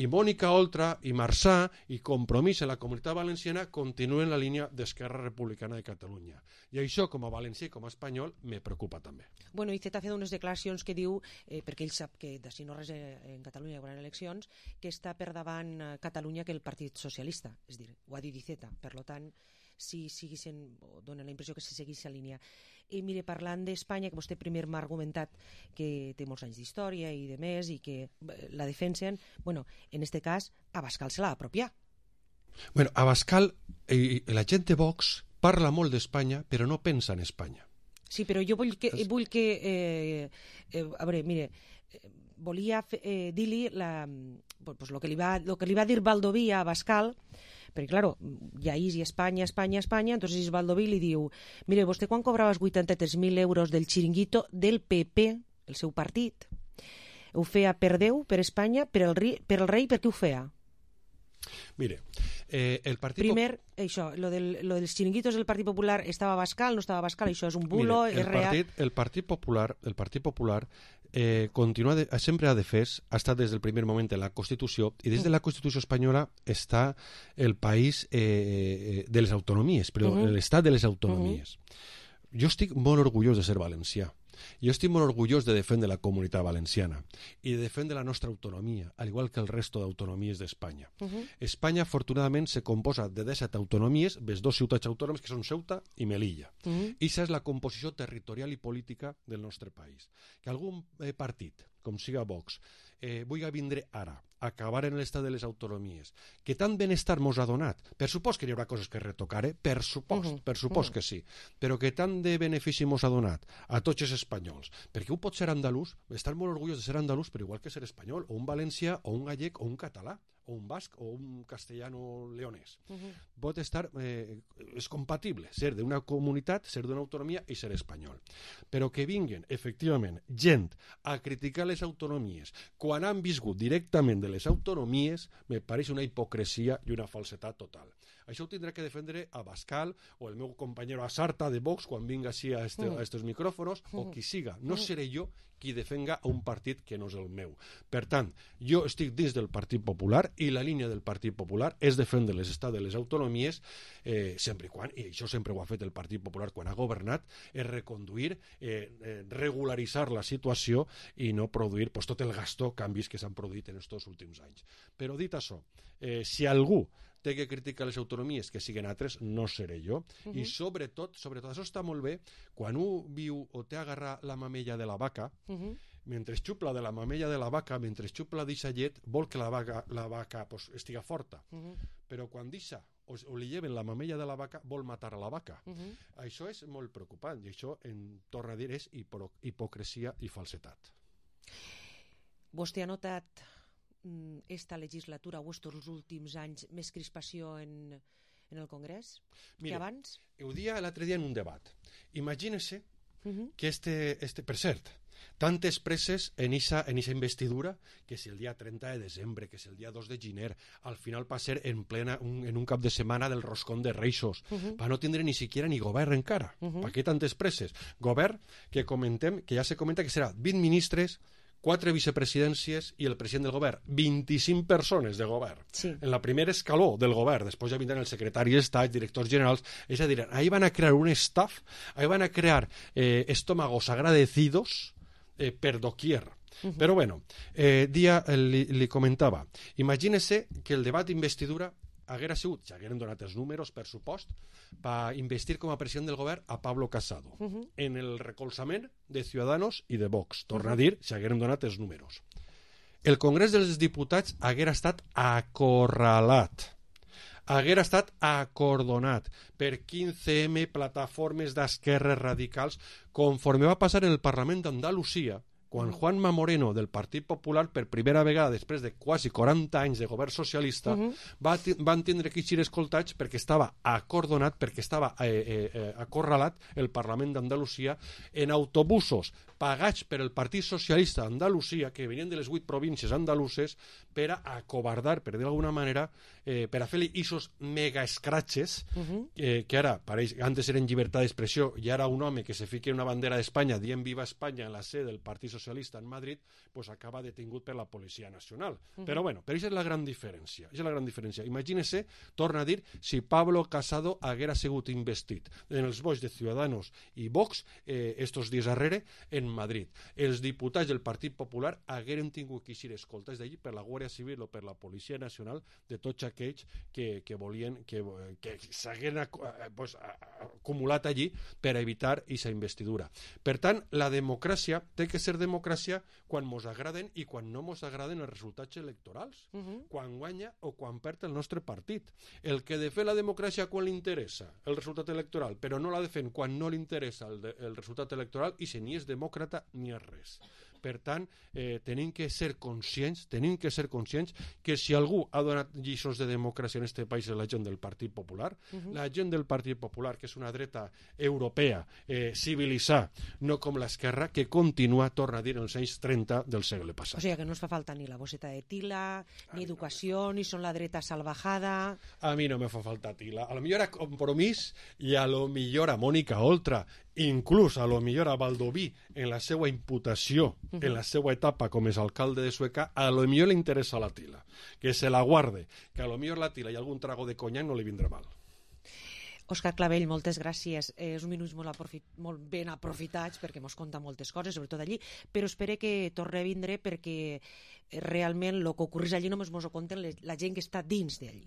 i Mònica Oltra i Marçà i Compromís en la Comunitat Valenciana continuen la línia d'Esquerra Republicana de Catalunya. I això, com a valencià i com a espanyol, me preocupa també. Bueno, IZ ha fet unes declaracions que diu, perquè ell sap que si no res en Catalunya hi haurà eleccions, que està per davant Catalunya que el Partit Socialista. És dir, ho ha dit IZ. Per tant, si dona la impressió que se seguís la línia. I mire, parlant d'Espanya, que vostè primer m'ha argumentat que té molts anys d'història i de més, i que la defensen, bueno, en este cas, Abascal se l'ha apropiat. Bueno, Abascal, la gent de Vox parla molt d'Espanya, però no pensa en Espanya. Sí, però jo vull que a veure, mire, volia dir-li el que li va dir Baldoví a Abascal, perquè, claro, ja és Espanya, entonces Baldoví li diu, mire, vostè quan cobrava els 83.000 euros del xiringuito del PP, el seu partit, ho feia per Déu, per Espanya, per el rei, per què ho feia? Mire, el Partit Primer, això, lo dels xiringuitos del Partit Popular estava Abascal, no estava Abascal, això és un bulo, és real. El Partit Popular sempre ha defès, ha estat des del primer moment en la Constitució, i des de la Constitució espanyola està el país de les autonomies, però l'estat de les autonomies. Jo estic molt orgullós de ser valencià. Jo estic molt orgullós de defendre la Comunitat Valenciana i de defendre la nostra autonomia, al igual que el resto d'autonomies d'Espanya. Espanya, afortunadament, se composa de 17 autonomies, les 2 ciutats autònomes, que són Ceuta i Melilla. I aquesta és la composició territorial i política del nostre país. Que algun partit, com siga Vox, vulgui vindre ara, acabar en l'estat de les autonomies, que tant benestar mos ha donat, per supost que hi haurà coses que retocar, per supost que sí, però que tant de benefici mos ha donat a tots els espanyols, perquè un pot ser andalús, estar molt orgullós de ser andalús, però igual que ser espanyol, o un valencià, o un gallec, o un català, o un basc, o un castellano leonès. Pot estar, és compatible ser d'una comunitat, ser d'una autonomia i ser espanyol. Però que vinguen, efectivament, gent a criticar les autonomies quan han viscut directament de les autonomies, me pareix una hipocresia i una falsetat total. Això ho tindrà que defendre Abascal o el meu company Asarta de Vox quan vinga així a estos micròfonos, o qui siga. No seré jo qui defenga un partit que no és el meu. Per tant, jo estic dins del Partit Popular i la línia del Partit Popular és defendre l'estat de les autonomies sempre i quan, i això sempre ho ha fet el Partit Popular quan ha governat, és reconduir, regularitzar la situació i no produir tot el gasto, canvis que s'han produït en aquests últims anys. Però dit això, si algú té que criticar les autonomies que siguin altres, no seré jo. I sobretot, això està molt bé, quan un viu o té agarrar la mamella de la vaca, mentre xupla de la mamella de la vaca, mentre xupla d'aquesta llet, vol que la vaca estiga forta. Però quan deixa o li lleven la mamella de la vaca, vol matar a la vaca. Això és molt preocupant i això, torna a dir, és hipocresia i falsetat. Vostè ha notat esta legislatura o estos últims anys més crispació en el Congrés que abans? Ho dia l'altre dia en un debat. Imagínese que per cert, tantes presses en eixa investidura, que si el dia 30 de desembre, que si el dia 2 de gener, al final va ser en un cap de setmana del roscón de Reixos, per no tindre ni siquiera ni govern encara. Per què tantes presses? Govern que ja se comenta que serà 20 ministres, 4 vicepresidències i el president del govern. 25 persones de govern. Sí. En la primera escaló del govern. Després ja vindran el secretari d'Estat, directors generals. És a dir, ahí van a crear un staff, ahí van a crear estómagos agradecidos per doquier. Però bueno, li comentava, imagínese que el debat d'investidura haguera sigut, si hagueren donat els números, per supost, per investir com a president del govern a Pablo Casado, en el recolzament de Ciudadanos i de Vox. Torna a dir, si hagueren donat els números. El Congrés dels Diputats haguera estat acorralat, haguera estat acordonat per 15M, plataformes d'esquerres radicals, conforme va passar en el Parlament d'Andalusia, quan Juanma Moreno, del Partit Popular, per primera vegada, després de quasi 40 anys de govern socialista, van tindre que ser escoltats perquè estava acordonat, perquè estava acorralat el Parlament d'Andalusia en autobusos pagats per el Partit Socialista d'Andalusia, que venien de les 8 províncies andaluses, per a acobardar, per dir d'alguna manera, per a fer-li isos mega escratxes, que ara, antes eren llibertat d'expressió, i ara un home que se fiqui una bandera d'Espanya dient Viva Espanya en la sede del Partit Socialista en Madrid, pues acaba detingut per la Policia Nacional. Però bueno, però això és la gran diferència. Imagínese, torna a dir, si Pablo Casado haguera sigut investit en els vots de Ciudadanos i Vox estos dies darrere en Madrid. Els diputats del Partit Popular hagueren tingut que ser escoltats d'allí per la Guàrdia Civil o per la Policia Nacional de tots aquells que volien que s'hagueren acumulat allí per evitar aquesta investidura. Per tant, la democràcia té que ser democràcia quan mos agraden i quan no mos agraden els resultats electorals, quan guanya o quan perd el nostre partit. El que defèn la democràcia quan li interessa el resultat electoral, però no la defèn quan no li interessa el resultat electoral, i si ni és demòcrata ni és res. Per tant, tenim que ser conscients que si algú ha donat lliçons de democràcia en aquest país és la gent del Partit Popular, la gent del Partit Popular, que és una dreta europea, civilitzada, no com l'esquerra, que continua, torna a dir, en els anys 30 del segle passat. O sigui que no es fa falta ni la bosseta de tila, ni educació, ni són la dreta salvajada... A mi no me fa falta tila. A lo millor a Compromís i a lo millor a Mònica Oltra, inclús a lo millor a Baldoví en la seva imputació, en la seva etapa com és alcalde de Sueca, a lo millor li interessa la tila, que se la guarde, que a lo millor la tila i algun trago de conyac no li vindrà mal. Òscar Clavell, moltes gràcies. És un minuts molt ben aprofitats perquè mos conta moltes coses, sobretot allí, però espero que torni a vindre perquè realment el que ocorreix allí només mos ho conten la gent que està dins d'allí.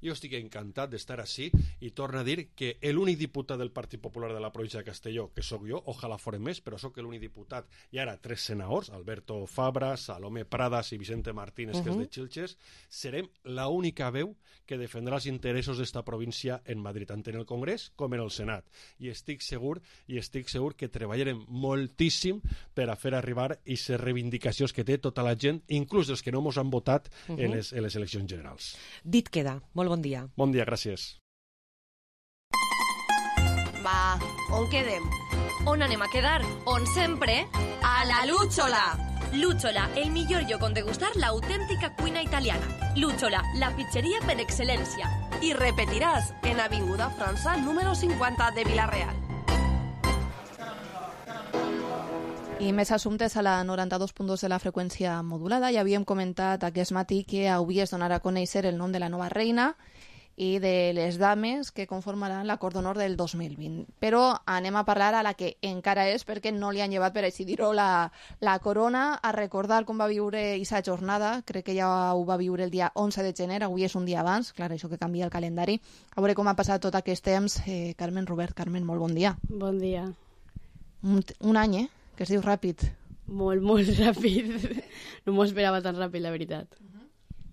Jo estic encantat d'estar així i torno a dir que l'únic diputat del Partit Popular de la província de Castelló, que sóc jo, ojalà fora més, però sóc l'únic diputat, i ara 3 senadors, Alberto Fabra, Salomé Pradas i Vicente Martínez, que és de Xilxes, serem l'única veu que defendrà els interessos d'esta província en Madrid, tant en el Congrés com en el Senat. I estic segur que treballarem moltíssim per a fer arribar aquestes reivindicacions que té tota la gent, inclús els que no mos han votat en les eleccions generals. Dit queda. Molt bon dia. Bon dia, gràcies. Va, on quedem? On anem a quedar? On sempre? A la Lúchola! Lúchola, el millor lloc on degustar l'autèntica cuina italiana. Lúchola, la pizzeria per excel·lència. I repetiràs en Avinguda França número 50 de Vila-real. I més assumptes a la 92.2 de la freqüència modulada. Ja havíem comentat aquest matí que avui es donarà a conèixer el nom de la nova reina i de les dames que conformaran l'acord d'honor del 2020. Però anem a parlar a la que encara és, perquè no li han llevat, per així dir-ho, la corona, a recordar com va viure aquesta jornada. Crec que ja ho va viure el dia 11 de gener, avui és un dia abans, clar, això que canvia el calendari. A veure com ha passat tot aquest temps. Carmen Robert, Carmen, molt bon dia. Bon dia. Un any, que es diu ràpid. Molt, molt ràpid. No m'ho esperava tan ràpid, la veritat.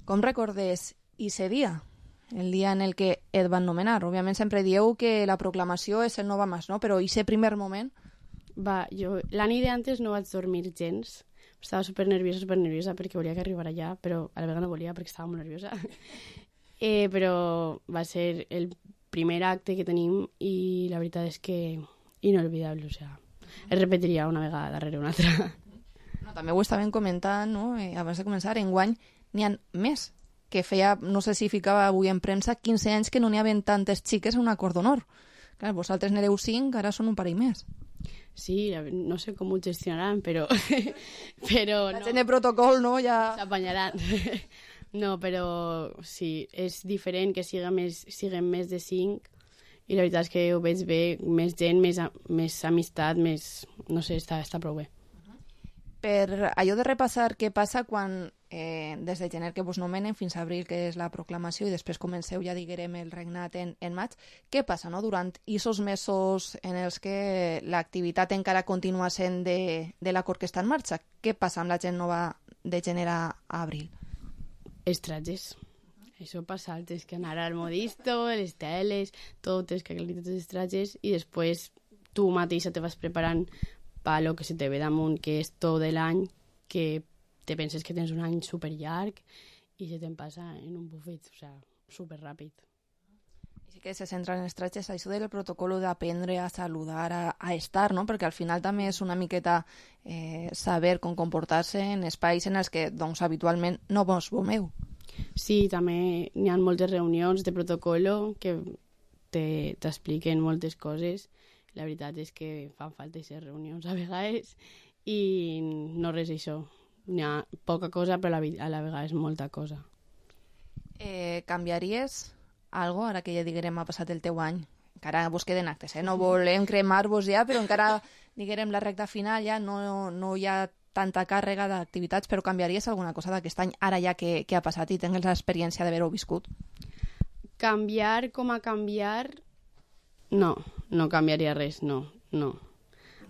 Com recordes aquest dia? El dia en el que et van nomenar. Òbviament sempre dieu que la proclamació és el no va més, no? Però aquest primer moment... Jo la nit d'antes no vaig dormir gens. Estava supernerviosa perquè volia que arribara allà, però a la vegada no volia perquè estava molt nerviosa. Però va ser el primer acte que tenim i la veritat és que inolvidable, o sea, es repetiria una vegada darrere una altra. No, també ho estàvem comentant, no? Abans de començar, enguany n'hi ha més, que feia, no sé si ficava avui en premsa, 15 anys que no n'hi havia tantes xiques en un acord d'honor. Clar, vosaltres n'éreu 5, ara són un parell més. Sí, no sé com ho gestionaran, però la gent de protocol, no? Ja s'apanyaran. No, però sí, és diferent que siguem més de 5 i la veritat és que ho veig bé, més gent, més amistat, més... no sé, està prou bé. Per allò de repassar què passa quan, des de gener que vos nomenen fins a abril, que és la proclamació, i després comenceu, ja diguem, el regnat en maig, què passa, no?, durant aquests mesos en els que l'activitat encara continua sent de l'acord que està en marxa? Què passa amb la gent nova de gener a abril? Els trajes. Això passa, tens que anar al modisto, les teles, tot, tens que aclarir tots els trajes i després tu mateixa te vas preparant per lo que se te ve damunt, que és tot l'any, que te penses que tens un any superllarg i se te'n passa en un bufet, o sea, superràpid. I sí que se centra en els trajes, això del protocol d'aprendre a saludar, a estar, no? Perquè al final també és una miqueta saber com comportar-se en espais en els que doncs, habitualment no vos veureu. Sí, també n'hi ha moltes reunions de protocolo que t'expliquen moltes coses. La veritat és que fan falta aquestes reunions a vegades i no res això. N'hi ha poca cosa, però a la vegada és molta cosa. Canviaries algo ara que ja diguem ha passat el teu any? Encara vos queden actes, no volem cremar-vos ja, però encara diguem la recta final ja no hi ha tanta càrrega d'activitats, però canviaries alguna cosa d'aquest any, ara ja que ha passat i tens l'experiència d'haver-ho viscut? Canviar com a canviar... No canviaria res, no.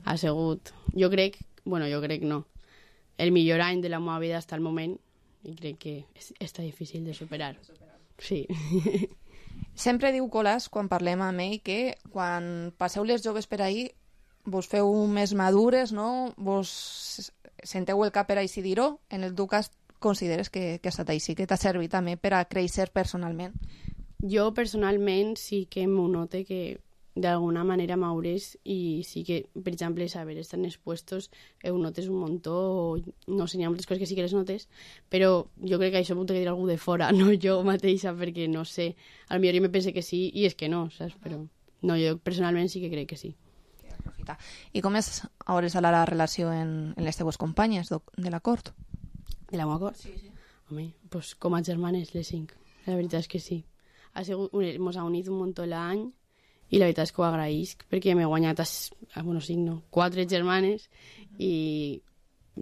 Ha sigut... Jo crec no. El millor any de la meva vida fins al moment i crec que està difícil de superar. Sí. Sempre diu Colàs, quan parlem amb ell, que quan passeu les joves per ahir vos feu més madures, no? Vos senteu el cap per així dir-ho. En el teu cas consideres que ha estat així, que t'ha servit també per a créixer personalment? Jo personalment sí que m'ho note que d'alguna manera m'aures i sí que, per exemple, saber estar en els puestos ho notes un muntó, o no sé, hi ha moltes coses que sí que les notes, però jo crec que això m'ho té que dir algú de fora, no jo mateixa, perquè no sé, potser jo me pense que sí i és que no, saps? Però no, jo personalment sí que crec que sí. I com és a hores de la relació en les teues companyes de l'acord? De la meva acord? Sí. Home, pues com a germanes, les 5. La veritat és que sí. Mos ha unit un muntó l'any i la veritat és que ho agraïsc perquè m'he guanyat 4 germanes i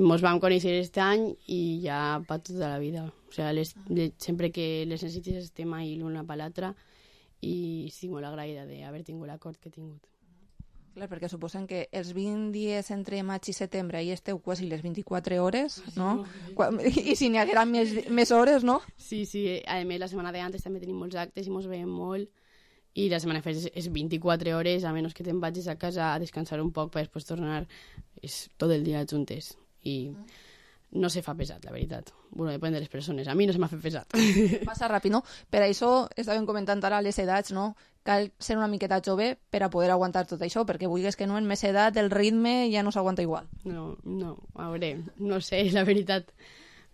mos vam conèixer aquest any i ja per tota la vida. O sigui, sempre que les necessites estem ahí l'una per l'altra i estic molt agraïda d'haver tingut l'acord que he tingut. Clar, perquè suposen que els 20 dies entre maig i setembre hi esteu quasi les 24 hores, no? I si n'hi haguera més hores, no? Sí. A més, la setmana d'antes també tenim molts actes i mos veiem molt i la setmana després és 24 hores, a menys que te'n vagis a casa a descansar un poc per després tornar, és tot el dia juntes i no se fa pesat, la veritat. Bueno, depèn de les persones. A mi no se m'ha fet pesat. Passa ràpid, no? Per això estàvem comentant ara les edats, no? Cal ser una miqueta jove per a poder aguantar tot això, perquè vulguis que no, en més edat el ritme ja no s'aguanta igual. No, a veure, no sé, la veritat.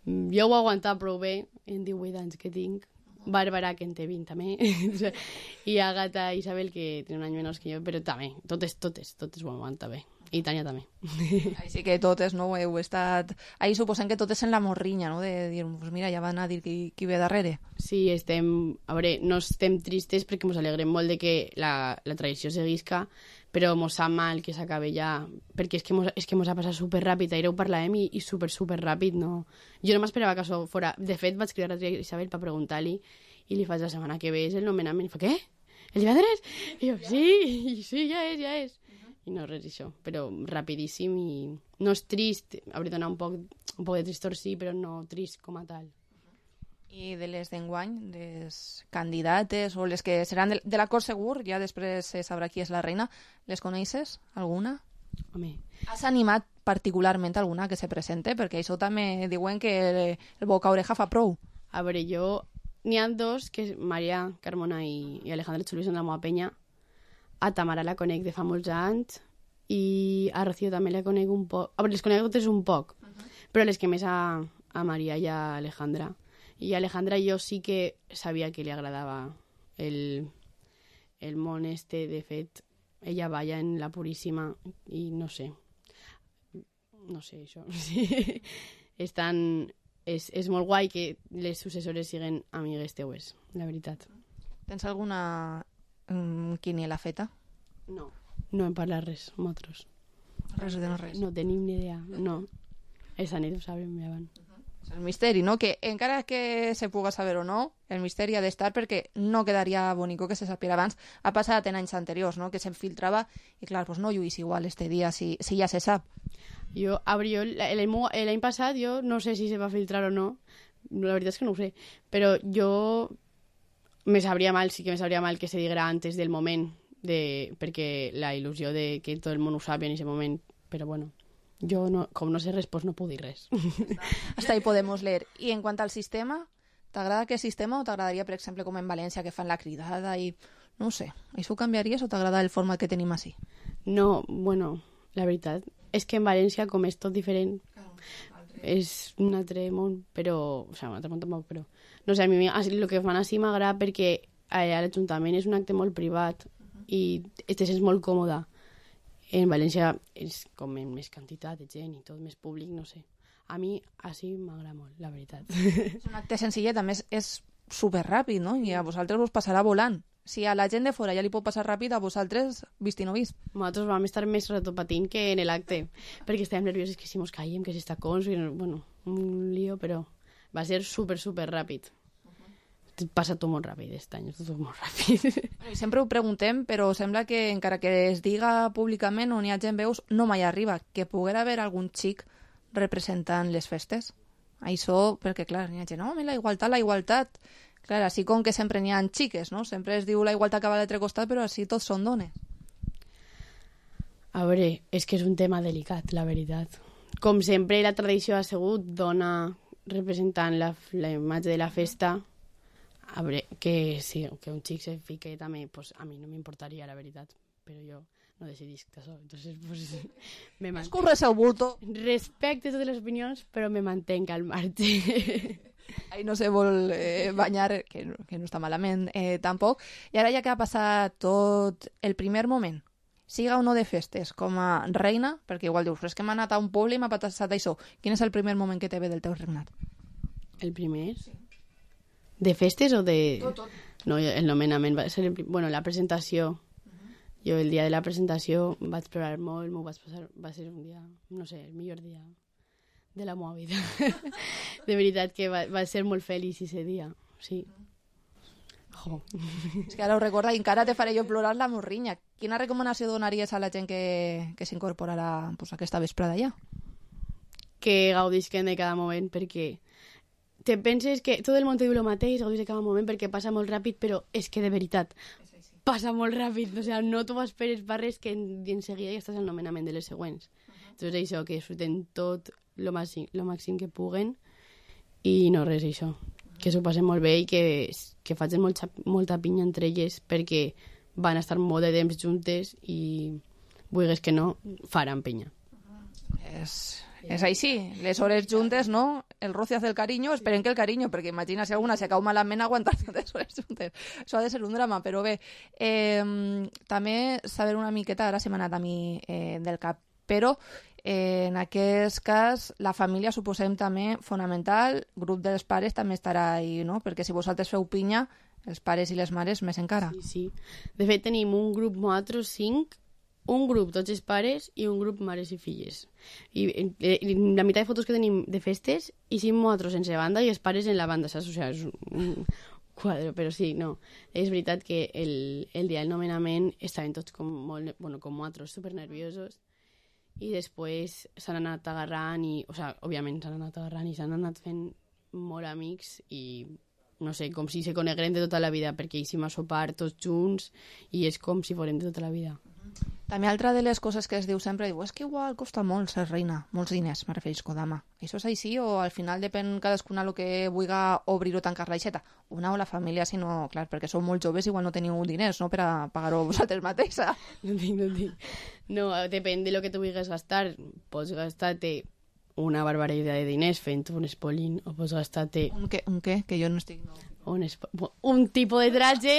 Jo ho he aguantat prou bé en 18 anys que tinc. Bàrbara, que en té 20 també, i Àgata i Isabel, que tenen un any menys que jo, però també, totes ho aguanta bé. I Tània també. Així que totes, no, heu estat... Ahir suposem que totes en la morrinya, no?, de dir, pues mira, ja van a dir qui ve darrere. Sí, a veure, no estem tristes perquè ens alegrem molt de que la tradició seguisca, però mos sap mal que s'acabi ja, perquè és que mos ha passat superràpid, ahir ho parlàvem i superràpid, no? Jo no m'esperava que això fora... De fet, vaig cridar a Isabel per preguntar-li i li faig la setmana que ve és el nomenament. I fa, què? El divendres? I jo, sí, ja és. I no res això, però rapidíssim i no és trist, hauria de donar un poc de tristor, sí, però no trist com a tal. I de les d'enguany, les candidates o les que seran de l'acord segur, ja després se sabrà qui és la reina, les coneixes, alguna? Home. Has animat particularment alguna que se presente? Perquè això també diuen que el boca oreja fa prou. A veure, n'hi ha dos, que és Maria Carmona i Alejandra Chulí, són de la meva penya. A Tamara la conec de fa molts anys i a Rocío també la conec un poc. A veure, les conec totes un poc, però les que més a Maria i a Alejandra. I a Alejandra jo sí que sabia que li agradava el món este. De fet, ella balla en La Puríssima i no sé, això. Sí. És molt guai que les successores siguen amigues teues, la veritat. Tens alguna quiniela feta? No hem parlat res, nosaltres. Res de no res. No tenim ni idea, no. Esa nit ho sabem abans. El misteri, no? Que encara que se puga saber o no, el misteri ha d'estar perquè no quedaria bonico que se sapiera abans. Ha passat en anys anteriors, no?, que se'n filtrava i clar, pues no lluís igual este dia si ja se sap. L'any passat jo no sé si se va filtrar o no, la veritat és que no ho sé, però jo me sabria mal que se diguera antes del moment, perquè la il·lusió de que tot el món ho sàpiga en aquest moment, però bueno, jo com no sé res, pues no puc dir res. Hasta ahí podemos leer. I en quant al sistema, t'agrada aquest sistema o t'agradaria, per exemple, com en València, que fan la cridada i... No sé, això ho canviaries o t'agrada el format que tenim així? No, bueno, la veritat és que en València, com és tot diferent, és un altre món, però... O sigui, un altre món tampoc, però... No sé, a mi el que fan així m'agrada perquè a l'Ajuntament és un acte molt privat i te sents molt còmode. En València és com més quantitat de gent i tot més públic, no sé. A mi així m'agrada molt, la veritat. És un acte senzillet, a més és superràpid, no? I a vosaltres us passarà volant. Si a la gent de fora ja li pot passar ràpid, a vosaltres vist i no vist. Nosaltres vam estar més rato patint que en l'acte, perquè estàvem nerviosos que si mos caiem, que si està cons, bueno, un lío, però va ser super ràpid. Passa tot molt ràpid, aquest any, tot molt ràpid. Sempre ho preguntem, però sembla que encara que es diga públicament on hi ha gent veus, no mai arriba, que poguera haver algun xic representant les festes. Això, perquè clar, n'hi ha gent, no, la igualtat. Clar, així com que sempre n'hi ha xiques, no? Sempre es diu la igualtat que va a l'altre costat, però així tots són dones. A veure, és que és un tema delicat, la veritat. Com sempre, la tradició ha sigut dona representant la imatge de la festa. A veure, que sí, que un xic se fique també, pues a mi no m'importaria, la veritat, però jo no decidisc això, entonces pues me mantenc. Escurres el bulto. Respecte totes les opinions, però me mantenc al marge. Ahí no se vol banyar, que no està malament tampoc. I ara ja que ha passat tot el primer moment, siga o no de festes, com a reina, perquè igual dius, és que m'ha anat a un poble i m'ha passat això. Quin és el primer moment que te ve del teu regnat? El primer? Sí. De festes o de...? Tot. No, el nomenament va ser... Bueno, la presentació. Jo el dia de la presentació vaig plorar molt, m'ho vaig passar... Va ser un dia, no sé, el millor dia de la meva vida. De veritat que va ser molt feliç aquest dia, sí. Jo. És que ara ho recorda i encara te faré jo plorar la morrinya. Quina recomanació donaries a la gent que s'incorporarà pues, aquesta vesprada ja? Que gaudisquen de cada moment, perquè te penses que tot el món te diu el mateix, gaudis de cada moment perquè passa molt ràpid, però és que de veritat passa molt ràpid, o sigui, no t'ho esperes per res que en seguida ja estàs al nomenament de les següents. Entonces això, que disfruten tot lo màxim que puguen i no res, això, que s'ho passen molt bé i que facin molta pinya entre elles perquè van estar molt de temps juntes i vulguis que no, faran pinya. És així, les hores juntes, no? El roce hace el cariño, esperen que el cariño, perquè imagina si alguna se cau malament aguantar tantes hores juntes. Això ha de ser un drama, però bé. També saber una miqueta, ara se m'ha anat a mi del cap, però en aquest cas la família suposem també fonamental, grup dels pares també estarà ahí, no? Perquè si vosaltres feu pinya, els pares i les mares més encara. Sí. De fet, tenim un grup nosaltres 5, un grup tots els pares i un grup mares i filles. I la meitat de fotos que tenim de festes i 5 nosaltres sense banda i els pares en la banda, saps? O sigui, és un quadre, però sí, no. És veritat que el dia del nomenament estaven tots com nosaltres, supernerviosos, i després s'han anat agarrant òbviament s'han anat agarrant i s'han anat fent molt amics i no sé, com si se conegueren de tota la vida, perquè hicim a sopar tots junts i és com si fórem de tota la vida. També altra de les coses que es diu sempre, és que igual costa molt ser reina, molts diners, me refereixo, dama. Això és així o al final depèn cadascuna el que vulgui obrir o tancar l'aixeta? Una o la família, si no, clar, perquè sou molt joves, igual no teniu diners, no?, per a pagar-ho vosaltres mateixa. No tinc. No, depèn de lo que tu vulguis gastar. Pots gastar-te una barbaritat de diners fent un espolín o pots gastar-te... Un què? Que jo no estic... Un tipus de traje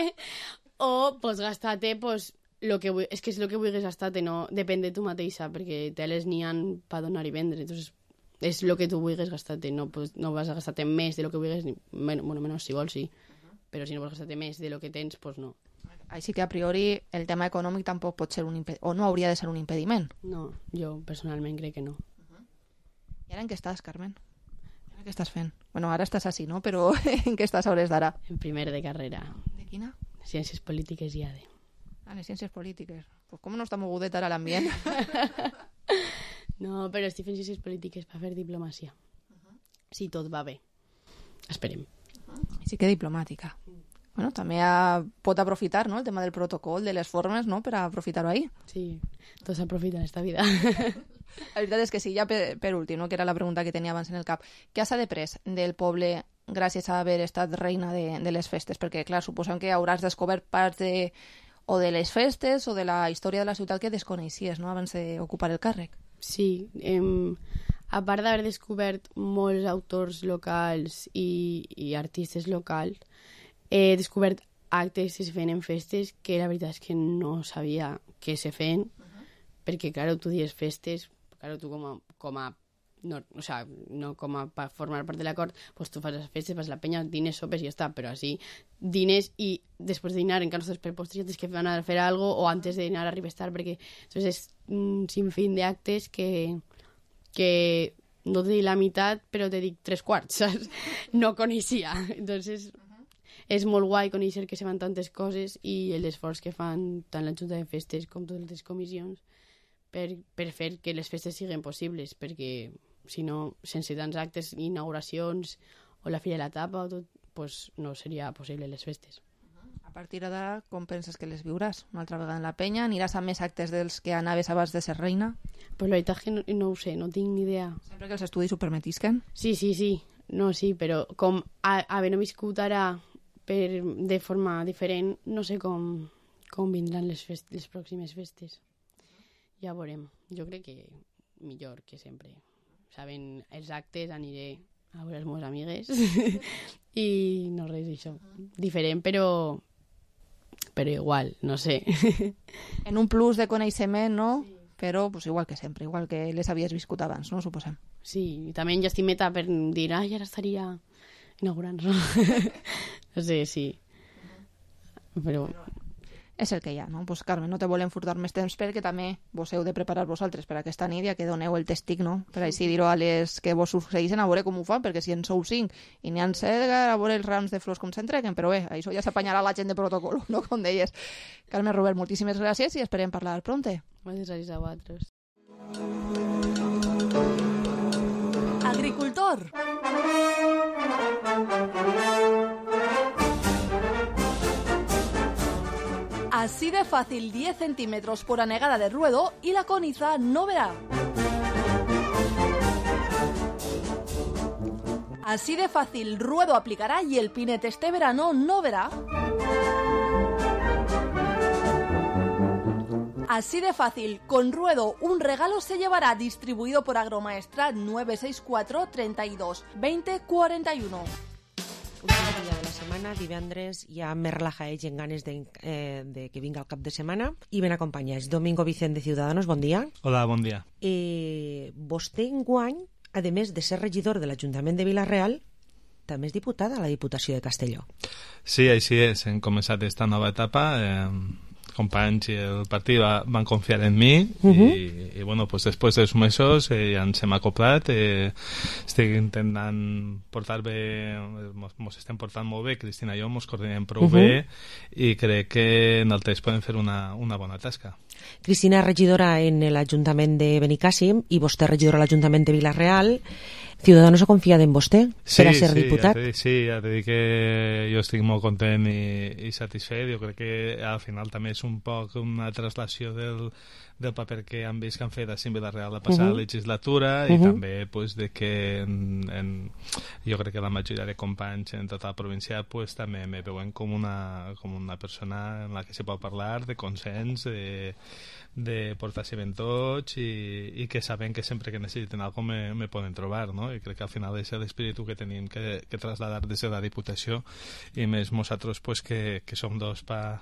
o pots gastar-te, pues, és que és el que vulguis gastar-te, no depèn de tu mateixa, perquè teles n'hi ha per donar i vendre, entonces és el que tu vulguis gastar-te, no vas a gastar-te més de lo que vulguis, menys si vols, sí, però si no vols gastar-te més de lo que tens, pues no. Així que a priori el tema econòmic tampoc pot ser o no hauria de ser un impediment. No, jo personalment crec que no. I ara en què estàs, Carmen? Ara què estàs fent? Bueno, ara estàs així, no? Però en què estàs a hores d'ara? En primer de carrera. De quina? Ciències polítiques i ADE. Les ciències polítiques. Pues com no està mogudet ara l'ambient? No, però estic fent ciències polítiques per fer diplomàcia. Si tot va bé. Esperem. Sí que diplomàtica. Bueno, també pot aprofitar, no?, el tema del protocol, de les formes, no?, per aprofitar-ho ahí. Sí, tots aprofiten esta vida. La veritat és que sí, ja per últim, no?, que era la pregunta que tenia abans en el cap. Què s'ha després del poble gràcies a haver estat reina de les festes? Perquè, clar, suposem que hauràs descobert parts de les festes o de la història de la ciutat que desconeixies, no?, abans d'ocupar el càrrec. Sí, a part d'haver descobert molts autors locals i artistes locals, he descobert actes que se feien en festes que la veritat és que no sabia que se feien, perquè, clar, tu dius festes, clar, tu com a no, o sea, no com a per formar part de l'acord, pues tu fas les festes, fas la penya, dines, sopes i ja està, però així dines i després de dinar encara no per postres tens que anar a fer algo o antes de dinar arribes tard, perquè entonces, és un sinfín d'actes que no te dic la meitat, però te dic 3/4, saps? No coneixia, entonces és molt guai conèixer que se fan tantes coses i l'esforç que fan tant la Junta de Festes com totes les comissions per fer que les festes siguin possibles, perquè si no, sense tants actes, inauguracions o la Fira de la Tapa o tot, pues no seria possible les festes. A partir d'ara, com penses que les viuràs? Una altra vegada en la penya? Aniràs a més actes dels que anaves abans de ser reina? Pues la veritat que no ho sé, no tinc ni idea. Sempre que els estudis ho permetisquen? Sí. No, sí, però com havent viscut ara de forma diferent, no sé com vindran les pròximes festes. Ja veurem. Jo crec que millor que sempre. Saben els actes, aniré a veure les meves amigues i no res d'això. Diferent, però igual, no sé. En un plus de coneixement, no? Sí. Però pues, igual que sempre, igual que les havies viscut abans, no? Suposem. Sí, i també ja estic meta per dir, ara estaria inaugurant-lo. No sé, sí. Però... És el que hi ha, no? Pues, Carmen, no te volem furtar més temps perquè també vos heu de preparar vosaltres per aquesta nit, ja que doneu el testic, no? Per així dir-ho a les que vos succeeixen, a veure com ho fan, perquè si en sou 5 i n'hi ha 7, a veure els rams de flors com s'entreguen, però bé, això ja s'apanyarà la gent de protocol, no? Com deies. Carmen, Robert, moltíssimes gràcies i esperem parlar pronte. Moltes gràcies a vosaltres. Agricultor. Así de fácil, 10 centímetros por anegada de ruedo y la coniza no verá. Así de fácil, ruedo aplicará y el pinete este verano no verá. Así de fácil, con ruedo un regalo se llevará, distribuido por Agromaestrat 964 32 20 41. dia de la setmana, divendres hi ha més relajaeix en ganes de que vinga el cap de setmana i ben acompanyats. Domingo Vicent de Ciudadanos, bon dia. Hola, bon dia. Vostè enguany, a més de ser regidor de l'Ajuntament de Vila-real, també és diputada a la Diputació de Castelló. Sí, així és. Hem començat aquesta nova etapa. Companys i el partit van confiar en mi i bueno, pues després dels mesos ja ens hem acoplat, estic intentant portar bé, mos estem portant molt bé, Cristina i jo mos coordinem prou bé i crec que en el temps podem fer una bona tasca. Cristina és regidora en l'Ajuntament de Benicàssim i vostè regidora a l'Ajuntament de Vila-real. Ciudadanos ha confiat en vostè per a ser diputat? Sí, ja t'he dit que jo estic molt content i satisfet. Jo crec que al final també és un poc una traslació del paper que han vist que han fet a Vila-real la passada legislatura i també pues, de que jo crec que la majoria de companys en tota la província pues, també me veuen com una persona en la que se pot parlar de consens, de portar-se ben tots i que saben que sempre que necessiten alguna cosa me poden trobar, no? I crec que al final és l'espíritu que tenim que trasladar des de la Diputació i més nosaltres pues, que som dos per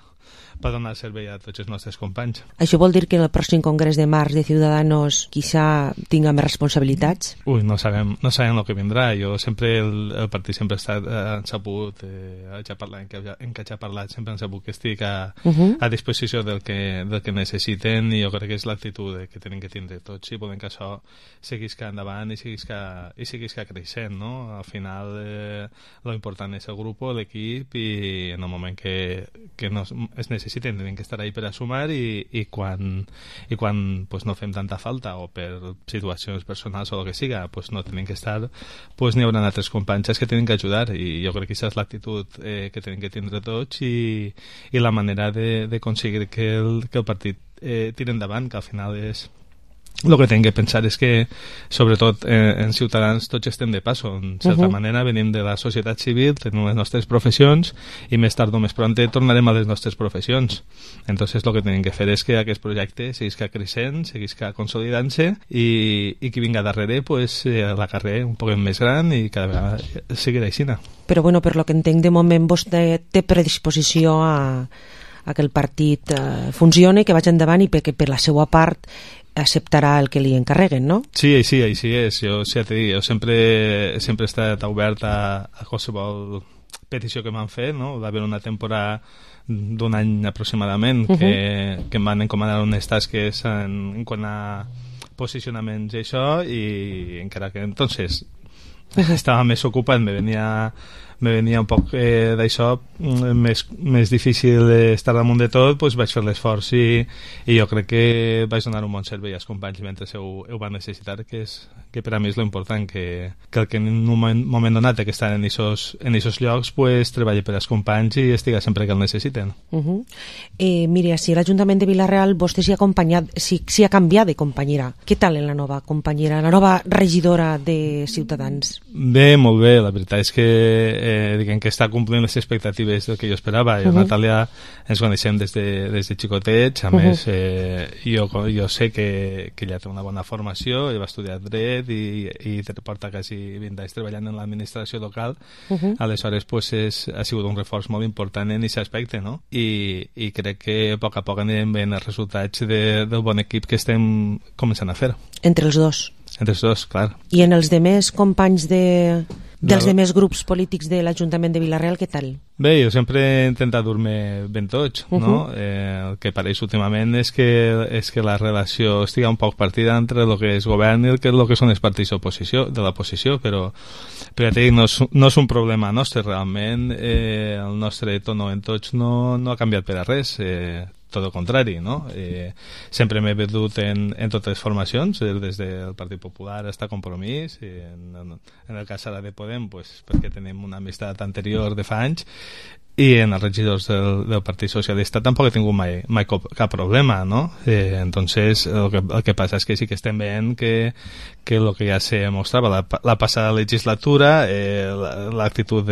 donar servei a tots els nostres companys. Això vol dir que en el pròxim congrés de març de Ciudadanos quizá tinga més responsabilitats? Ui, no sabem el que vindrà. Jo sempre, el partit sempre ha estat sabut, en què ja ha parlat, sempre han sabut que estic a disposició del que necessiten i jo crec que és l'actitud que tenen que tindre tots si volen que això seguisca endavant i seguisca creixent, no? Al final lo important és el grup, l'equip i en el moment que es necessiten tenen que estar ahí per a sumar i quan pues, no fem tanta falta o per situacions personals o el que siga pues, no tenen que estar, pues, n'hi haurà altres companys que tenen que ajudar i jo crec que aquesta és l'actitud que tenen que tindre tots i la manera d'aconseguir que el partit tira endavant, que al final és el que tenim que pensar és que sobretot en Ciutadans tots estem de passo, en certa manera venim de la societat civil, tenim les nostres professions i més tard o més pront tornarem a les nostres professions, entonces el que tenim que fer és que aquest projecte seguisca creixent, seguisca consolidant-se i qui vinga darrere pues, la carrer un poc més gran i cada vegada seguirà així. Però bueno, per lo que entenc de moment vostè té predisposició a que el partit funcioni, que vagi endavant i perquè per la seva part acceptarà el que li encarreguen, no? Sí, així és. Jo sempre he estat obert a qualsevol petició que m'han fet, no? Va haver una temporada d'un any aproximadament que em van encomanar unes tasques en quant a posicionaments i això i encara que entonces estava més ocupat, me venia un poc d'això més difícil estar damunt de tot, doncs vaig fer l'esforç i jo crec que vaig donar un bon servei als companys mentre ho van necessitar, que per a mi és l'important, que el que en un moment donat que estan en aquests llocs pues, treballi per als companys i estiga sempre que el necessiten. Mira, si l'Ajuntament de Vila-real vostè s'hi ha canviat de companyera, què tal en la nova companyera, la nova regidora de Ciutadans? Bé, molt bé, la veritat és que diguem que està complint les expectatives del que jo esperava. Jo, Natàlia, ens coneixem des de xicotets, a més jo sé que ella té una bona formació, ella va estudiar dret i porta quasi 20 anys treballant en l'administració local, aleshores pues, ha sigut un reforç molt important en aquest aspecte, no? I crec que a poc anirem veient els resultats del bon equip que estem començant a fer. Entre els dos? Entre els dos, clar. I en els demés companys dels demés grups polítics de l'Ajuntament de Vila-real, què tal? Bé, jo sempre he intentat dur-me ben tots, no? El que pareix últimament és que la relació estiga un poc partida entre el que és govern i el que són els partits de l'oposició, però ja t'he dit, no és un problema nostre, realment el nostre tono en tots no ha canviat per a res, tot el contrari, no? Sempre m'he vedut en totes les formacions, des del Partit Popular fins a Compromís, i en el cas ara de Podem, pues, perquè tenim una amistat anterior de fa anys, i en els regidors del Partit Socialista tampoc he tingut mai cap problema, no? Entonces el que passa és que sí que estem veient que el que ja se mostrava la passada legislatura, l'actitud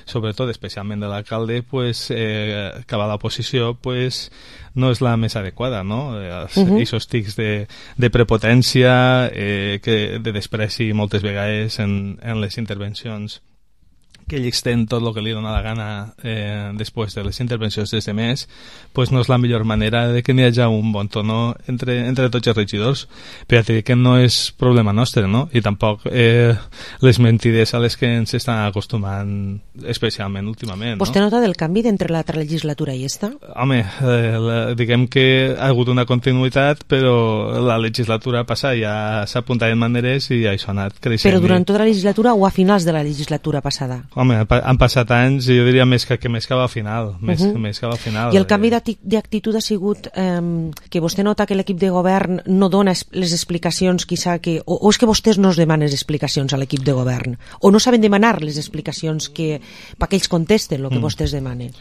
sobretot especialment de l'alcalde, pues, que va a l'oposició, pues, no és la més adequada, no? Aquests tics de prepotència, de despreci moltes vegades en les intervencions que ell extén tot el que li dona la gana després de les intervencions dels demés, pues no és la millor manera de que n'hi hagi un bon tono entre tots els regidors. Però ja t'he dit que no és problema nostre, no? I tampoc les mentides a les que ens estan acostumant especialment últimament, no? Vostè nota del canvi d'entre l'altra legislatura i esta? Home, diguem que ha hagut una continuïtat, però la legislatura passada ja s'ha apuntat en maneres i això ha anat creixent. Però durant tota la legislatura o a finals de la legislatura passada? Home, han passat anys i jo diria més que cap al final. Més que al final. I el canvi d'actitud ha sigut que vostè nota que l'equip de govern no dona les explicacions, o és que vostès no es demanen explicacions a l'equip de govern, o no saben demanar les explicacions perquè ells contesten el que vostès demanen?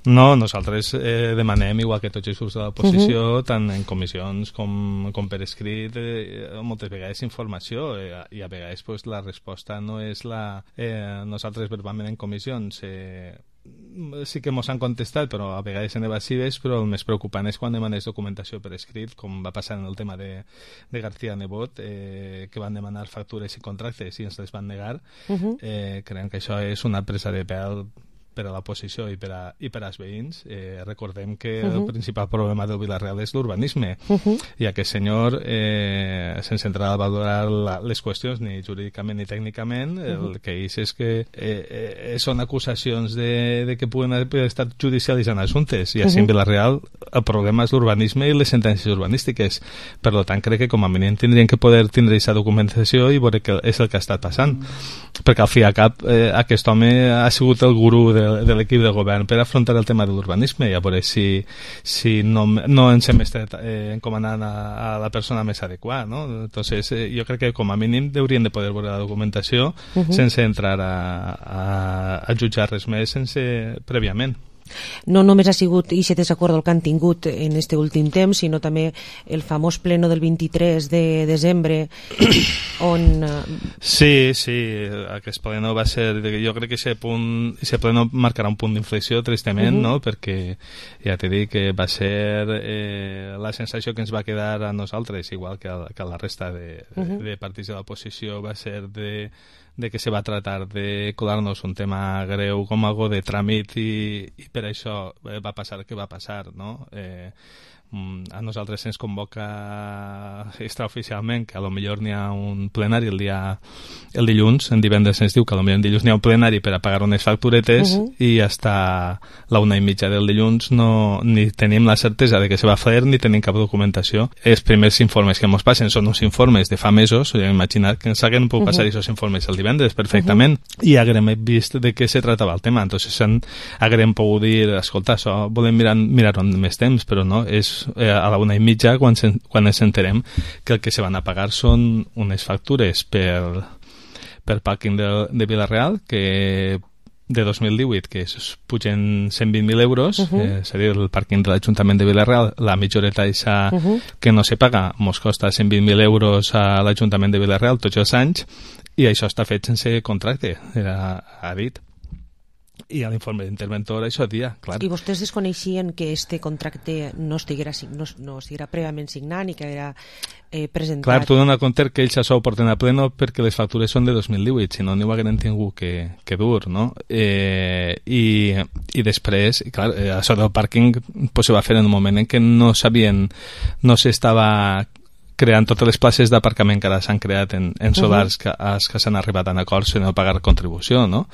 No, nosaltres demanem, igual que tots els grups de l'oposició, tant en comissions com per escrit, moltes vegades informació, i a vegades pues, la resposta no és la... nosaltres verbalment en comissions sí que mos han contestat, però a vegades en evasives, però el més preocupant és quan demanes documentació per escrit, com va passar en el tema de García Nebot, que van demanar factures i contractes i ens les van negar. Creiem que això és una presa de pèl per a l'oposició i per als veïns. Recordem que el principal problema del Vila-real és l'urbanisme, i aquest senyor, sense entrar a valorar les qüestions ni jurídicament ni tècnicament, el que és que són acusacions de que puguen haver estat judicialitzant assumptes, i així en Vila-real el problema és l'urbanisme i les sentències urbanístiques. Per tant, crec que com a mínim tindrien que poder tindre aquesta documentació i veure què és el que ha estat passant, perquè al fi i al cap aquest home ha sigut el gurú de l'equip de govern per afrontar el tema de l'urbanisme, i a veure si no ens hem estat encomanant a la persona més adequada, no? Entonces, jo crec que com a mínim haurien de poder veure la documentació sense entrar a jutjar res més prèviament. No només ha sigut aquest desacord el que han tingut en este últim temps, sinó també el famós pleno del 23 de desembre on... Sí, aquest pleno va ser... Jo crec que aquest pleno marcarà un punt d'inflexió, tristament, no? Perquè ja t'he dit que va ser la sensació que ens va quedar a nosaltres, igual que a la resta de partits de l'oposició, va ser de que se va tratar de colar-nos un tema greu com algo de tràmit i per això va passar el que va passar, no? A nosaltres se'ns convoca extraoficialment que a lo millor n'hi ha un plenari el dilluns, en divendres se'ns diu que a lo millor en dilluns n'hi ha un plenari per a pagar unes facturetes i hasta la 1:30 del dilluns ni tenim la certesa de que se va fer ni tenim cap documentació. Els primers informes que ens passen són uns informes de fa mesos, imaginat que ens haguem pogut passar aquests informes el divendres perfectament i haguem vist de què se tratava el tema, entonces haguem pogut dir, escolta, això volem mirar-ho amb més temps, però no, és a la 1:30 quan ens enterem que el que se van a pagar són unes factures per pàrquing de Vila-real que de 2018 que pugen 120.000 euros, és a dir, el pàrquing de l'Ajuntament de Vila-real, la mitjoreta que no se paga mos costa 120.000 euros a l'Ajuntament de Vila-real tots els anys, i això està fet sense contracte, ha dit. I a l'informe d'interventor això dia, clar. I vostès desconeixien que este contracte no estiguera prèviament signat i que era presentat? Clar, tu dona compte que ells això ho porten a pleno perquè les factures són de 2018, si no n'hi ho hagueren tingut que dur, no? I després, clar, això del pàrquing pues, se va fer en un moment en què no s'estava creant totes les places d'aparcament que ara s'han creat en solars que s'han arribat a acords sense pagar contribució, no?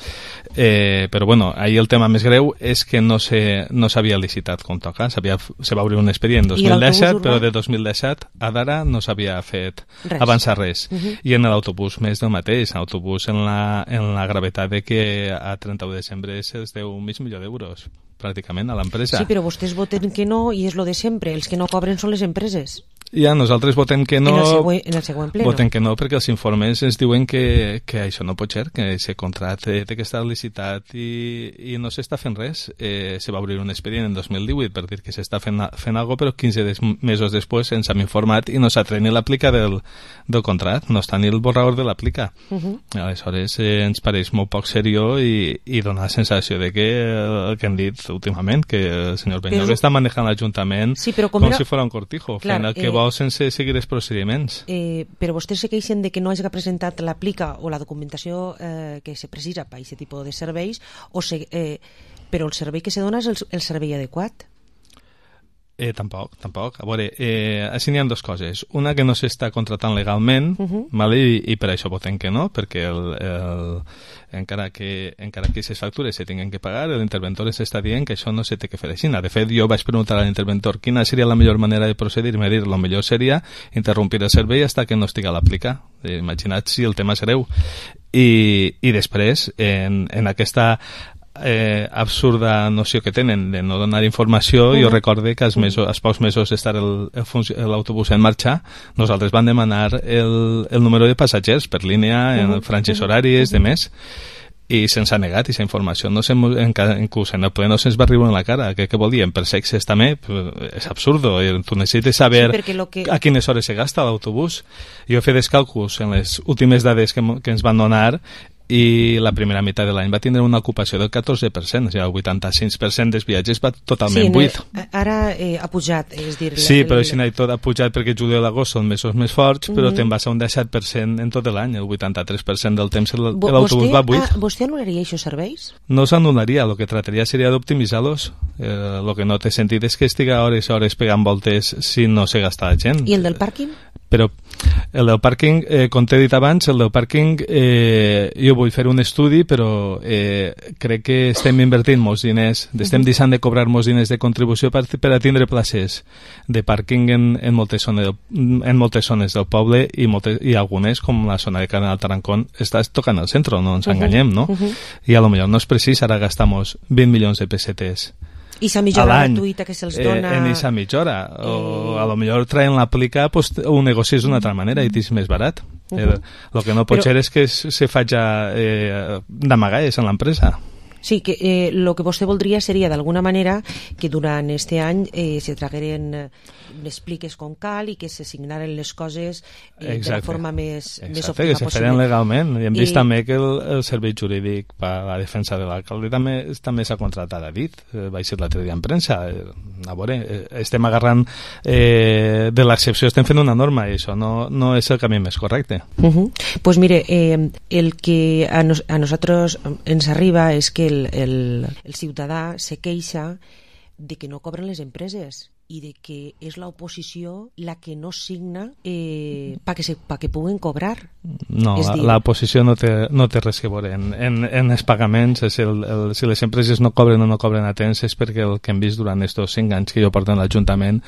Però bueno, ahir el tema més greu és que no s'havia licitat com toca, se va obrir un expedient en 2017, però de 2017 a d'ara no s'havia fet avançar res. I en l'autobús més del mateix, en l'autobús en la gravetat de que a 31 de desembre se'ls deu $500.000 d'euros pràcticament a l'empresa. Sí, però vostès voten que no i és lo de sempre, els que no cobren són les empreses. Ja, nosaltres votem que no. En el següent pleno. Votem que no perquè els informes ens diuen que això no pot ser, que aquest contracte té que estar licitat i no s'està fent res. Se va obrir un expedient en 2018 per dir que s'està fent alguna cosa, però 15 mesos després ens hem informat i no s'ha tret ni l'aplica del contracte, no està ni el borrador de l'aplica. Aleshores ens pareix molt poc seriós i dona la sensació de que el que hem dit últimament, que el senyor Benyoc està manejant l'Ajuntament com si fos un cortijo, fent el que vol qualsevol sense seguir els procediments. Però vostès se queixen de que no hagi presentat l'aplica o la documentació que se precisa per aquest tipus de serveis, però el servei que se dona és el servei adequat? Tampoc. A veure, així n'hi ha dues coses. Una, que no s'està contratant legalment, i per això votem que no, perquè encara que aquestes factures se tinguen que pagar, l'interventor ens està dient que això no se té que fer així. De fet, jo vaig preguntar a l'interventor quina seria la millor manera de procedir, i me dir, lo millor seria interrompir el servei fins que no estigui a l'aplicar. Imagina't si el tema és greu. I després, en aquesta absurda noció que tenen de no donar informació, jo recorde que als pocs mesos d'estar l'autobús en marxa, nosaltres vam demanar el número de passatgers per línia, en franges horàries, de més, i se'ns ha negat aquesta informació. Inclús en el ple no se'ns va arribar en la cara. Què volien? Per sexes també? És absurdo. Tu necessites saber a quines hores se gasta l'autobús. Jo he fet els càlculs en les últimes dades que ens van donar, i la primera meitat de l'any va tindre una ocupació del 14%, o sigui, el 85% dels viatges va totalment buit. Ara ha pujat, és dir... Sí, però si tot ha pujat perquè juliol i agost són mesos més forts, però te'n vas a un 17% en tot l'any, el 83% del temps l'autobús va buit. Vostè anul·laria aquests serveis? No s'anul·laria, el que trataria seria d'optimitzar-los. El que no té sentit és que estiga hores i hores pegant voltes si no se gasta la gent. I el del pàrquing? Però el del pàrquing, com t'he dit abans, el del pàrquing jo vull fer un estudi, però crec que estem invertint molts diners, estem deixant de cobrar molts diners de contribució per a tindre places de pàrquing en moltes zones del poble, i algunes, com la zona de Canal Tarancón, estàs tocant al centre, no ens enganyem, no? I a lo millor no és precís ara gastamos 20 milions de pessetes i la mitja hora gratuïta que se'ls dona... En aquesta mitja hora. O a lo millor traient l'aplicar, pues, ho negocies d'una altra manera i t'és més barat. El que no pot ser és que se faci d'amagalles en l'empresa. Sí, que el que vostè voldria seria, d'alguna manera, que durant aquest any se tragueren expliques com cal i que se signaren les coses de la forma més òptima possible. Que se feren legalment. I hem vist també que el servei jurídic per a la defensa de l'alcalde també s'ha contratat a dit. Vaig ser l'altre dia en premsa. A veure, estem agarrant de l'excepció, estem fent una norma i això no és el camí més correcte. Pues mire, el que a nosaltres ens arriba és que el ciutadà se queixa de que no cobren les empreses i de que és l'oposició la que no signa perquè puguen cobrar. No, l'oposició no té res que veure. En els pagaments, si les empreses no cobren o no cobren a temps, és perquè el que hem vist durant aquests 5 anys que jo porto en l'Ajuntament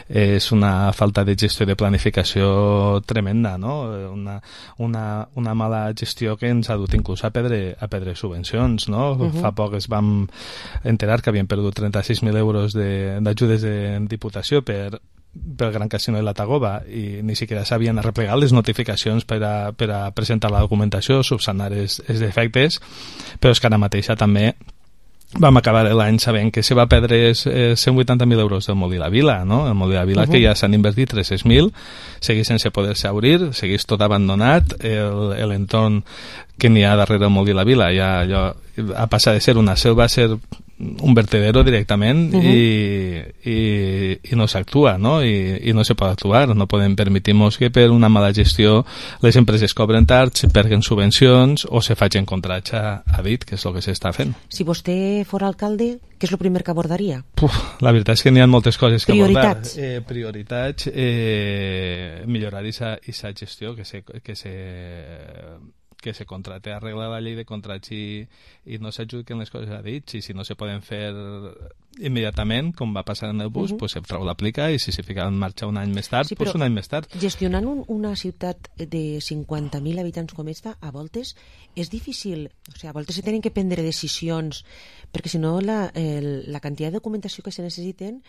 és una falta de gestió i de planificació tremenda, no? Una mala gestió que ens ha dut inclús a perdre subvencions, no? Fa poc es vam enterar que havien perdut 36.000 euros d'ajudes de Diputació pel Gran Casino de la Tagoba i ni siquiera s'havien arreplegat les notificacions per a presentar la documentació, subsanar els defectes, però és que ara mateixa també vam acabar l'any sabent que se va perdre 180.000 euros del Molí la Vila, no? El Molí la Vila que ja s'han invertit 300.000, segueix sense poder-se obrir, segueix tot abandonat, l'entorn que n'hi ha darrere el Molí la Vila ja ha passat de ser una selva a ser un vertedero directament i no s'actua, no? I no se pot actuar, no podem permetir-nos que per una mala gestió les empreses cobren tard, se perguen subvencions o se facin contrats a dit, que és el que s'està fent. Si vostè fora alcalde, què és el primer que abordaria? La veritat és que n'hi ha moltes coses que abordar. Prioritats, millorar aquesta gestió, que se contrate, arreglar la llei de contrats i no s'adjudiquen les coses a dit, i si no se poden fer immediatament, com va passar en el bus, pues se trau l'aplica, i si se fica en marxa un any més tard, pues un any més tard. Gestionant una ciutat de 50.000 habitants com esta, a voltes és difícil, o sigui, a voltes se tenen que prendre decisions, perquè si no la quantitat de documentació que se necessiten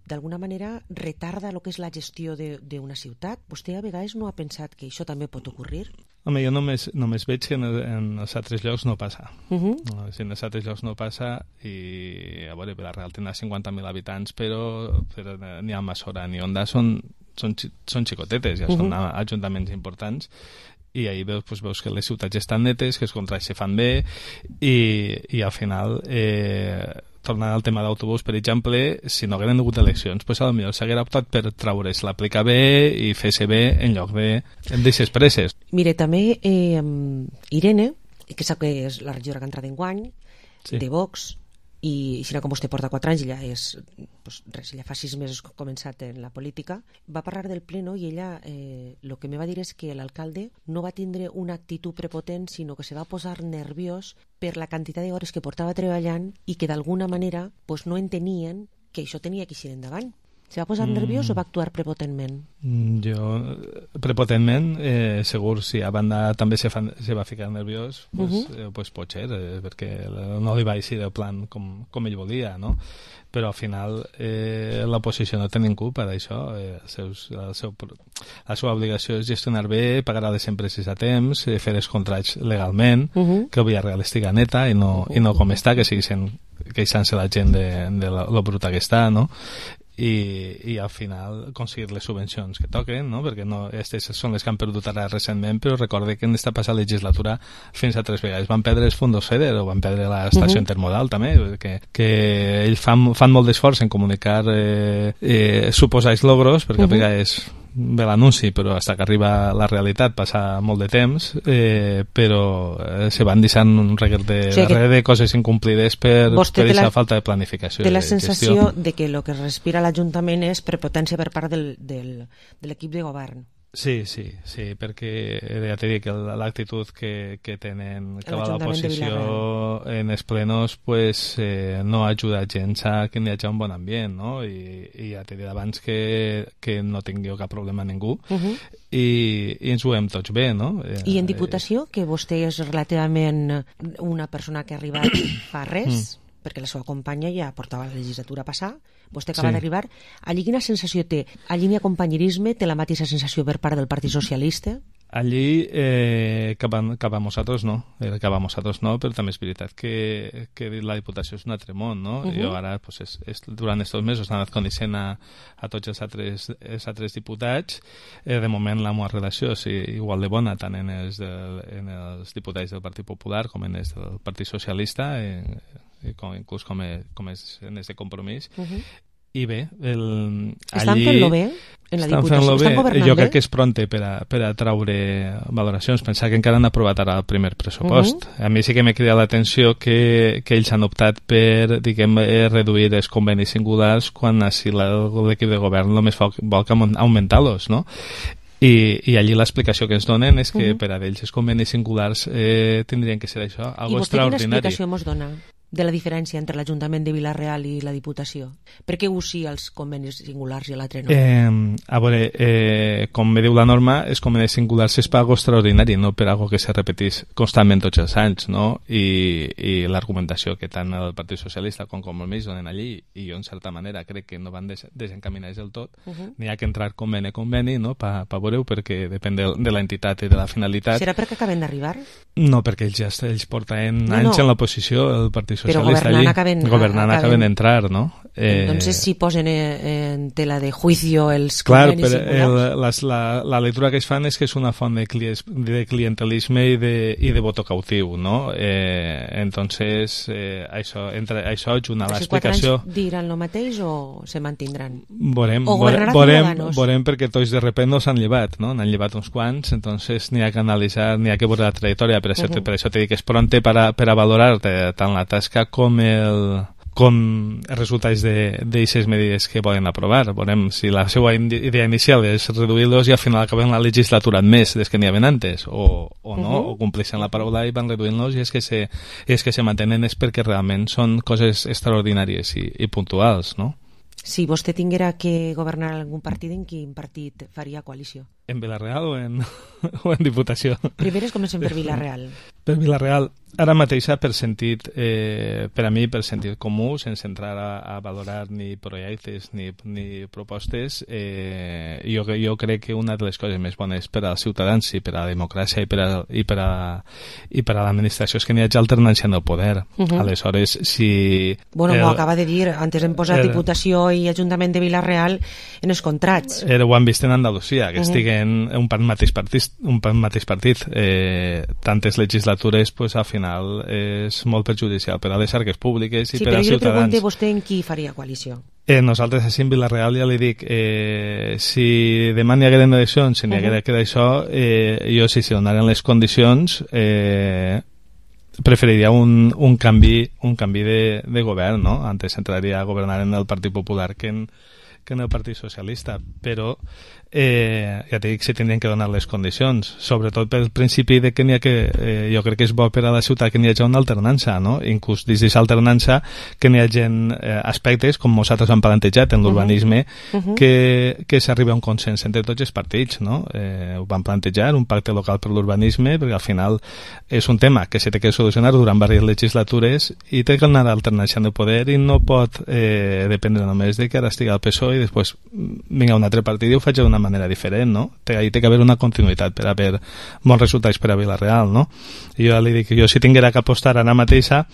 d'alguna manera retarda el que és la gestió d'una ciutat. Vostè a vegades no ha pensat que això també pot ocorrir? Home, jo només veig que en els altres llocs no passa. Si en els altres llocs no passa, i a veure, Vila-real té 50.000 habitants, però ni Almassora ni Onda són xicotetes, ja són ajuntaments importants, i ahir veus que les ciutats estan netes, que els contrats se fan bé, i al final tornant al tema d'autobús, per exemple, si no hagueren hagut eleccions, pues potser s'haguera optat per traure's l'aplicar bé i fer-se bé en lloc d'aixes presses. Mire, també Irene, que sap que és la regidora que ha entrat enguany, de Vox, i si no, com vostè porta 4 anys, ella és, pues, res, ella fa 6 mesos que ha començat en la política, va parlar del pleno i ella el que me va dir és que l'alcalde no va tindre una actitud prepotent, sinó que se va posar nerviós per la quantitat d'hores que portava treballant i que d'alguna manera pues, no entenien que això tenia que ir endavant. Se va posar nerviós o va actuar prepotentment? Jo, prepotentment, segur, si a banda també se va ficar nerviós, pues pot ser, perquè no li va eixir el plan com ell volia, no? Però al final l'oposició no té ningú per això. La seva obligació és gestionar bé, pagar a les empreses a temps, fer els contrats legalment, que el Villarreal estigui neta i no com està, que sigui queixant-se la gent de lo bruta que està, no? I al final aconseguir les subvencions que toquen, no? Perquè aquestes són les que han perdut ara recentment, però recorde que en esta passada legislatura fins a 3 vegades van perdre els fondos FEDER o van perdre l'estació intermodal també, que ells fan molt d'esforç en comunicar suposats logros, perquè a vegades ve l'anunci, però fins que arriba la realitat passa molt de temps, però se van deixant un reguer de coses incomplides per aquesta falta de planificació. Té la sensació de que el que respira l'Ajuntament és prepotència per part de l'equip de govern. Sí, perquè ja t'he dit que l'actitud que tenen que va l'oposició en els plenos pues, no ajuda gens a que hi hagi un bon ambient, no? I ja t'he dit abans que no tingui cap problema a ningú i ens ho hem tots bé, no? I en Diputació, que vostè és relativament una persona que ha arribat fa res, perquè la seva companya ja portava la legislatura passada, vostè acaba d'arribar, allí quina sensació té? Allí n'hi ha companyerisme? Té la mateixa sensació per part del Partit Socialista? Allí cap a nosaltres no, però també és veritat que la Diputació és un altre món, no? Jo ara, pues, durant aquests mesos he anat coneixent a tots els altres diputats. De moment la meva relació és igual de bona tant en els diputats del Partit Popular com en els del Partit Socialista, inclús com és en aquest compromís. I bé, estan fent-lo bé en la Diputació? Estan governant bé? Jo crec que és pronte per a traure valoracions. Pensar que encara han aprovat ara el primer pressupost. A mi sí que m'ha cridat l'atenció que ells han optat per, diguem, reduir els convenis singulars quan així l'equip de govern només vol que augmentar-los, no? I allí l'explicació que ens donen és que per a ells els convenis singulars tindrien que ser això, algo extraordinari. I vostè quina explicació ens dona de la diferència entre l'Ajuntament de Vila-real i la Diputació? Per què us sí els convenis singulars i l'altre no? A veure, com me diu la norma, els convenis singulars és per algo extraordinari, no per algo que se repetís constantment tots els anys, no? I l'argumentació que tant el Partit Socialista com Compromís donen allí, i jo en certa manera crec que no van desencaminats del tot, n'hi ha que entrar conveni a conveni, no? Per veure-ho, perquè depèn de l'entitat i de la finalitat. Serà perquè acaben d'arribar? No, perquè ells porten anys en l'oposició, el Partit Però governant acaben d'entrar, no? Entonces si posen en tela de juicio els convenis singulars. La lectura que es fan és que és una font de clientelisme i de voto cautiu, no? Entonces això junt a l'explicació... 4 anys diran el mateix o se mantindran? Veurem perquè tots de repente no s'han llevat, no? N'han llevat uns quants, entonces n'hi ha que analitzar, n'hi ha que veure la trajectòria, per això t'he dit que és pronte per a valorar tant la tasca com els resultats d'aquestes medides que volen aprovar. Veurem si la seva idea inicial és reduir-los i al final acaben la legislatura més des que n'hi havia antes o no, o compleixen la paraula i van reduint-los i és que se mantenen és perquè realment són coses extraordinàries i puntuals, no? Si vostè tinguera que governar algun partit, en quin partit faria coalició? En Vila-real o en Diputació? Primer comencem per Vila-real. Per Vila-real. Ara mateix, per a mi, per sentit comú, sense entrar a valorar ni projectes ni propostes, jo crec que una de les coses més bones per als ciutadans i per a la democràcia i per a l'administració és que n'hi hagi alternància en el poder. Aleshores, si... Bueno, m'ho acaba de dir, antes hem posat Diputació i Ajuntament de Vila-real en els contrats. Ho han vist en Andalusia, que estiguen un mateix partit. Tantes legislatures, pues, al final final és molt perjudicial per a les arques públiques i sí, per als ciutadans. Sí, però jo li pregunto vostè en qui faria coalició. Nosaltres així en Vila-real ja li dic, si demà n'hi hagueren eleccions, si n'hi haguera que d'això, jo si se donaren les condicions preferiria un canvi de govern, no? Antes entraria a governar en el Partit Popular que en el Partit Socialista, però ja t'he dit que se tindrien que donar les condicions, sobretot pel principi de que n'hi ha jo crec que és bo per a la ciutat que n'hi hagi una alternança, no? Inclús dins d'aquesta alternança que n'hi hagi aspectes, com nosaltres hem plantejat en l'urbanisme, que s'arriba a un consens entre tots els partits, no? Ho vam plantejar, un pacte local per l'urbanisme, perquè al final és un tema que se té que solucionar durant diverses legislatures i té que anar alternant de poder i no pot dependre només de que ara estigui al PSOE i després vinga un altre partit i ho faig d'una manera diferent, no? Hi té que haver una continuïtat per haver bons resultats per a Vila-real, no? I jo li dic que jo si tinguera que apostar ara mateixa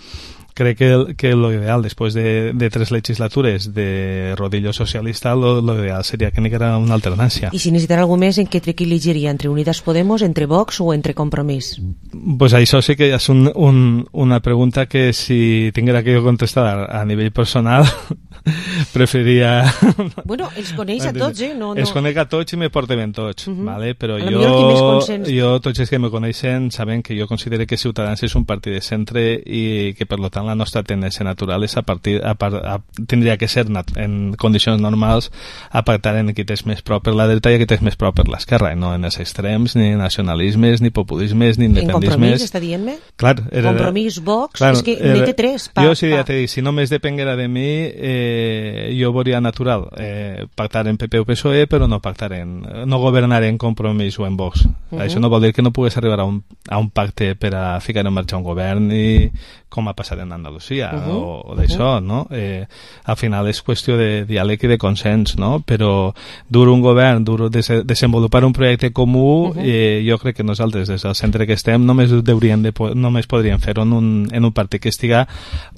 crec que lo ideal, després de 3 legislatures de rodillo socialista, lo ideal seria que n'hi haguera una alternància. I si necessitara algú més, en què elegiria? Entre Unidas Podemos, entre Vox o entre Compromís? Pues això sí que és una pregunta que si tinguera que jo contestar a nivell personal preferiria... Bueno, els coneix a tots, No. Els conec a tots i me porten ben tots, ¿vale? Però jo, tots els que me coneixen saben que jo considero que Ciutadans és un partit de centre i que per tant la nostra tendència natural és tindria que ser en condicions normals a pactar en qui és més prop per la dreta i qui és més prop per l'esquerra, no en els extrems, ni nacionalismes, ni populismes, ni independentismes. En Compromís, està dient-me? Clar, Compromís, Vox, és que n'hi té 3. Jo sí ja t'he dit, si només depenguera de mi, jo veuria natural pactar en PP o PSOE, però no governar en Compromís o en Vox. Això no vol dir que no pugues arribar a un pacte per a ficar en marxa un govern i com ha passat en Andalusia o d'això, no? Al final és qüestió de diàleg i de consens, no? Però dur un govern, desenvolupar un projecte comú, jo crec que nosaltres des del centre que estem només podríem fer-ho en un partit que estiga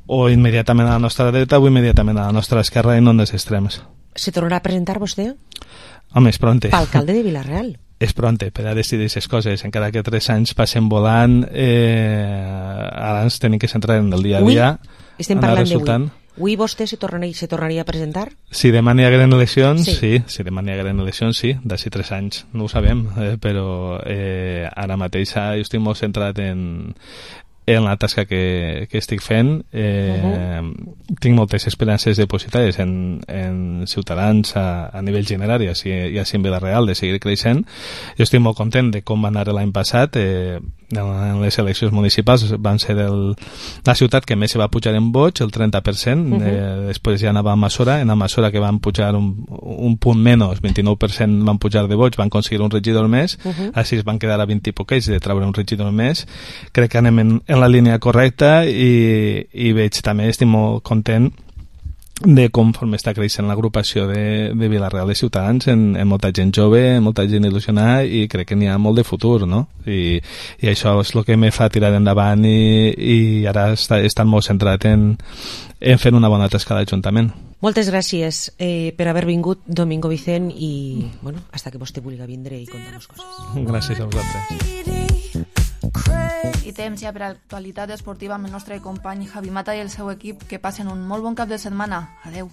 o immediatament a la nostra dreta o immediatament a la nostra esquerra i no en els extrems. Se tornarà a presentar vostè? Home, és pronte. Alcalde de Vila-real. És pronte per a decidir aquestes coses, encara que 3 anys passen volant, ara ens tenim que centrar en el dia a dia. Estem parlant d'avui. Avui vostè se tornaria a presentar? Si demà n'hi hagueren eleccions, sí. Si demà n'hi hagueren eleccions, sí. D'ací 3 anys no ho sabem, però ara mateix jo estic molt centrat en la tasca que estic fent. Tinc moltes esperances depositades en Ciutadans a nivell general i així en Vila-real de seguir creixent. Jo estic molt content de com va anar l'any passat. En les eleccions municipals van ser la ciutat que més se va pujar en vots, el 30%. Després ja anava a Massora, en Massora que van pujar un punt menys, 29% van pujar de vots, van aconseguir un regidor més, així es van quedar a 20 i poquets de treure un regidor més. Crec que anem en la línia correcta i veig també, estic molt content de conforme està creixent l'agrupació de Vila-real de Ciutadans en molta gent jove, molta gent il·lusionada i crec que n'hi ha molt de futur, no? I això és el que me fa tirar endavant i ara he estat molt centrat en fer una bona tasca d'Ajuntament. Moltes gràcies per haver vingut, Domingo Vicent, i bueno, hasta que vostè vulgui vindre i contar-nos coses. Gràcies a vosaltres. I temps ja per a l'actualitat esportiva amb el nostre company Javi Mata i el seu equip. Que passen un molt bon cap de setmana. Adeu.